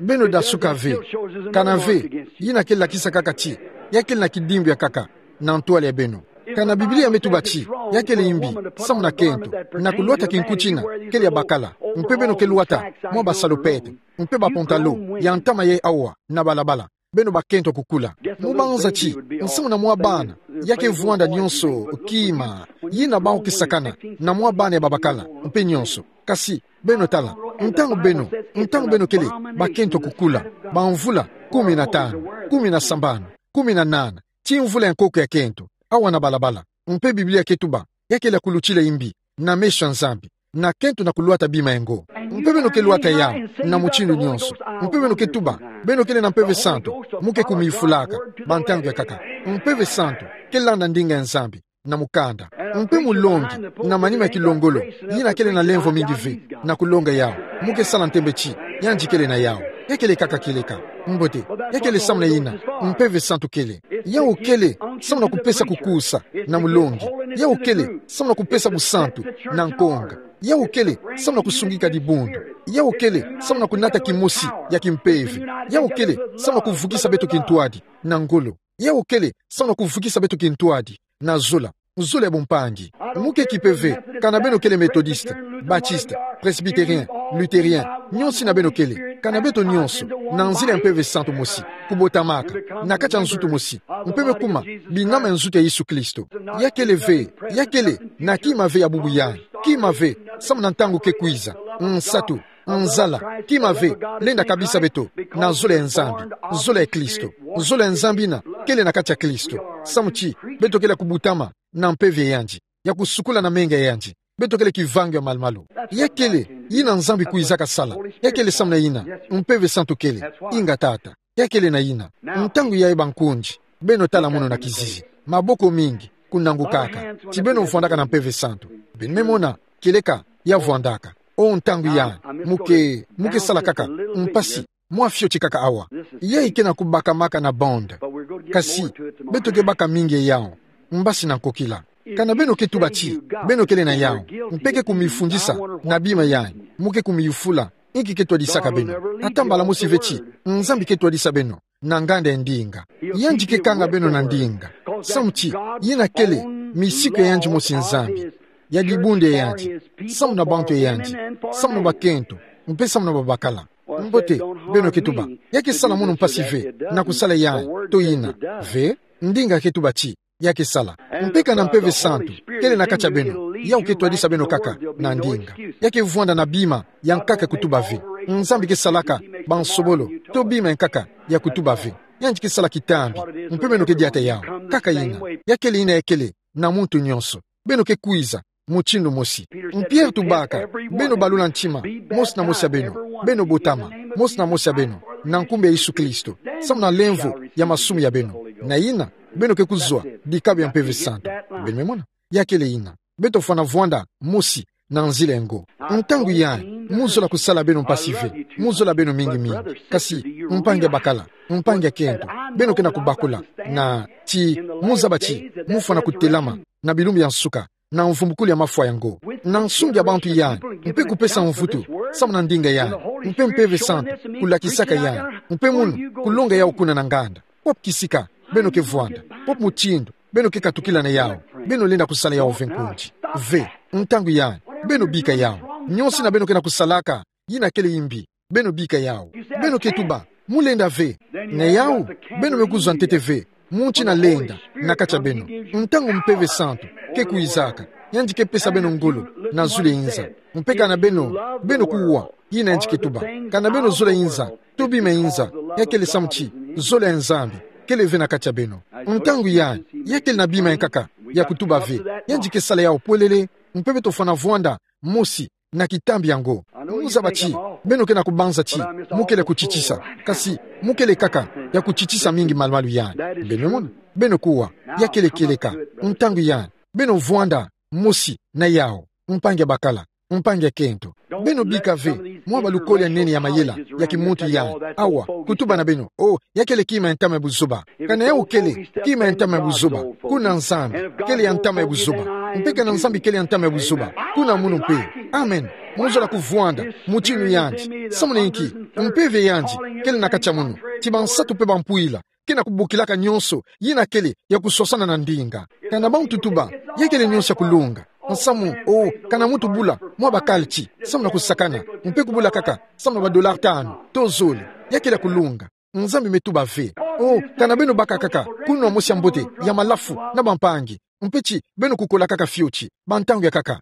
Beno dasuka ve. Kana ve, yina ke lakisa kaka ti, ya kele na kidimbu ya nkaka, na ntwala ya beno. Kana Biblia me tuba ti, ya kele yimbi, samu na kento, na kulwata kinkuti yina, kele ya bakala, mpe beno ke lwata, mwa basalopete, mpe bapantalon, ya ntama ye awa, na balabala, beno bakento kukula. Mu banza ti, nsamu na mwa bana, ya ke vwanda nyonso, kima, yina bau ke sakana, na mwa bana ya babakala, mpe nyonso. Kasi, beno tala, ntangu beno, ntangu beno kele, bakento kukula, bamvula, kumi na tanu, kumi na sambanu, kumi na nana, ti mvula ya nkoko ya kento, awa na balabala, mpe Biblia ke tuba, ya kele ya kulutila yimbi, na meso ya Nzambi, na kento na kulwata bima ya ngo. Mpe beno ke lwata yau, na mutindu nyonso. Mpe beno ke tuba, beno kele na Mpeve Santu, mu ke kumifulaka, bantangu ya nkaka. Mpeve Santu, ke landa ndinga ya Nzambi, na mukanda. Mpe mulongi, na manima ya kilongolo, yina kele na lemvo mingi ve, na kulonga yau. Mu ke sala ntembe ti, yandi kele na yau. Ya kele kaka kieleka. Mbote, ya kele samu na yina, Mpeve Santu kele. Yau kele, samu na kupesa kukusa, na mulongi. Yau kele, samu na kupesa busantu, na nkonga. Yau kele, samu na kusungika dibundu. Yau kele, samu na kunata kimosi, ya kimpeve. Yau kele, samu na kuvukisa beto kintwadi, na ngolo. Yau kele, samu na kuvukisa beto kintwadi, na zola. zole ya bumpangi. Muke kipe ve, kana beno kele Methodiste, Baptiste, Presbytérien, Luthérien, nyonso ina beno kele, kana beto nyonso, na nzila ya Mpeve Santu mosi, kubotamaka, na kati ya nzutu mosi, mpe bekuma binama ya nzutu ya Yesu Kristo. Ya kele ve, ya kele, na kima ve ya bubu yayi, kima ve, samu na ntangu ke kwiza, nsatu, nzala, kima ve, lenda kabisa beto, na zole ya Nzambi, zole ya Kristo, zole ya Nzambi ina kele na kati ya Kristo, samu ti, beto kele ya kubutama, na mpeve yandi, ya kusukula na menga yandi, beto kele kivangi ya malumalu. Ya kele, ina Nzambi kwizaka sala, ya kele samu na ina, Mpeve Santu kele, inga Tata, ya kele na ina, ntangu yayi bankundi, beno tala munu na kizizi, maboko mingi, kunangukaka, ti beno vwandaka na Mpeve Santu, beno me mona, kieleka, ya vwandaka, o ntangu yayi, muke, muke sala kaka, mpasi, mwa fioti kaka awa. Yayi ke na kubakamaka na bande. Kasi, beto ke baka mingi ya yawu. Mbasi na nkokila. Kana beno ke tuba ti, beno kele na yawu. Mpe ke kumifundisa, na bima yayi. Muke kumiyufula, inki ke twadisaka beno. Ata mbala mosi ve ti, Nzambi ke twadisa beno. Na nganda ya ndinga. Yandi ke kanga beno na ndinga. Samu ti, ina kele, misiku ya yandi mosi Nzambi. Ya dibundu ya yandi. Samu na bantu ya yandi. Samu na bakento. Mpe samu na babakala. Mbote, beno ke tuba. Ya ke sala munu mpasi ve, na kusala yayi, to ina. Ve, ndinga ke tuba ti, ya ke sala. Mpe kana Mpeve Santu, kele na kati ya beno, yawu ke twadisa beno kaka, na ndinga. Ya ke vwanda na bima, ya nkaka kutuba ve. Nzambi ke salaka, bansobolo, to bima ya nkaka, ya kutuba ve. Yandi ke sala kitambi, mpe beno ke diata yawu, kaka ina. Ya kele ina ya kele, na muntu nyonso. Beno ke kwiza, mutindu mosi. Mpierre tubaka, beno balula ntima, mosi na mosi ya beno, beno botama, mosi na mosi ya beno, na nkumbu ya Yesu Kristo, samu na lemvo, ya masumu ya beno. Na ina, beno ke kuzwa, dikabu ya Mpeve Santu. Beno me mona, ya kele ina. Beto fwana vwanda, mosi, na nzila ya ngo. Ntangu yayi, mu zola kusala beno mpasi ve, mu zola beno mingi mingi. Kasi, mpangi ya bakala, mpangi ya kento, beno ke na kubakula, na, ti, mu zaba ti, mu fwana kutelama, na bilumbu ya nsuka, na mvumbukulu ya mafwa ya ngo. Na nsungi ya bantu yayi, mpe kupesa mvutu, samu na ndinga yayi, mpe Mpeve Santu, kulakisaka yayi, mpe munu, kulonga yawu kuna na nganda. Pop kisika, beno ke vwanda, pop mutindu, beno ke katukila na yawu, beno lenda kusala yawu ve nkundi. Ve, ntangu yayi, beno bika yawu. Nyonso ina beno ke na kusalaka, ina kele yimbi, beno bika yawu. Beno ke tuba, mu lenda ve. Na yawu, beno me kuzwa ntete ve, mu nti na lenda, na kati ya beno. Ntangu Mpeve Santu, ke kwizaka, yandi ke pesa beno ngolo, na zulu ya inza. Mpe kana beno, beno kuwa, ina yandi ke tuba. Kana beno zola inza, to bima inza, ya kele samu ti, zole ya Nzambi, kele ve na kati ya beno. Ntangu yayi, ya kele na bima ya nkaka, ya kutuba ve, yandi ke sala yawu polele, mpe beto fwana vwanda, mosi, na kitambi ya ngo. Mu zaba ti, beno ke na kubanza ti, mu kele kutitisa, kasi, mu kele kaka, ya kutitisa mingi malumalu yayi. Beno me mona, beno kuwa, ya kele kieleka, ntangu yayi, beno vwanda, mosi, na yawu, mpangi ya bakala, mpangi ya kento. Beno bika ve, mwa balukolo ya nene ya mayela, ya kimuntu yayi. Awa, kutuba na beno, o, ya kele kima ya ntama ya buzoba. Kana yawu kele, kima ya ntama ya buzoba. Kuna Nzambi, kele ya ntama ya buzoba. Mpe kana Nzambi kele ya ntama ya buzoba. Kuna munu mpe. Amen. Mu zola kuvwanda, mutindu yandi. Samu na inki, mpeve yandi, kele na kati ya munu. Ti bansatu mpe bampwila. Ke na kubokilaka nyonso, ina kele, ya kuswasana na ndinga. Kana bantu tuba, ya kele nyonso ya kulunga. Nsamu, o, kana muntu bula, mwa bakala ti, samu na kusakana, mpe kubula kaka, samu na ba dollar tanu, to zole, ya kele ya kulunga. Nzambi me tuba ve. O, kana beno baka kaka, kunwa mosi ya mbote, ya malafu, na bampangi, mpe ti, beno kukola kaka fioti, bantangu ya kaka.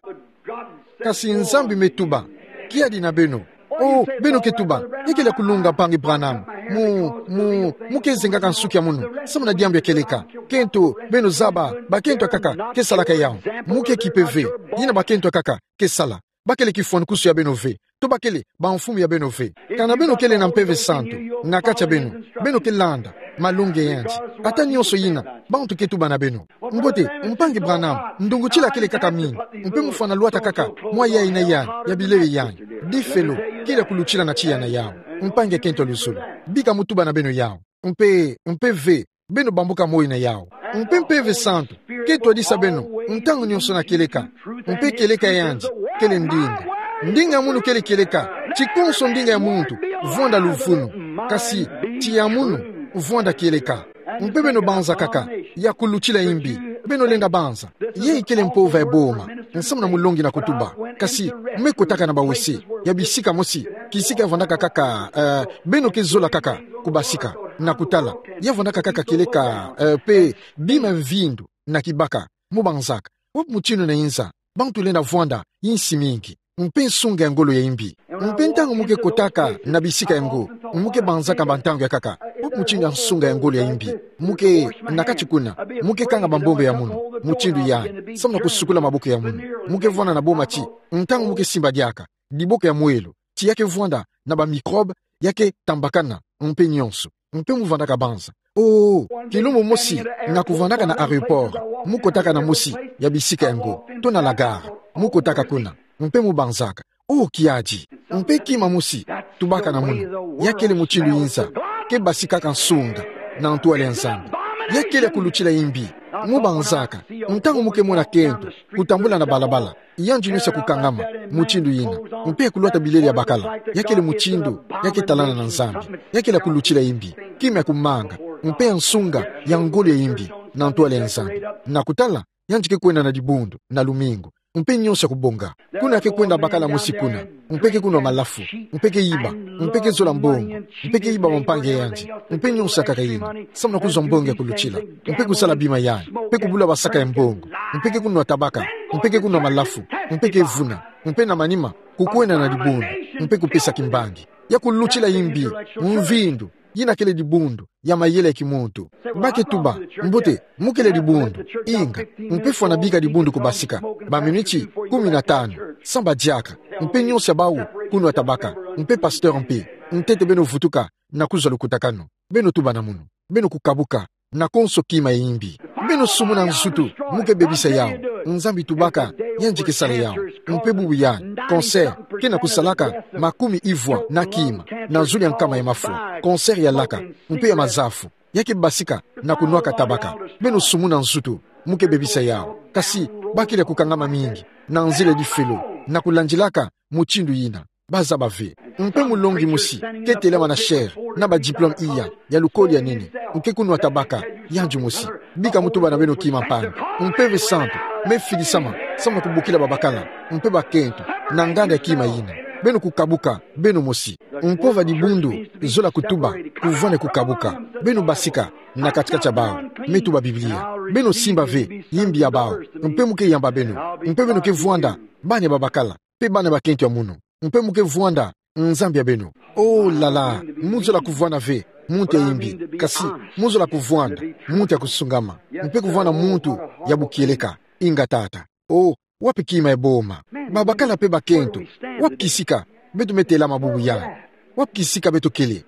Kasi Nzambi me tuba, kiadi na beno. O, beno ke tuba, ya kele ya kulunga mpangi Branham. Mu, mu, mu ke zengaka nsuki ya munu, samu na diambu ya kieleka. Kento, beno zaba, bakento ya kaka, ke salaka yawu. Mu ke kipe ve, ina bakento ya kaka, ke sala. Ba kele kifwanukusu ya beno ve. To ba kele, bamfumu ya beno ve. Kana beno kele na Mpeve Santu, na kati ya beno. Beno ke landa, malongi yandi. Ata nyonso ina, bantu ke tuba na beno. Mbote, mpangi Branham, ndungutila kele kaka mingi. Mpe mu fwana lwata kaka, mwa yayi na yayi, ya bilele yayi. Difelo, kele ya kulutila na tiya na yawu. Mpangi ya kento ya luzolo. Bika mu tuba na beno yawu. Mpe, mpe ve, beno bambuka moyo na yawu. Mpe Mpeve Santu, ke twadisa beno, ntangu nyonso na kieleka. Mpe kieleka yandi, kele ndinga. Ndinga munu kele kieleka, ti konso ndinga ya muntu, vwanda luvunu. Kasi, ti ya munu, vwanda kieleka. Mpe beno banza kaka, ya kulutila yimbi, Beno lenda banza. Yayi kele mpova ya boma. Nsamu na mulongi na kutuba. Kasi, me kotaka na bawese. Ya bisika mosi. Kisika ya vandaka kaka, eh, beno ke zola kaka kubasika. Na kutala. Ya vandaka kaka kieleka, eh, pe bima mvindu na kibaka. Mo banzaka. Wapi mutindu na inza. Bantu lenda vwanda, insi mingi. Mpe nsunga ya ngolo ya imbi. Mpe ntangu mo ke kotaka na bisika yango, mo ke banzaka bantangu ya nkaka. Wapi mutindu ya nsunga ya ngolo ya imbi. Mo ke na kati kuna, mo ke kanga bambombe ya munu, mutindu yandi, samu na kusukula maboko ya munu. Mo ke vwanda na boma ti, ntangu mo ke simba diaka, diboko ya mwelo, ti ya ke vwanda na ba microbe, ya ke tambakana, mpe nyonso. Mpe mo vandaka banza. Oh, kilumbu mosi, na kuvandaka na aéroport, mo kotaka na mosi ya bisika yango, to na la gare, mo kotaka kuna, mpe mo banzaka. Oh, kiadi, mpe kima mosi, tubaka na munu, ya kele mutindu inza, ke basikaka nsunga, na ntwala ya Nzambi. Ya kele ya kulutila imbi, mo banzaka, ntangu mo ke mona kento, kutambula na balabala, yandi nyonso ya kukangama, mutindu yina. Mpe ya kulwata bilele ya bakala. Ya kele mutindu, ya ke talana na Nzambi. Ya kele ya kulutila imbi. Kima ya kumanga. Mpe ya nsunga, ya ngolo ya imbi. Na ntwala ya Nzambi. Na kutala, yandi ke kwenda na dibundu, na lumingu. Mpe nyonso ya kubonga. Kuna ke kwenda bakala mosi kuna. Mpe ke kunwa malafu. Mpe ke yiba. Mpe ke zola mbongo. Mpe ke yiba bampangi ya yandi. Mpe nyonso ya nkaka yina. Samu na kuzwa mbongo ya kulutila. Mpe kusala bima yandi. Mpe kubula basaka ya mbongo. Mpe ke kunwa tabaka. Mpe ke kunwa malafu. Mpe ke vuna. Mpe na manima, kukwenda na dibundu. Mpe kupesa kimbangi. Ya kulutila imbi. Mvindu. Yina kele dibundu. Ya mayele ya kimuntu. Ba ke tuba. Mbote, mo kele dibundu. Inga. Mpe fwana bika dibundu kubasika. Ba minuti, kumi na tanu. Samba diaka. Mpe nyonso ya bawu, kunwa tabaka. Mpe pasteur mpe. Ntete beno vutuka. Na kuzwa lukutakanu. Beno tuba na munu. Beno kukabuka. Na konso kima ya imbi. Beno sumuna nzutu. Mo ke bebisa yawu. Nzambi tubaka. Yandi ke sala yawu. Mpe bubu yandi. Cancer. Ke na kusalaka. Makumi ivwa. Na kima. Na zulu ya nkama ya mafwa. Cancer ya laka. Mpe ya mazafu. Ya ke basika. Na kunwaka tabaka. Beno sumuna nzutu. Mo ke bebisa yawu. Kasi. Ba kele ya kukangama mingi. Na nzila ya difelo. Na kulandilaka. Mutindu yina. Bazaba ve. Mpe mulongi mosi, ke telama na chaire, na ba diplôme iya, ya lukoli ya nene, mpe kunwa tabaka, yandi mosi. Bika mo tuba na beno kima mpangi. Mpe ve santu, me fidisama, samu na kubokila babakala, mpe bakento, na nganda ya kima yina. Beno kukabuka, beno mosi. Mpova dibundu, zola kutuba, kuvwanda kukabuka. Beno basika, na kati-kati ya bawu, me tuba Biblia. Beno simba ve, imbi ya bawu, mpe mo ke yamba beno, mpe beno ke vwanda, bana ya babakala, mpe bana ya bakento ya munu. Mpe mo ke vwanda, Nzambi ya beno. Oh là là, mo zola kuvwanda ve, muntu ya imbi, kasi, mo zola kuvwanda, muntu ya kusungama, mpe kuvwanda muntu, ya bukieleka, inga tata. Oh, wapi kima ya boma. Babakala mpe bakento, wapi kisika, beto me telama bubu yandi. Wapi kisika beto kele.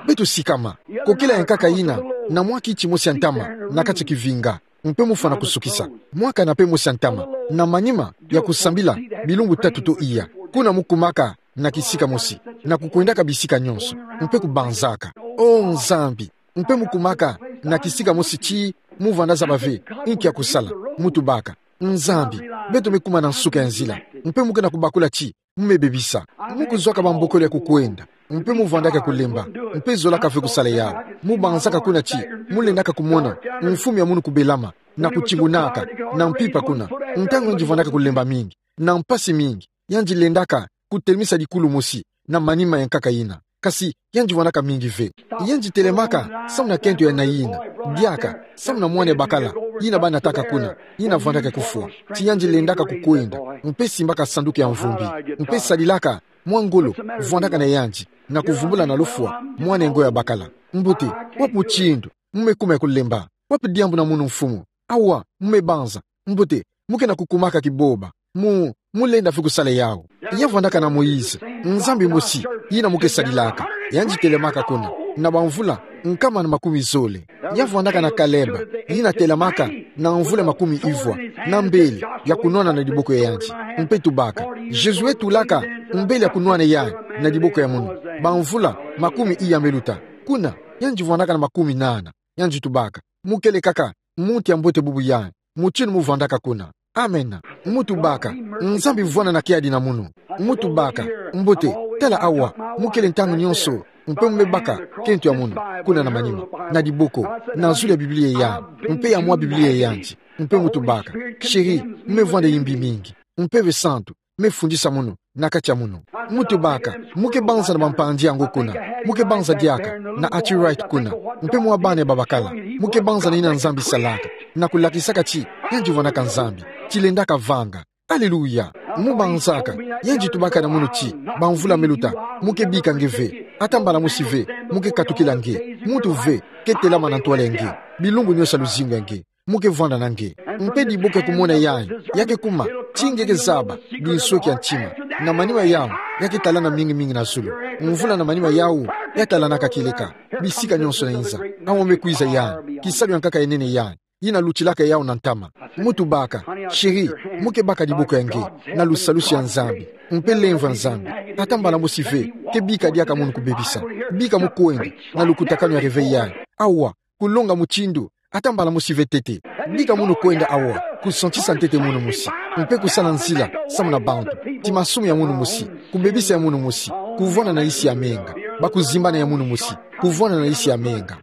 Beto sikama, kokela ya nkaka yina, na mwa kiti mosi ya ntama, na kati ya kivinga. Mpe mo fwana kusukisa. Mwa kana mpe mosi ya ntama. Na manima, ya kusambila, bilumbu tatu to iya. Kuna mo kumaka, na kisika mosi. Na kukwendaka bisika nyonso. Mpe kubanzaka. Oh Nzambi. Mpe mo kumaka, na kisika mosi ti, mo vwanda zaba ve, inki ya kusala, mo tubaka. Nzambi, beto me kuma na nsuka ya nzila. Mpe mo ke na kubakula ti, mo me bebisa. Mo kuzwaka bambokolo ya kukwenda. Mpe mo vwandaka kulemba. Mpe zolaka ve kusala yawu. Mo banzaka kuna ti, mo lendaka kumona, mfumu ya munu kubelama, na kutingunaka, na mpimpa kuna. Ntangu yandi vwandaka kulemba mingi, na mpasi mingi, yandi lendaka, kutelemisa dikulu mosi, na manima ya nkaka yina. Kasi, yandi vwandaka mingi ve. Yandi telemaka, samu na kento ya nayina. Diaka, samu na mwana ya bakala, yina ba nataka kuna, yina vwandaka kufwa. Ti yandi lendaka kukwenda, mpe simbaka sanduku ya mvumbi, mpe sadilaka, mwa ngolo, vwandaka na yandi, na kuvumbula na lufwa, mwana ya ngo ya bakala. Mbote, wapi mutindu, mo me kuma ya kulemba, wapi diambu na munu mfumu, awa, mo me banza, mbote, mo ke na kukumaka kiboba. Mo, mo lenda ve kusala yawu. Ya vwandaka na Moïse, Nzambi mosi, yina mo ke sadilaka. Yandi telemaka kuna, na bamvula, nkama na makumi zole. Ya vwandaka na Caleb, yina telemaka, na mvula makumi ivwa, na mbele, ya kunwana na diboko ya yandi. Mpe tubaka. Josué tulaka, mbele ya kunwana yandi, na diboko ya munu. Bamvula, makumi iya me luta. Kuna, yandi vwandaka na makumi nana. Yandi tubaka. Mo kele kaka, muntu ya mbote bubu yandi. Mutindu mo vwandaka kuna. Amen. Mo tubaka. Nzambi vwanda na kiadi na munu. Mo tubaka. Mbote, tala awa. Mo kele ntangu nyonso. Mpe mo me baka. Kento ya munu. Kuna na manima. Na diboko. Na zulu ya Biblia ya yandi. Mpe ya mwa Biblia ya yandi. Mpe mu tubaka: Chéri, me vwanda yimbi mingi. Mpeve Santu me fundisa mono na kati ya mono. Mu tubaka: Mu ke banza na bampandi yango kuna. Mu ke banza diaka na arthritis kuna. Mpe mwa bana ya babakala. Mu ke banza na yina Nzambi salaka, na kulakisaka ti yandi vwandaka Nzambi, ti lendaka vanga. Aleluya. Mu banzaka, yandi tubaka na mono ti, bamvula me luta, mu ke bika nge ve. Ata mbala mosi ve mu ke katukila nge. Muntu ve ke telama na ntwala ya nge. Bilumbu nionso ya luzingu ya nge mu ke vwanda na nge. Mpe diboko ya kumona yayi ya ke kuma ti nge ke zaba binsweki ya ntima. Na manima yawu ya ke talana mingi mingi na zulu. Mvula na manima yawu ya talanaka kieleka bisika nionso na inza. Awa me kwiza yayi, kisalu ya nkaka ya nene yayi, yina lutilaka yawu na ntama. Mu tubaka: Chéri, mu ke baka diboko ya nge na lusalusu ya Nzambi. Mpe lemvo ya Nzambi ata mbala mosi ve ke bika diaka mono kubebisa. Bika mu kwenda na lukutakanu ya réveil yayi awa, kulonga mutindu ata mbala mosi ve ntete. Bika mono kwenda awa, kusantisa ntete mono mosi, mpe kusala nzila samu na bantu, ti masumu ya mono mosi, kubebisa ya mono mosi, kuvwanda na yisi ya menga, bakuzimbana ya mono mosi, kuvwanda na yisi ya menga.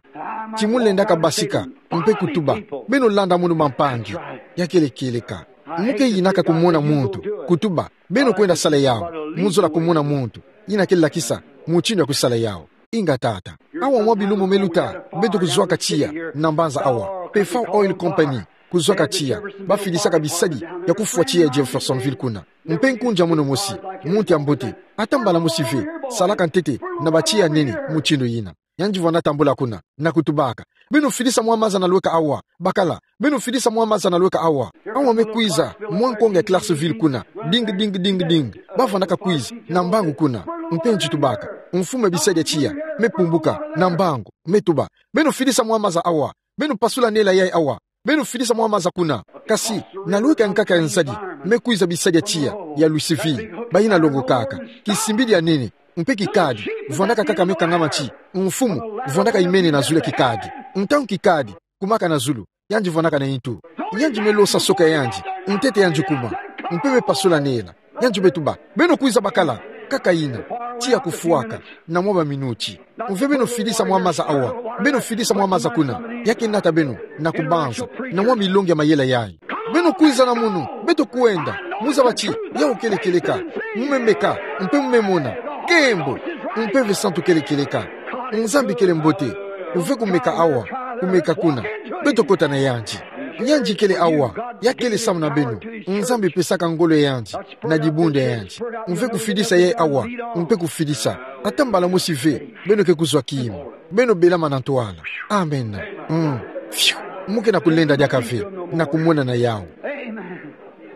Ti mu lendaka basika, mpe kutuba: Beno landa mono bampangi. Ya kele kieleka. Mu ke yinaka kumona muntu, kutuba: Beno kwenda sala yawu. Mu zola kumona muntu yina ke lakisa mutindu ya kusala yawu. Inga tata. Awa mwa bilumbu me luta, beto kuzwaka tiya na mbanza awa, Pefao Oil Company, kuzwaka tiya, bafidisaka bisadi ya kufwa tiya ya Jeffersonville kuna. Mpe nkunzi ya mono mosi, muntu ya mbote, ata mbala mosi ve salaka ntete na batiya ya nene mutindu yina. Yandi vwanda tambula kuna na kutubaka: Beno fidisa mwa maza na lweka awa, bakala. Beno fidisa mwa maza na lweka awa. Awa me kwiza mwa nkonga ya Clarksville kuna. Ding, ding, ding, ding. Bavwandaka kwiza na mbangu kuna. Mpe nti tubaka: Mfumu ya bisadi ya tiya me pumbuka na mbangu, me tuba: Beno fidisa mwa maza awa. Beno pasula nela yayi awa. Beno fidisa mwa maza kuna. Kasi na lweka ya nkaka ya nzadi me kwiza bisadi ya tiya ya Louisville, bayina longokaka. Kisimbidi ya nene, mpe kikadi, vwandaka kaka me kangama ti: Mfumu, vwandaka imene na zulu ya kikadi. Ntangu kikadi kumaka na zulu, yandi vwandaka na ntu. Yandi me losa soka ya yandi, ntete yandi kuma, mpe me pasula nela. Yandi me tuba: Beno kwiza bakala. Kaka yina, tiya kufwaka na mwa baminuti. Mve beno fidisa mwa maza awa. Beno fidisa mwa maza kuna. Ya ke nata beno na kubanza na mwa milongi ya mayela yayi. Beno kwiza na mono, beto kwenda. Mu zaba ti yawu kele kieleka. Mu me meka, mpe mu me mona. Nkembo. Mpeve Santu kele kieleka. Nzambi kele mbote. Mve kumeka awa, kumeka kuna. Beto kota na yandi. Yandi kele awa, ya kele samu na beno. Nzambi pesaka ngolo ya yandi na dibundu ya yandi. Mve kufidisa yayi awa, mpe kufidisa. Ata mbala mosi ve beno ke kuzwa kima, beno belama na ntwala. Amen. Mm. Fiu. Mu ke na kulenda diaka ve na kumona na yawu.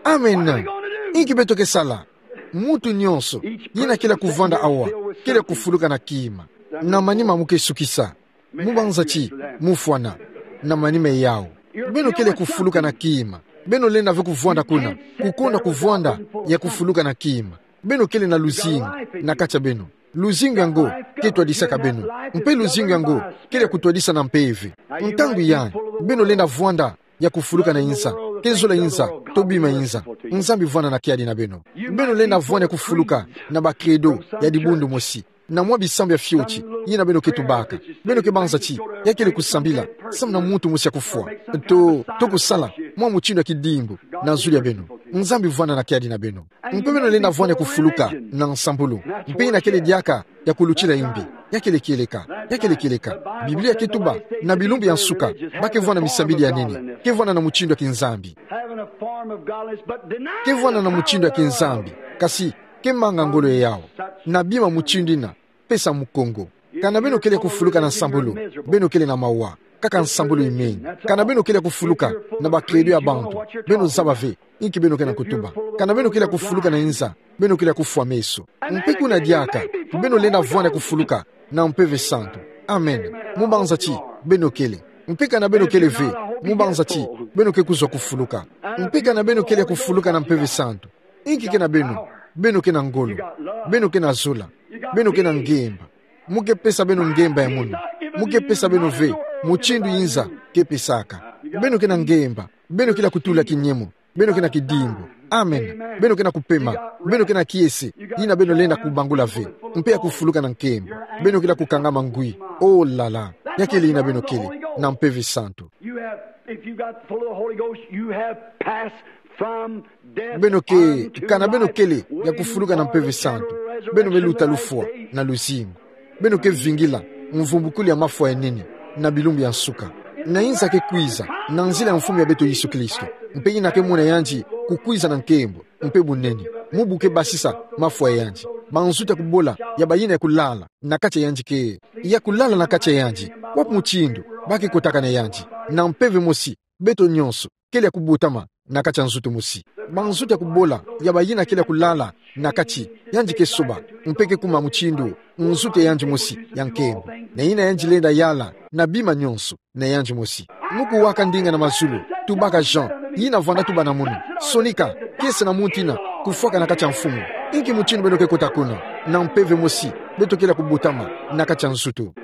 Amen. Inki beto ke sala? Muntu nionso yina kele kuvwanda awa kele kufuluka na kima. Na manima mu ke sukisa. Mu banza ti mu fwana na manima yawu. Beno kele kufuluka na kima. Beno lenda ve kuvwanda kuna, kukonda kuvwanda ya kufuluka na kima. Beno kele na luzingu na kati ya beno. Luzingu yango ke twadisaka beno. Mpe luzingu yango kele kutwadisa na mpeve. Ntangu yayi beno lenda vwanda ya kufuluka na inza, ke zola inza, to bima inza. Nzambi vwanda na kiadi na beno. Beno lenda vwanda ya kufuluka na ba credo ya dibundu mosi, na mwa bisambu ya fioti yina beno ke tubaka. Beno ke banza ti ya kele kusambila samu na muntu mosi ya kufwa, to, to kusala mwa mutindu ya kidimbu na zulu ya beno. Nzambi vwanda na kiadi na beno. Mpe beno lenda vwanda ya kufuluka na nsambulu. Mpe yina kele diaka ya kulutila imbi. Ya kele kieleka. Ya kele kieleka. Biblia ke tuba na bilumbu ya nsuka ba ke vwanda misambidi ya nene. Ke vwanda na mutindu ya kinzambi. Ke vwanda na mutindu ya kinzambi, kasi ke manga ngolo yawu. Na bima mutindu yina, pesa mukongo. Kana beno kele kufuluka na nsambulu, beno kele na mawa. Kaka nsambulu imenga. Kana beno kele kufuluka na ba credo ya bantu, beno zaba ve inki beno ke na kutuba. Kana beno kele kufuluka na inza, beno kele kufwa meso. Mpe kuna diaka beno lenda vwanda ya kufuluka na Mpeve Santu. Amen. Mu banza ti beno kele. Mpe kana beno kele ve, mu banza ti beno ke kuzwa kufuluka. Mpe kana beno kele kufuluka na Mpeve Santu, inki ke na beno? Beno ke na ngolo. Beno ke na zola. Beno ke na ngemba. Mu ke pesa beno ngemba ya mono. Mu ke pesa beno ve mutindu inza ke pesaka. Beno ke na ngemba. Beno kele kutula kinyemo. Beno ke na kidimbu. Amen. Beno ke na kupema. Beno ke na kiese yina beno lenda kubangula ve, mpe ya kufuluka na nkembo. Beno kele kukangama ngwi. Oh là là. Ya kele yina beno kele na Mpeve Santu. You got full of the Holy Ghost, you have passed from death. Beno ke, kana beno kele ya kufuluka na Mpeve Santu, beno me luta lufwa na luzingu. Beno ke vingila mvumbukulu ya mafwa ya nene na bilumbu ya nsuka. Na inza ke kwiza na nzila ya Mfumu ya beto Yesu Kristo. Mpe ina ke mona yandi kukwiza na nkembo mpe bunene, mu bu ke basisa mafwa ya yandi, banzutu ya kubola ya bayina ya kulala na kati ya yandi ke, ya kulala na kati ya yandi. Wapi mutindu ba ke kotaka na yandi? Na mpeve mosi, beto nyonso kele ya kubotama na kati ya nzutu mosi. Banzutu ya kubola ya bayina kele ya kulala na kati, yandi ke soba, mpe ke kuma mutindu nzutu ya yandi mosi ya nkembo. Na ina yandi lenda yala na bima nyonso na yandi mosi. Mu kuwaka ndinga na mazulu, tubaka Jean, yina vwanda tuba na munu: Sonika, kiese na muntu yina kufwaka na kati ya Mfumu. Inki mutindu beno ke kota kuna? Na mpeve mosi, beto kele ya kubotama na kati ya nzutu.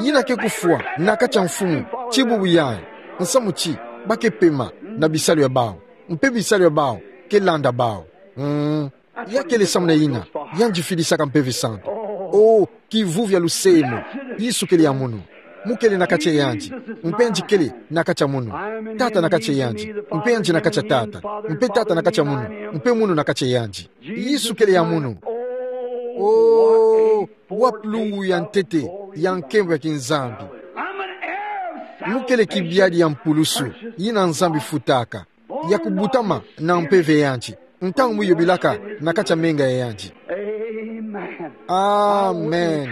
Yina ke kufwa na kati ya Mfumu, ti bubu yayi, nsamu ti ba ke pema na bisalu ya bawu, mpe bisalu ya bawu ke landa bawu. Mm. Ya kele samu na yina yandi fidisaka Mpeve Santu. O, kivuvu ya lusemo! Yesu kele ya munu. Mu kele na kati ya yandi, mpe yandi kele na kati ya munu. Tata na kati ya yandi, mpe yandi na kati ya Tata, mpe Tata na kati ya munu, mpe munu na kati ya yandi. Yesu kele ya munu. O, wapi lungu ya ntete ya nkembo ya kinzambi! Mu kele kibiadi ya mpulusu yina Nzambi futaka, ya kubotama na mpeve ya yandi ntangu mu yobilaka na kati ya menga ya yandi. Amen. Amen.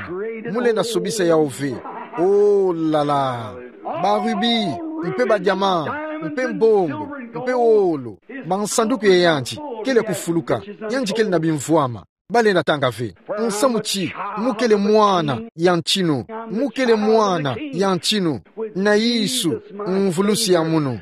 Mu lenda sobisa yawu ve. Oh là là. Ba rubis, mpe ba diamants, mpe mbongo, mpe wolo, bansanduku ya yandi kele ya kufuluka. Yandi kele na bimvwama. Ba lenda tanga ve. Nsamu ti mu kele mwana ya ntinu. Mu kele mwana ya ntinu. Na Yesu, mvulusi ya munu,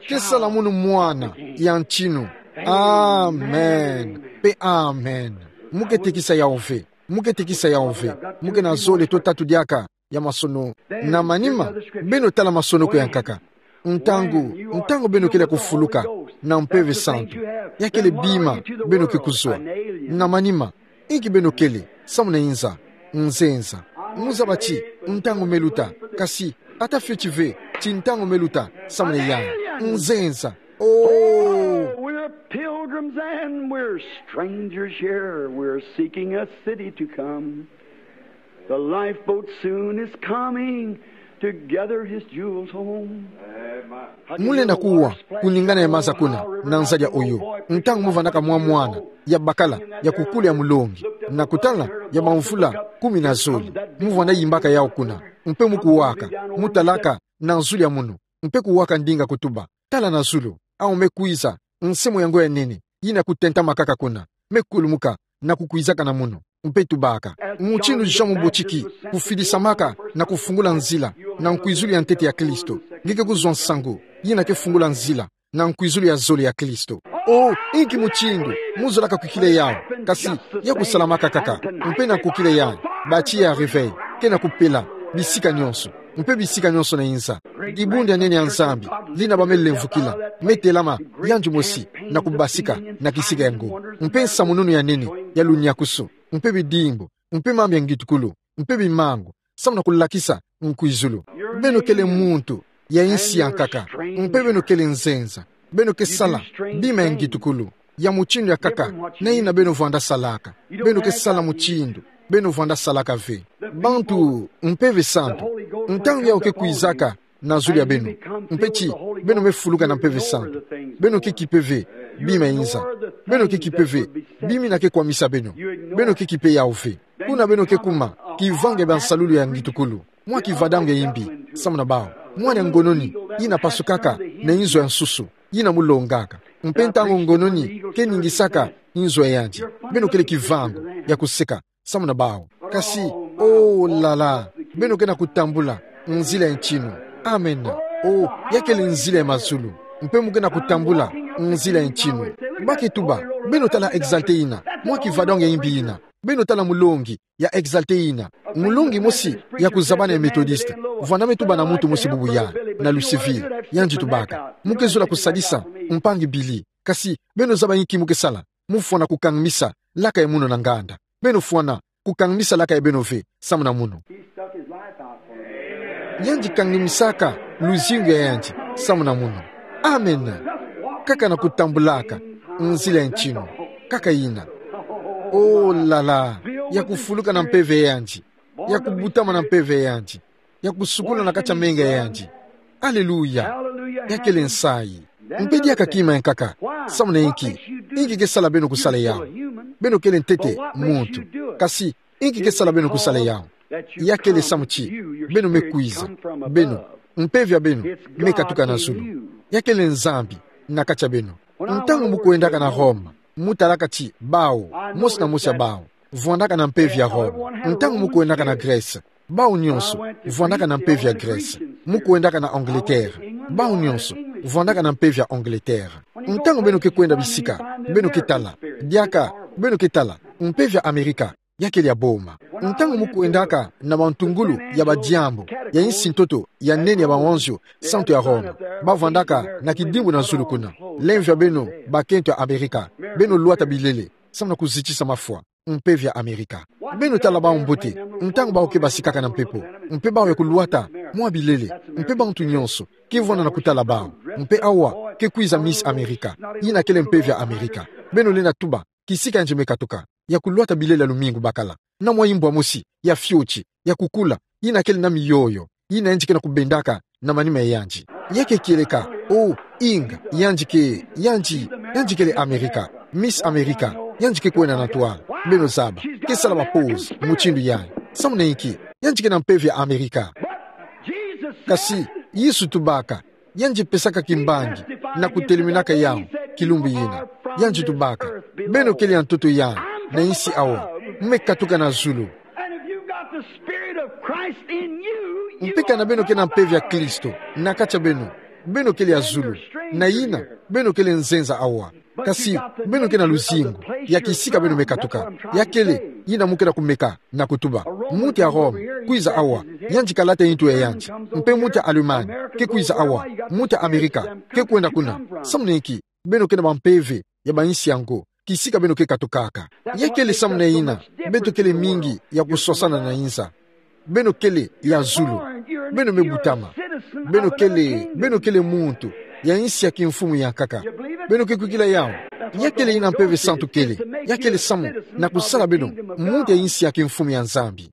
ke sala munu mwana ya ntinu. Amen. Mpe amen. Mu ke tekisa yawu ve. Mu ke tekisa yawu ve. Mu ke na zole to tatu diaka ya masono. Na manima, beno tala masonoko ya nkaka. Ntangu, ntangu beno kele ya kufuluka na Mpeve Santu, ya kele bima beno ke kuzwa. Na manima, inki beno kele samu na inza? Nzenza. Mu zaba ti ntangu me luta, kasi ata fioti ve ti ntangu me luta samu na yayi. Nzenza. Oh, we're pilgrims and we're strangers here. We're seeking a city to come. The lifeboat soon is coming to gather his jewels home. Mu lenda kuwa kuningana ya maza kuna na nzadi ya oyo, ntangu mu vwandaka mwa mwana ya bakala ya kukulu ya mulongi, na kutala ya bamvula kumi na zole, mu vwanda yimbaka yawu kuna, mpe mu kuwaka, mu talaka na zulu ya munu, mpe kuwaka ndinga kutuba: Tala na zulu, awu me kwiza, nse mwa yango ya nene, yina kutentama kaka kuna, me kulumuka na kukwizaka na munu, mpe tubaka. Mutindu Jean Mubotiki kufidisamaka na kufungula nzila na nkwizulu ya ntete ya Kristo, nge ke kuzwa nsangu yina ke fungula nzila na nkwizulu ya zole ya Kristo. Oh, inki mutindu mu zolaka kukila yawu, kasi ya kusalamaka kaka, mpe na kukila yawu, ba tiya ya réveil ke na kupela bisika nyonso, mpe bisika nyonso na inza. Dibundu ya nene ya Nzambi, lina ba me lemvukila, me telama yandi mosi na kubasika na kisika yango. Mpe nsamununu ya nene ya lunyakusu, mpe bidimbu, mpe mambu ya ngitukulu, mpe bimangu, samu na kulakisa nkwizulu. Beno kele muntu ya insi ya nkaka, mpe beno kele nzenza. Beno ke sala bima ya ngitukulu ya mutindu ya nkaka na yina beno vwanda salaka. Beno ke sala mutindu beno vwanda salaka ve. Bantu, Mpeve Santu, ntangu yawu ke kwizaka na zulu ya beno, mpe ti beno me fuluka na Mpeve Santu, beno ke kipe ve bima ya inza. Beno ke kipe ve bima yina ke kwamisa beno. Beno ke kipe yawu ve. Kuna beno ke kuma kivangu ya bansalulu ya ngitukulu, mwa kivadango ya imbi samu na bawu, mwana ya ngononi yina pasukaka na inzo ya nsusu, yina mu longaka, mpe ntangu ngononi ke ningisaka inzo ya yandi, beno kele kivangu ya kuseka samu na bawu. Kasi, oh là là, beno ke na kutambula nzila ya ntinu. Amen. Oh, ya kele nzila ya mazulu, mpe mu ke na kutambula nzila ya ntinu. Ba ke tuba: Beno tala exalté yina, mwa kivadango ya imbi yina. Beno tala mulongi ya exalté yina. Mulongi mosi ya kuzabana ya Methodiste, vwanda me tuba na muntu mosi bubu yayi, na Louisville, yandi tubaka: Mu ke zola kusadisa mpangi Billy, kasi beno zaba inki mu ke sala? Mu fwana kukangmisa laka ya munu na nganda. Beno fwana kukangmisa laka ya beno ve samu na munu. He stuck his life out for me. Yandi kangimisaka luzingu ya yandi samu na mono. Amen. Kaka na kutambulaka nzila ya ntinu. Kaka ina. Oh là là. Ya kufuluka na mpeve ya yandi. Ya kubutama na mpeve ya yandi. Ya kusukula na kati ya menga ya yandi. Aleluya. Ya kele nsayi. Mpe diaka kima ya nkaka. Samu na inki? Inki ke sala beno kusala yawu? Beno kele ntete muntu. Kasi inki ke sala beno kusala yawu? Ya kele samu ti beno me kwiza. Beno, mpeve ya beno me katuka na zulu. Ya kele Nzambi na kati ya beno. Ntangu mu kwendaka na Roma, mu talaka ti bawu, mosi na mosi ya bawu vwandaka na mpeve ya Roma. Ntangu mu kwendaka na Grèce, bawu nyonso vwandaka na mpeve ya Grèce. Mu kwendaka na Angleterre, bawu nyonso vwandaka na mpeve ya Angleterre. Ntangu beno ke kwenda bisika, beno ke tala, diaka, beno ke tala, mpeve ya Amerika ya kele ya boma. Ntangu mu kwendaka na bantungulu ya badiambu ya insi ntoto ya nene ya bawanzio santu ya Roma, ba vwandaka na kidimbu na zulu kuna. Lemvo ya beno, bakento ya Amerika, beno lwata bilele samu na kuzitisa mafwa, mpeve ya Amerika. Beno tala bawu mbote, ntangu bawu ke basikaka na mpepo, mpe bawu ya kulwata mwa bilele, mpe bantu nyonso ke vwanda na kutala bawu. Mpe awa ke kwiza Miss America, yina kele mpeve ya Amerika. Beno lenda tuba kisika yandi me katuka, ya kulwata bilele ya lumingu bakala, na mwa imbwa mosi ya fioti, ya kukula, yina kele na miyoyo, yina yandi ke na kubendaka na manima ya yandi. Ya ke kieleka, oh, inga, yandi ke, yandi, yandi kele Amerika, Miss America, yandi ke kwenda na ntwala. Beno zaba, ke sala ba pause mutindu yayi. Samu na inki? Yandi ke na mpeve ya Amerika. Kasi Yesu tubaka, yandi pesaka kimbangi na kutelemenaka yawu kilumbu yina. Yandi tubaka, beno kele ya ntoto yayi na insi awa, me katuka na zulu. And if you've got the Spirit of Christ in you, you Mpe kana beno ke na mpeve ya Kristo na kati ya beno, beno kele ya zulu. Na yina, beno kele nzenza awa. Kasi beno ke na luzingu ya kisika beno me katuka. Ya kele yina mu ke na kumeka na kutuba. Muntu ya Roma kwiza awa, yandi kalata intu ya yandi. Mpe muntu ya Allemagne ke kwiza awa, muntu ya Amerika ke kwenda kuna. Samu na inki? Beno ke na bampeve ya bainsi ya ngo kisika beno ke katukaka. Ya kele samu na yina beto kele mingi ya kuswasana na inza. Beno kele ya zulu. Beno me butama. Beno kele, beno kele muntu ya insi ya kimfumu ya nkaka. Beno ke kwikila yawu? Ya kele yina Mpeve Santu kele. Ya kele samu na kusala beno muntu ya insi ya kimfumu ya Nzambi.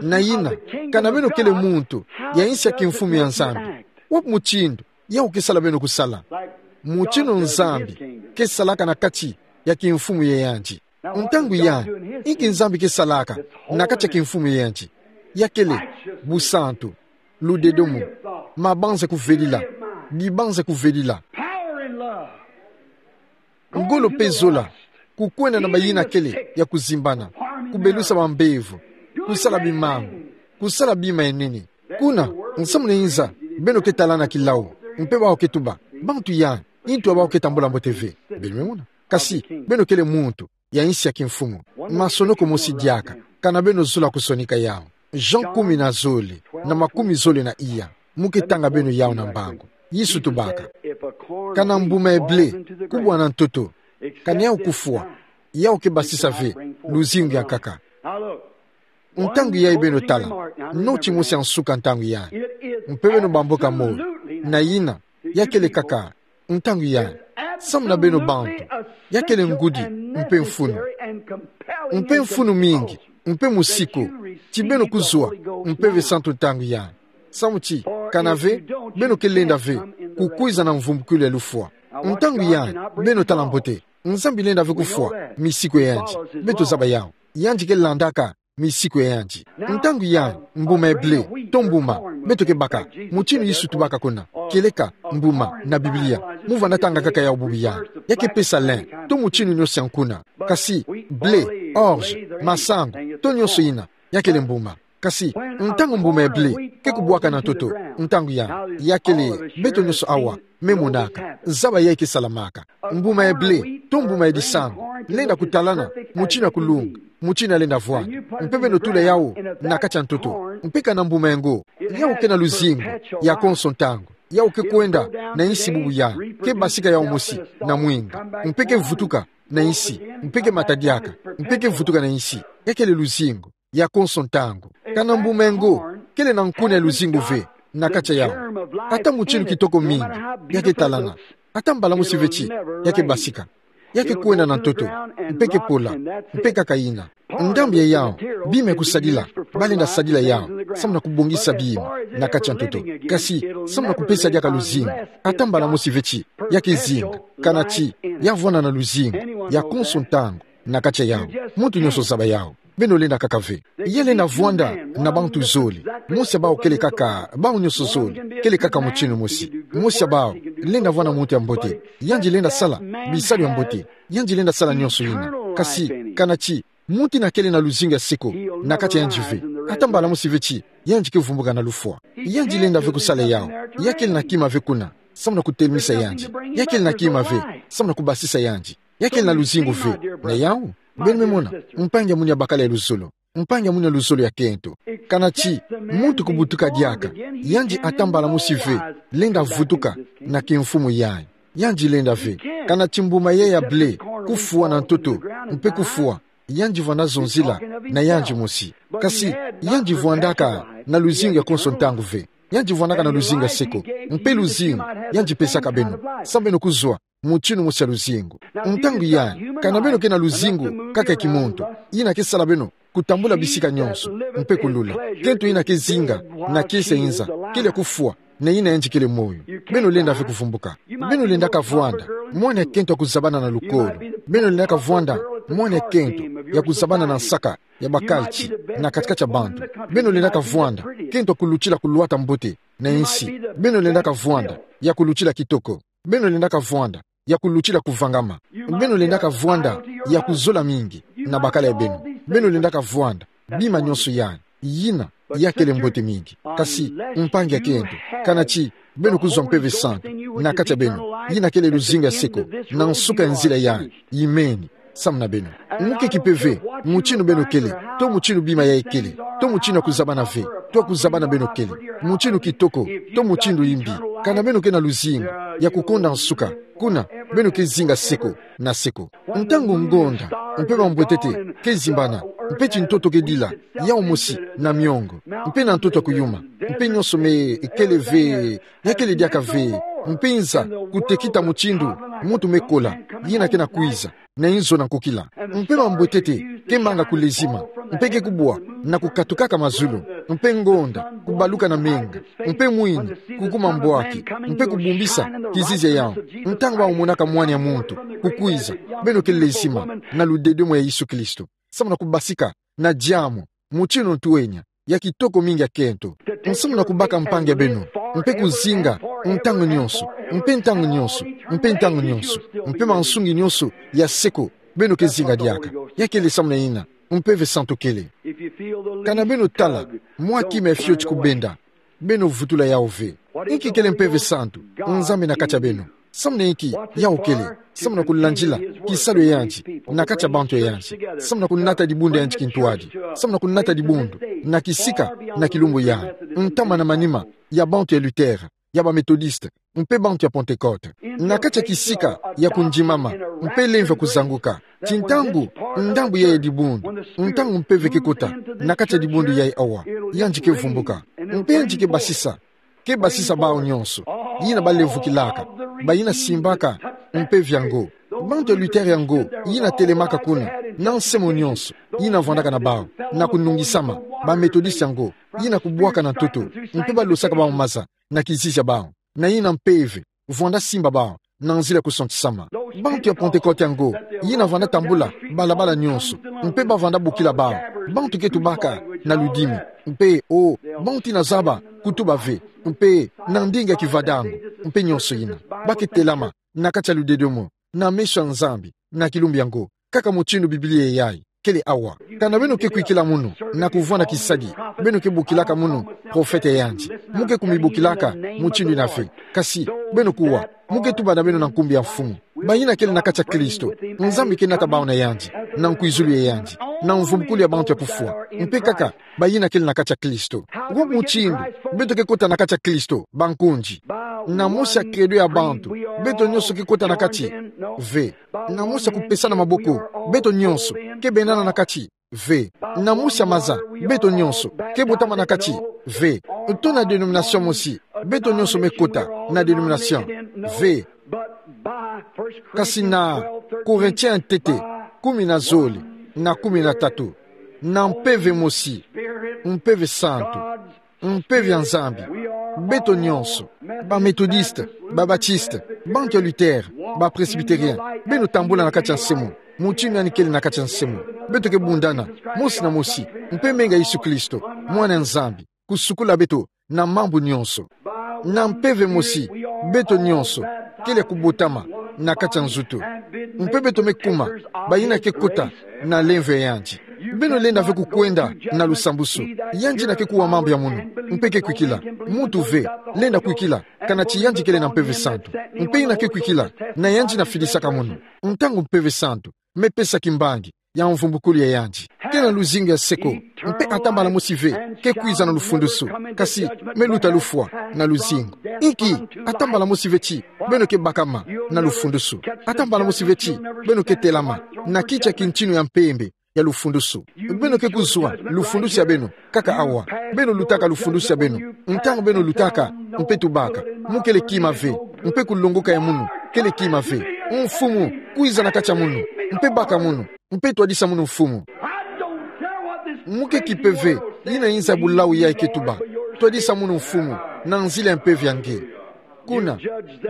Na yina, kana beno kele muntu ya insi ya kimfumu ya Nzambi, wapi mutindu yawu ke sala beno kusala? Mutindu Nzambi ke salaka na kati ya kimfumu ya yandi. Ntangu yayi, inki Nzambi ke salaka na kati ya kimfumu ya yandi? Ya kele busantu, ludedomo, mabanza kuvelila, bibanza kuvelila, ngolo mpe zola, kukwenda na bayina kele ya kuzimbana, kubelusa bambevo, kusala bimangu, kusala bima ya nene. Kuna, nsamu na inza, beno ke talana kilau, mpe bawu ke tuba, bantu yayi, intu ya bawu ke tambula mbote ve. Beno me mona? Kasi beno kele muntu ya insi ya kimfumu. Masonoko mosi diaka, kana beno zola kusonika yawu. Jean kumi na zole, na makumi zole na iya. Mu ke tanga beno yawu na mbangu. Yesu tubaka, kana mbuma ya ble kubwa na ntoto, kana yawu kufwa, yawu ke basisa ve luzingu ya nkaka. Ntangu yayi beno tala, noti mosi ya nsuka ntangu yayi. Mpe beno bamboka molo, na yina, ya kele kaka ntangu yayi. Samu na beno bantu, ya kele ngudi mpe mfunu. Mpe mfunu mingi, mpe musiku, ti beno kuzwa Mpeve Santu ntangu yayi. Samu ti, kana ve, beno ke lenda ve kukwiza na mvumbukilu ya lufwa. Ntangu yayi, beno tala mbote, Nzambi lenda ve kufwa misiku ya yandi. Beto zaba yawu. Yandi ke landaka misiku ya yandi. Ntangu yayi, mbuma ya ble, to mbuma beto ke baka, mutindu Yesu tubaka kuna, kieleka mbuma na Biblia. Mu vanda tanga kaka yawu bubu yayi. Ya ke pesa lin, to mutindu nyonso ya nkuna. Kasi ble, orge, masangu, to nyonso yina, ya kele mbuma. Kasi ntangu mbuma ya ble ke kubwaka na ntoto, ntangu yayi, ya kele beto nyonso awa me monaka zaba yayi ke salamaka. Mbuma ya ble, to mbuma ya disangu, lenda kutalana mutindu ya kulunga, mutindu ya lenda vwanda. Mpe beno tula yawu na kati ya ntoto. Mpe kana mbuma ya ngo, yawu ke na luzingu ya konso ntangu. Yawu ke kwenda na insi bubu yayi, ke basika yawu mosi na mwinda, mpe ke vutuka na insi, mpe ke mata diaka, mpe ke vutuka na insi. Ya kele luzingu ya konso ntangu. Kana mbuma ya ngo, kele na nkuna ya luzingu ve na kati ya yawu. Ata mutinu kitoko mingi ya ketalana, ata mbala mosi ve ti ya kebasika, ya kekwenda na ntoto, mpe kepola, mpe kaka yina. Ndambu ya yawu, bima ya kusadila, balenda sadila yawu samu na kubongisa bima na kati ya ntoto. Kasi samu na kupesa diaka luzingu, ata mbala mosi ve ti ya kezinga, kana ti ya vwanda na luzingu ya konso ntangu na kati ya yawu. Muntu nyonso zaba yawu. Beno lenda kaka ve. Ya lenda vwanda na bantu zole. Mosi ya bawu kele kaka, bawu nyonso zole kele kaka mutinu mosi. Mosi ya bawu lenda vwanda muntu ya mbote, yandi lenda sala bisalu ya mbote, yandi lenda sala nyonso yina. Kasi kana ti muntu yina kele na luzingu ya seko na kati ya yandi ve, ata mbala mosi ve ti yandi kevumbuka na lufwa. Yandi lenda ve kusala yawu. Ya kele na kima ve kuna samu na kutelemisa yandi. Ya kele na kima ve samu na kubasisa yandi. Ya kele na luzingu ve na yawu. Beno me mona, mpangi ya mwini ya bakala ya luzolo, mpangi ya mwini ya luzolo ya kento. Kana ti muntu kubutuka diaka, yandi ata mbala mosi ve lenda vutuka na kimfumu yayi. Yandi lenda ve. Kana ti mbuma yayi ya ble kufwa na ntoto, mpe kufwa, yandi vwanda zonzila na yandi mosi. Kasi yandi vwandaka na luzingu ya konso ntangu ve. Yandi vwandaka na luzingu ya seko. Mpe luzingu yandi pesaka beno, samu beno kuzwa mutinu mosi ya luzingu. Ntangu yayi, kana beno ke na luzingu kaka ya kimuntu, yina kesala beno kutambula bisika nyonso, mpe kulula. Kento yina kezinga na kiese ya inza, kele ya kufwa, na yina yandi kele moyo. Beno lenda ve kuvumbuka. Beno lendaka vwanda mwana ya kento ya kuzabana na lukolo. Beno lendaka vwanda mwana ya kento ya kuzabana na nsaka ya bakalti na kati-kati ya bantu. Beno lendaka vwanda kento ya kulutila kulwata mbote na insi. Beno lendaka vwanda ya kulutila kitoko. Beno lendaka vwanda ya kulutila kuvangama. Beno lendaka vwanda ya kuzola mingi na bakala ya beno. Beno lendaka vwanda bima nyonso yayi. Yina ya kele mbote mingi. Kasi mpangi ya kento, kana ti beno kuzwa Mpeve Santu na kati ya beno, yina kele luzingu ya seko, na nsuka ya nzila yayi, yimeni samu na beno. Muke kipeve mutinu beno kele, to mutinu bima yayi kele, to mutinu ya kuzabana ve, to ya kuzabana beno kele, mutinu kitoko, to mutinu yimbi, kana beno ke na luzingu ya kukonda nsuka, kuna beno kezinga seko na seko. Ntangu ngonda mpe bambwetete kezimbana, mpe tintoto kedila yawu mosi na miongo, mpe na ntoto ya kuyuma, mpe nyonso me kele ve, ya kele diaka ve, mpe inza kutekita mutindu muntu me kola, yina ke na kwiza na inzo na nkukila. Mpe bambwetete kemanga kulezima, mpe kekubwa na kukatukaka mazulu, mpe ngonda kubaluka na menga, mpe mwini kukuma mbwaki, mpe kubumbisa kizizi ya yawu. Ntangu bamonaka Mwana ya muntu kukwiza, beno kelezima na ludedomo ya Yesu Kristo, samu na kubasika na diamu, mutinu ntwenya ya kitoko mingi ya kento. Samu na kubaka mpangi ya beno, mpe kuzinga ntangu nyonso, mpe ntangu nyonso, mpe ntangu nyonso, mpe mansungi nyonso ya seko, beno kezinga diaka. Ya kele samu na yina Mpeve Santu kele. Kana beno tala mwa kima ya fioti kubenda, beno vutula yawu ve. Inki kele Mpeve Santu? Nzambi na kati ya beno. Samu na inki yawu kele? Samu na kulandila kisalu ya yandi na kati ya bantu ya yandi. Samu na kunata dibundu ya yandi kintwadi. Samu na kunata dibundu na kisika na kilumbu yayi, ntama na manima ya bantu ya Luther, ya ba Methodiste, mpe bantu ya Pentecote. Na kati ya kisika ya kundimama mpe lemvo ya kuzanguka, tintangu ndambu yayi ya dibundu, ntangu mpeve kekota na kati ya dibundu yayi awa, yandi kevumbuka. Mpe yandi kebasisa, kebasisa bawu nyonso yina balemvokilaka, bayina simbaka mpeve yango. Bantu ya Luther yango yina telemaka kuna, na nsemo nyonso yina vwandaka na bawu, na kunungisama, ba Methodiste yango yina kubwaka na ntoto, mpe balosaka bawu maza na kizizi ya bawu, na yina mpeve vwanda simba bawu na nzila ya kusantisama. Bantu ya Pentecote yango yina vwanda tambula balabala nyonso, mpe bavwanda bokila bawu. Bantu ke tubaka na ludimi, mpe, o, bantu yina zaba kutuba ve, mpe na ndinga ya Kivadongo, mpe nyonso yina. Ba ke telama na kati ya ludedomo na meso ya Nzambi na kilumbu yango, kaka mutindu Biblia yayi kele awa. Kana beno ke kwikila munu na kuvwanda kisadi, beno ke bokilaka munu profete ya yandi. Mu ke kumibokilaka mutindu yina ve. Kasi beno kuwa, mu ke tuba na beno na nkumbu ya Mfumu. Bayina kele na kati ya Kristo, Nzambi ke nata bawu na yandi na nkwizulu ya yandi, na mvumbukulu ya bantu ya kufwa. Mpe kaka bayina kele na kati ya Kristo. Wa mutindu beto ke kota na kati ya Kristo, bankundi? Na mosi ya credo ya bantu, beto nyonso ke kota na kati? Ve. Na mosi ya kupesana maboko, beto nyonso ke benana na kati? Ve. Na mosi ya maza, beto nyonso ke botama na kati? Ve. To na denomination mosi, beto nyonso me kota na denomination? Ve. Kasi na Korintien ntete kumi na zole na kumi na tatu, na Mpeve mosi, Mpeve Santu, Mpeve ya Nzambi, beto nyonso, ba Methodiste, ba Batiste, bantu ya Luther, ba Presbyterien, beno tambula na kati ya nse mono, mutindu yandi kele na kati ya nse mono. Beto ke bundana mosi na mosi, mpe menga Yesu Kristo, Mwana ya Nzambi, kusukula beto na mambu nyonso. Na Mpeve mosi, beto nyonso kele ya kubotama na kati ya nzutu, mpe beto me kuma bayina ke kota na lemvo ya yandi. Beno lenda ve kukwenda na lusambusu. Yandi yina ke kuwa mambu ya munu, mpe ke kwikila. Muntu ve lenda kwikila kana ti yandi kele na Mpeve Santu. Mpe yina ke kwikila, na yandi yina fidisaka munu. Ntangu Mpeve Santu me pesa kimbangi ya mvumbukulu ya yandi, ke na luzingu ya seko, mpe ata mbala mosi ve ke kwiza na lufundusu, kasi me luta lufwa na luzingu. Inki? Ata mbala mosi ve ti beno ke bakama na lufundusu. Ata mbala mosi ve ti beno ke telama na kiti ya kintinu ya mpembe ya lufundusu. Beno ke kuzwa lufundusu ya beno kaka awa. Beno lutaka lufundusu ya beno. Ntangu beno lutaka, mpe tubaka, mu kele kima ve, mpe kulongoka ya munu kele kima ve. Mfumu, kwiza na kati ya munu, mpe baka munu, mpe twadisa munu, Mfumu. Mu ke kipe ve yina nza bulau yayi ke tuba. Twadisa munu, Mfumu, na nzila ya mpeve ya nge. Kuna,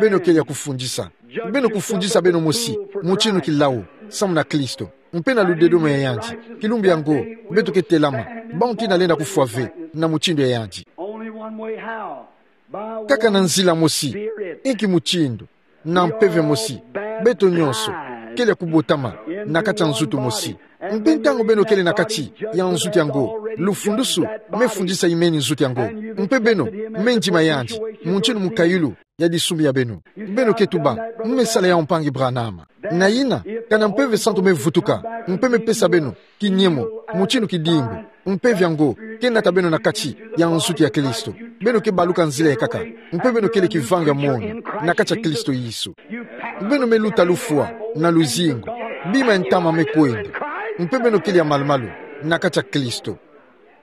beno kele ya kufundisa. Beno kufundisa beno mosi mutindu kilau samu na Kristo, mpe na ludedomo ya yandi. Kilumbu yango, beto ke telama, bantu yina lenda kufwa ve na mutindu ya yandi. Only one way how. By kaka na nzila mosi, inki mutindu? Na mpeve mosi, beto nyonso kele ya kubotama na kati ya nzutu mosi. Mpe ntangu beno kele na kati ya nzutu yango, lufundusu me fundisa imeni nzutu yango. Mpe beno me ndima yandi mutindu mukayulu ya disumbi ya beno. Beno ke tuba, mu me sala yawu, mpangi Branham. Na yina, kana Mpeve Santu me vutuka, mpe me pesa beno kinyemo, mutindu kidimbu, mpeve yango ke nata beno na kati ya nzutu ya Kristo, beno ke baluka nzila ya nkaka, mpe beno kele kivangi ya mono na kati ya Kristo Yesu. Beno me luta lufwa na luzingu, bima ya ntama me kwenda, mpe beno kele ya malumalu na kati ya Kristo.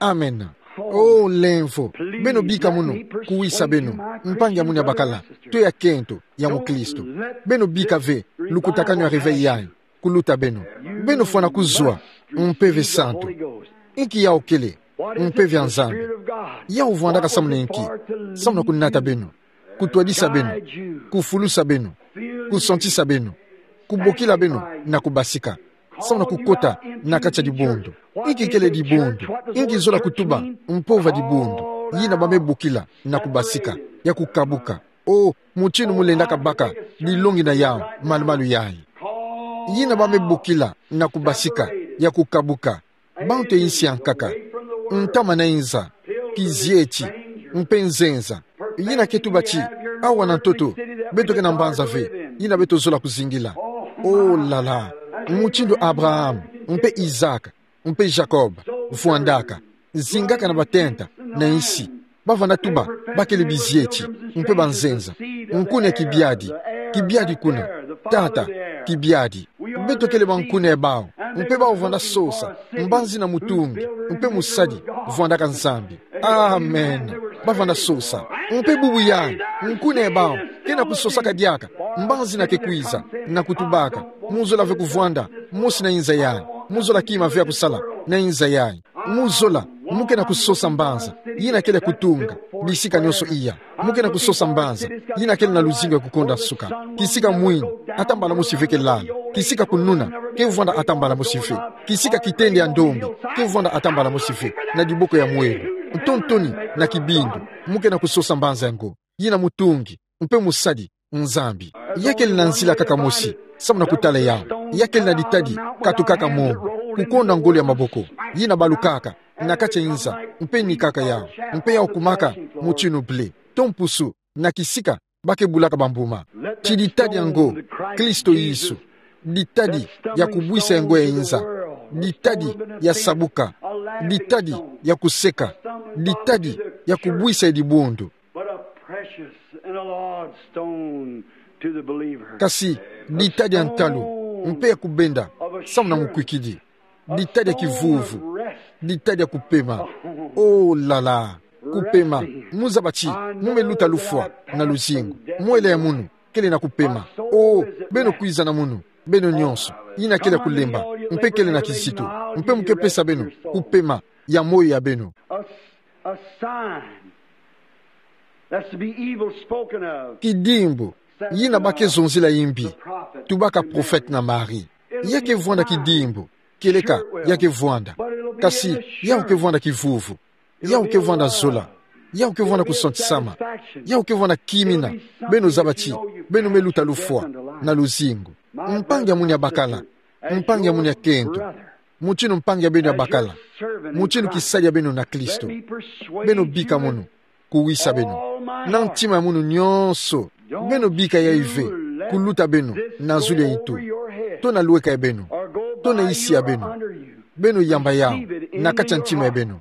Amen. O lemvo, beno bika munu kuwisa beno, mpangi ya munu ya bakala, to ya nkento ya mukristo. Beno bika ve lukutakanu ya réveil yayi kuluta beno. Beno fwana kuzwa Mpeve Santu. Inki yawu kele? Mpeve ya Nzambi. Yawu vwandaka samu na inki? Samu na kunata beno, kutwadisa beno, kufulusa beno, kusantisa beno, kubokila beno na kubasika, samu na kukota na kati ya dibundu. Inki kele dibundu? Inki zola kutuba mpova dibundu? Yina ba me bokila na kubasika, ya kukabuka. O, mutindu mu lendaka baka dilongi na yawu, malumalu yayi. Yina ba me bokila na kubasika, ya kukabuka. Bantu ya insi ya nkaka, ntama na inza, kizieti, mpe nzenza. Yina ke tuba ti, awa na ntoto, beto ke na mbanza ve yina beto zola kuzingila. O la la, mutindu Abraham, mpe Isaac, mpe Jacob vwandaka, zingaka na batenta na insi. Ba vanda tuba ba kele bizieti mpe banzenza. Nkuna kibiadi, kibiadi kuna. Tata kibiadi. Beto kele ba nkuna ya bawu, mpe bawu vanda sosa mbanzi na mutungi mpe musadi vwandaka Nzambi. Amen. Ba vanda sosa. Mpe bubu yayi, nkuna ya bawu ke na kusosaka diaka mbanzi yina ke kwiza, na kutubaka, mu zola ve kuvwanda mosi na inza yayi. Mu zola kima ve ya kusala na inza yayi. Mu zola, mu ke na kusosa mbanza yina kele ya kutunga bisika nyonso iya. Mu ke na kusosa mbanza yina kele na luzingu ya kukonda nsuka. Kisika mwini, ata mbala mosi ve ke lala. Kisika kununa, ke vwanda ata mbala mosi ve. Kisika kitende ya ndombe, ke vwanda ata mbala mosi ve na diboko ya mwelo. Ntontoni na kibindu, mu ke na kusosa mbanza yango. Yina mutungi mpe musadi, Nzambi. Ya kele na nzila kaka mosi samu na kutala yawu. Ya kele na ditadi katukaka mongo, kukonda ngolo ya maboko yina balukaka na kati ya inza, mpe nikaka yawu, mpe yawu kumaka mutindu blé to mpusu na kisika ba ke bulaka bambuma. Ti ditadi yango, Kristo Yesu, ditadi ya kubwisa ya ngo ya inza, ditadi ya sabuka, ditadi ya kuseka, ditadi ya kubwisa ya dibundu. But a precious and The Lord's stone to the believer. Kasi ditadi ya ntalu, mpe ya kubenda samu na mukwikidi. Ditadi ya kivuvu, ditadi ya kupema. Oh là là, kupema. Muzaba ti mu me luta lufwa na luzingu. Mwela ya munu kele na kupema. Oh, beno kwiza na munu, beno nyonso yina kele ya kulemba mpe kele na kizito, mpe mu ke pesa beno kupema ya moyo ya beno. A, a sign that's to be evil spoken of. Kidimbu yina ba ke zonzila yimbi, tubaka prophète na Marie. Ya ke vwanda kidimbu, kieleka ya ke vwanda. Kasi yawu ke vwanda kivuvu, yawu ke vwanda zola, yawu ke vwanda kusantisama, yawu ke vwanda kimina. Beno zaba ti beno me luta lufwa na luzingu. Mpangi ya munu ya bakala, mpangi ya munu ya kento, mutinu mpangi ya beno ya bakala, mutinu kisadi ya beno na Kristo, beno bika munu kuwisa beno na ntima ya munu nyonso. Beno bika yayi ve kuluta beno na zulu ya ntu, to na lweka ya beno, to na isi ya beno. Beno yamba yawu na kati ya ntima ya beno,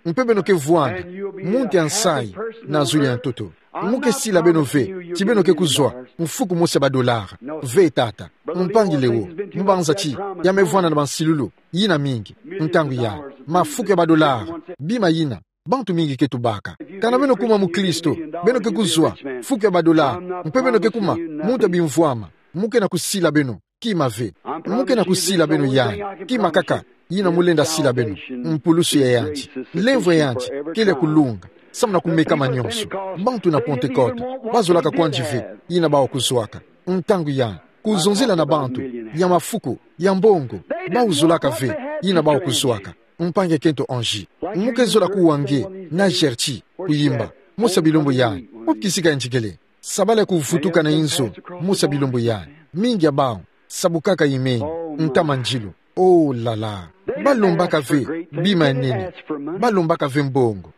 mpe beno ke vwanda muntu ya nsayi na zulu ya ntoto. Mu ke sila beno ve ti beno ke kuzwa mfuku mosi ya ba dollars. Ve tata. Mpangi Léo, mbanza ti ya me vwanda na bansilulu yina mingi ntangu yayi. Mafuku ya ba dollars, bima yina bantu mingi ke tubaka. Kana beno kuma mukristo, beno ke kuzwa mfuku ya ba dollars mpe beno ke kuma muntu ya bimvwama, mu ke na kusila beno kima ve. Mu ke na kusila beno yayi. Kima kaka yina mu lenda sila beno, mpulusu ya yandi, lemvo ya yandi kele ya kulunga samu na kumeka manyonso. Bantu na Pentecôte ba zolaka kwandi ve yina bawu kuzwaka. Ntangu yayi, kuzonzela na bantu ya mafuku, ya mbongo, bawu zolaka ve yina bawu kuzwaka. Mpangi ya kento Angie, mu ke zola kuwa nge na Gertie, kuyimba mosi ya bilumbu yayi. Wapi kisika yandi kele? Sabala ya kuvutuka na inzo mosi ya bilumbu yayi. Mingi ya bawu sabukaka imeni, ntama njilu. Oh là là. Ba lombaka ve bima ya nene. Ba lombaka ve mbongo.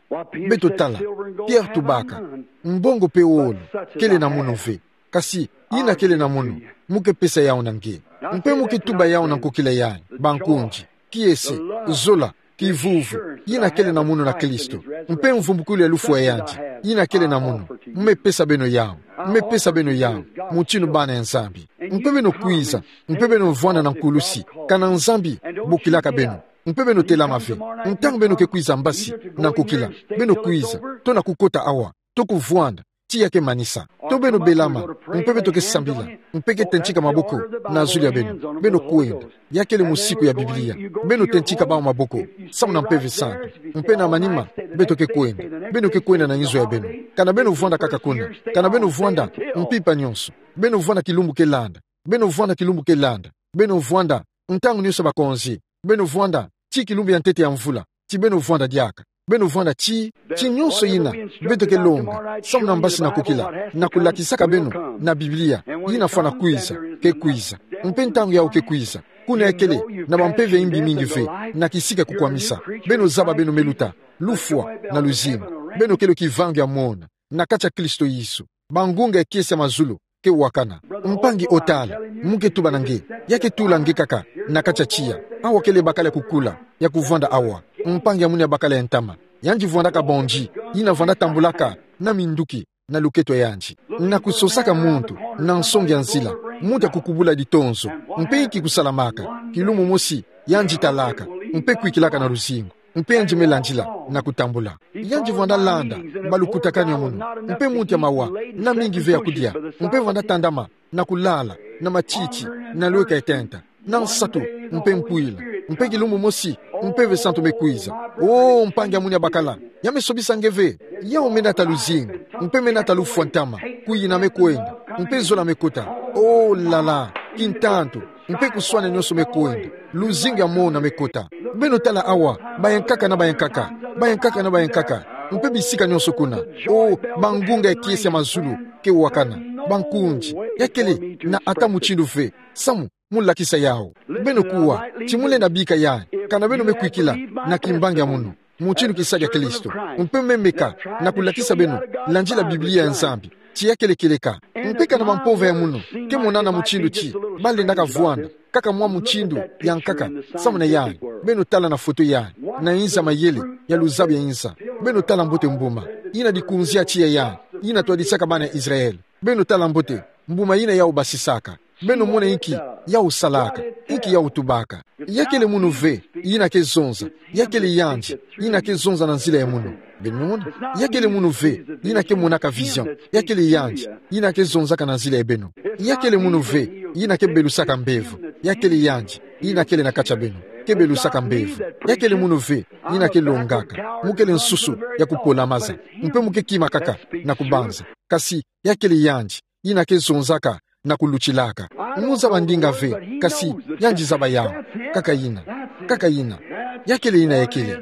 Beto tala, Pierre tubaka, mbongo mpe wolo kele na munu ve. Kasi yina kele na munu, mu ke pesa yawu na nge. Mpe mu ke tuba yawu na nkokila yayi: Bankundi, kiese, zola, kivuvu yina kele na munu na Kristo, mpe mvumbukulu ya lufwa ya yandi yina kele na munu, mu me pesa beno yawu. Mu me pesa beno yawu, mutinu bana ya Nzambi. Mpe beno kwiza, mpe beno vwanda na nkulusi, kana Nzambi bokilaka beno. Mpe beno telama ve. Ntangu beno ke kwiza mbasi na nkokila, beno kwiza to na kukota awa, to kuvwanda ti ya ke manisa. To beno belama, mpe beto ke sambila, mpe ke tentika maboko na zulu ya beno. Beno kwenda. Ya kele musiku ya Biblia. Beno tentika bawu maboko samu na Mpeve Santu. Mpe na manima beto ke kwenda, beno ke kwenda na inzo ya beno. Kana beno vwanda kaka kuna, kana beno vwanda mpimpa nyonso, beno vwanda kilumbu ke landa, beno vwanda kilumbu ke landa, beno vwanda ntangu nyonso ya bakonzi, beno vwanda ti kilumbu ya ntete ya mvula, ti beno vwanda diaka. Beno vwanda ti, ti nyonso yina beto ke longa samu na mbasi na nkokila, na kulakisaka beno na Biblia, yina fwana kwiza, ke kwiza. Mpe ntangu yawu ke kwiza, kuna ya kele na bampeve ya imbi mingi ve, na kisika kukwamisa. Beno zaba beno me luta lufwa na luzingu. Beno kele kivangu ya mona na kati ya Kristo Yesu. Bangunga ya kiese ya mazulu ke wakana. Mpangi Otal, mu ke tuba na nge, ya ke tula nge kaka na kati ya tiya. Awa kele bakala ya kukula, ya kuvwanda awa. Mpangi ya munu ya bakala ya ntama, yandi vwandaka bondit, yina vwanda tambulaka na minduki na luketo ya yandi, na kusosaka muntu na nsongi ya nzila, muntu ya kukubula litonzo. Mpe inki kusalamaka? Kilumbu mosi yandi talaka, mpe kwikilaka na luzingu, mpe yandi me landila na kutambula. Yandi vwanda landa balukutakanu ya munu, mpe muntu ya mawa na mingi ve ya kudia, mpe vwanda tandama na kulala na matiti, na lweka etenta, na nsatu, mpe mpwila, mpe kilumbu mosi Mpeve Santu me kwiza. Oh, mpangi ya munu ya bakala, ya me sobisa nge ve. Yawu me nata luzingu, mpe me nata lufwa ntama. Kuyina me kwenda, mpe zola me kota. Oh là là, kintantu, mpe kuswana nyonso me kwenda. Luzingu ya mona me kota. Beno tala awa, bayankaka na bayankaka, bayankaka na bayankaka, mpe bisika nyonso kuna. Oh, bangunga ya kiese ya mazulu ke wakana. Bankundi, ya kele na ata mutindu ve samu mu lakisa yawu. Beno kuwa ti mu lenda bika yayi, kana beno me kwikila na kimbangi ya munu, mutindu kisadi ya Kristo, mpe me meka na kulakisa beno landila Biblia ya Nzambi ti ya kele kieleka. Mpe kana bampova ya munu ke monana mutindu ti ba lendaka vwanda kaka mwa mutindu ya nkaka samu na yayi, beno tala na foto yayi, na inza mayele ya luzabu ya inza. Beno tala mbote mbuma yina dikunzi ya tiya yayi. yina twadisaka bana Israël. Beno tala mbote mbuma yina yau basisaka. Beno mona inki yau salaka, inki yau tubaka. Ya kele munu ve yina ke zonza. Ya kele yandi yina ke zonza na nzila ya munu. Beno mona? Ya kele munu ve yina ke monaka vision. Ya kele yandi yina ke zonzaka na nzila ya beno. Ya kele munu ve yina ke belusaka mbevo. Ya kele yandi yina kele na kati ya beno, ke belusaka mbevo. Ya kele munu ve yina ke longaka, mu kele nsusu ya kupola maza, mpe mu ke kima kaka na kubanza. Kasi ya kele yandi yina ke zonzaka na kulutilaka. Mu zaba ndinga ve, kasi yandi zaba yau. Kaka yina. Kaka yina. Ya kele yina ya kele.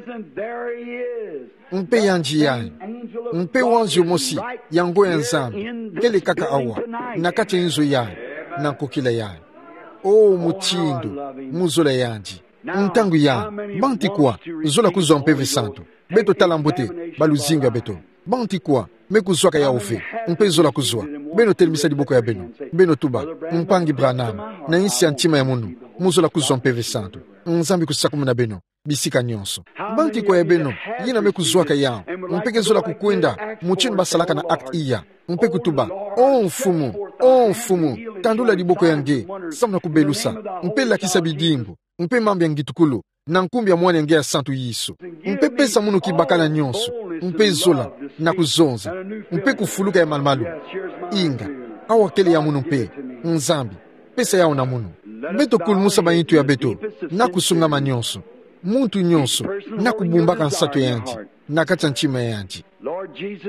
Mpe yandi yayi. Mpe wanzio mosi ya ngo ya Nzambi kele kaka awa, na kati ya inzo yayi, na nkokila yayi. O mutindu mu zola yandi. Ntangu yayi, banti kwa zola kuzwa Mpeve Santu? Beto tala mbote baluzingu ya beto. Banti kwa me kuzwaka yau ve, mpe zola kuzwa? Beno telemisa diboko ya beno, beno tuba: Mpangi Branham, na insi ya ntima ya munu, mu zola kuzwa Mpeve Santu. Nzambi kusakumuna beno bisika nyonso. Banti kwa ya beno yina me kuzwaka yau, mpe ke zola kukwenda mutindu basalaka na acte iya, mpe kutuba: O Mfumu, o Mfumu, tandula diboko ya nge, samu na kubelusa, mpe lakisa bidimbu, mpe mambu ya ngitukulu, na nkumbu ya Mwana ya nge ya santu Yesu. Mpe pesa munu kibakala nyonso, mpe zola, na kuzonza, mpe kufuluka ya malumalu. Inga, awa kele ya munu mpe, Nzambi, pesa yau na munu. Beto kulumusa baintu ya beto, na kusungama nyonso. Muntu nyonso na kubumbaka nsatu ya yandi na kati ya ntima ya yandi.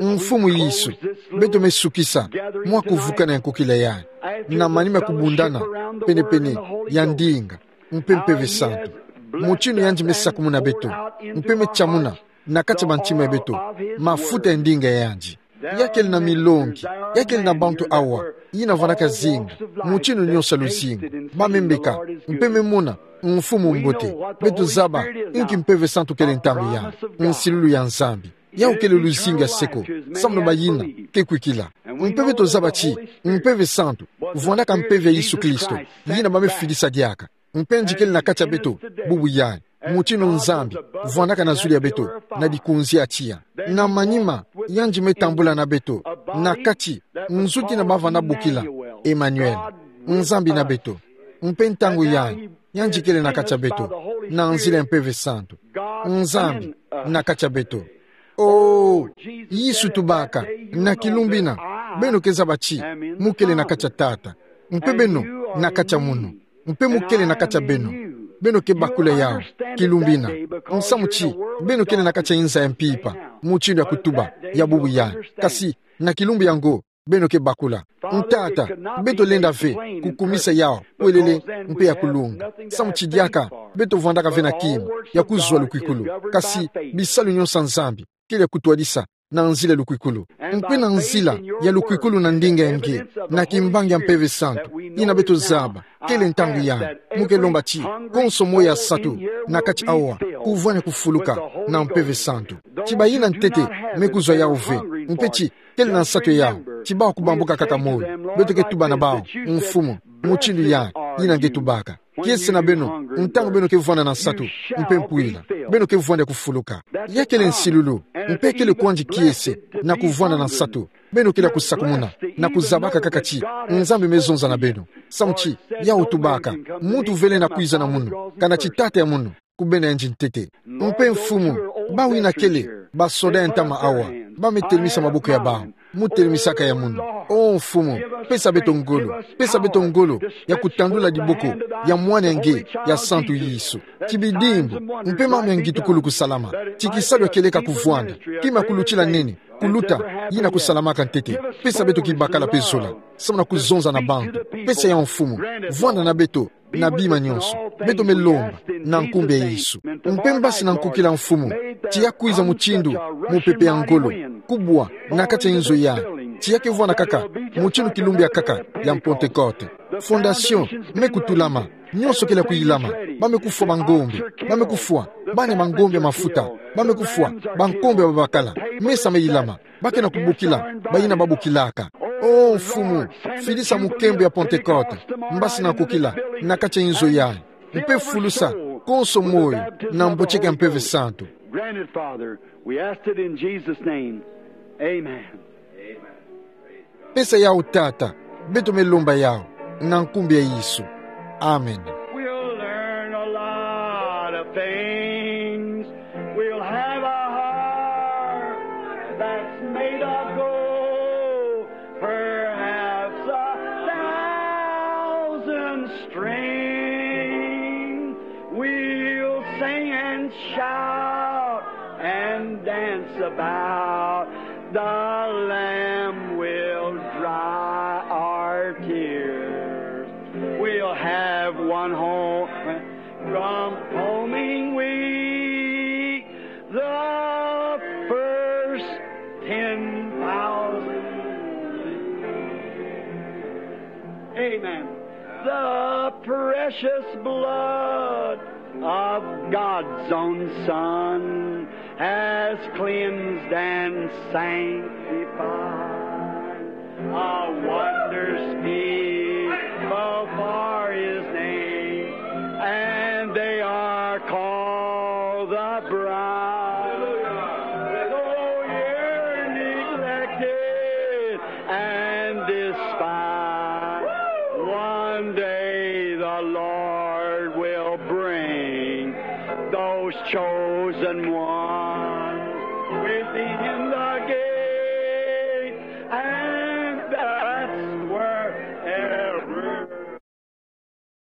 Mfumu Yesu, beto me sukisa mwa kuvukana ya nkokila yayi, na manima ya kubundana pene-pene ya ndinga mpe Mpeve Santu, mutindu yandi me sakumuna beto, mpe me tiamuna na kati ya bantima ya beto mafuta ya ndinga ya yandi. Ya kele na milongi, ya kele na bantu awa yina vandaka zinga mutindu nyonso ya luzingu, ba me mbeka, mpe me mona Mfumu mbote. Beto zaba inki Mpeve Santu kele ntangu yayi. Nsilulu ya Nzambi, yau kele luzingu ya seko, samu na bayina ke kwikila. Mpe beto zaba ti Mpeve Santu vandaka mpeve ya Yesu Kristo, yina ba me fidisa diaka. Mpe yandi kele na kati ya beto bubu yayi, mutindu Nzambi vandaka na zulu ya beto na dikunzi ya tiya. Na manima yandi me tambula na beto, na kati, nzuki na bavana bokila, Emmanuel, Nzambi na beto. Mpe ntangu yayi, yandi kele na kati ya beto na nzila ya Mpeve Santu. Nzambi na kati ya beto. O Yesu, tubaka, na kilumbu yina beno ke zaba ti mu kele na kati ya Tata, mpe beno na kati ya munu, mpe mu kele na kati ya beno. Beno ke bakula yau kilumbu yina, samu ti beno kele na kati ya inza ya mpimpa, mutindu ya kutuba ya bubu yayi. Kasi na kilumbu yango beno ke bakula. Tata, beto lenda ve kukumisa yau kwelele mpe ya kulunga, samu ti diaka beto vandaka ve na kima ya kuzwa lukwikulu, kasi bisalu nyonso ya Nzambi kele ya kutwadisa na nzila ya lukwikulu. Mpe na nzila ya lukwikulu na ndinga ya nge, na kimbangi ya Mpeve Santu, yina beto zaba kele ntangu yayi, mu ke lomba ti konso moyo ya nsatu na kati awa kuvwani kufuluka na Mpeve Santu. Ti bayina ntete me kuzwa yau ve, mpe ti kele na nsatu ya yau, ti bawu kubambuka kaka moyo, beto ke tuba na bawu: Mfumu, mutindu yayi, yina nge tubaka. Kiese na beno, ntangu beno ke vwanda na nsatu mpe mpwila, beno ke vwanda kufuluka. Ya kele nsilulu, mpe kele kwandi kiese na kuvwanda na nsatu. Beno kele kusakumuna na kuzabaka kaka ti Nzambi me zonza na beno, samu ti yau tubaka: Muntu vele na kwiza na munu, kana ti Tata ya munu kubena yandi ntete. Mpe Mfumu, bawu yina kele basoda ya ntama awa, ba me telemisa maboko ya bawu. Mu telemisaka ya munu. O Mfumu, pesa beto ngolo, pesa beto ngolo ya kutandula diboko ya Mwana ya nge ya santu Yesu. Ti bidimbu mpe mambu ya ngitukulu kusalama, ti kisalu ya kieleka kuvwanda, kima kulutila nene kuluta yina kusalamaka ntete. Pesa beto kibakala mpe zola, samu na kuzonza na bantu. Pesa yau, Mfumu. Vwanda na beto na bima nyonso, beto me lomba na nkumbu ya Yesu. Mpe mbasi na nkukila, Mfumu, ti ya kwiza mutindu mupepe ya ngolo, kubwa na kati ya inzo yayi, ti ya ke vwanda kaka mutindu kilumbu ya nkaka ya Pentecote. Fondation me kutulama, nyonso kele kuyilama. Ba me kufwa bangombe, ba me kufwa bana bangombe ya mafuta, ba me kufwa bangombe ya babakala. Mesa me yilama, ba ke na kubokila bayina babokilaka. O Mfumu, fidisa mukembo ya Pentecote, mbasi na nkukila, na kati ya inzo yayi. Mpe fulusa konso moyo na mbotseke ya Mpeve Santu. Granted, Father. We ask it in Jesus' name. Amen. Pesa yao tata, beto me lomba yao, na ngkumbi a Yesu. Amen. We'll learn a lot of things. We'll have a heart that's made of gold, perhaps a thousand strings. We'll sing and shout and dance about. The Lamb will dry our tears. We'll have one home from homing weak, the first ten thousand. Amen. The precious blood of God's own Son has cleansed and sanctified. A wondrous people for his name, and they are called the bride. Though you're neglected and despised, one day the Lord will bring those chosen ones within the gate, and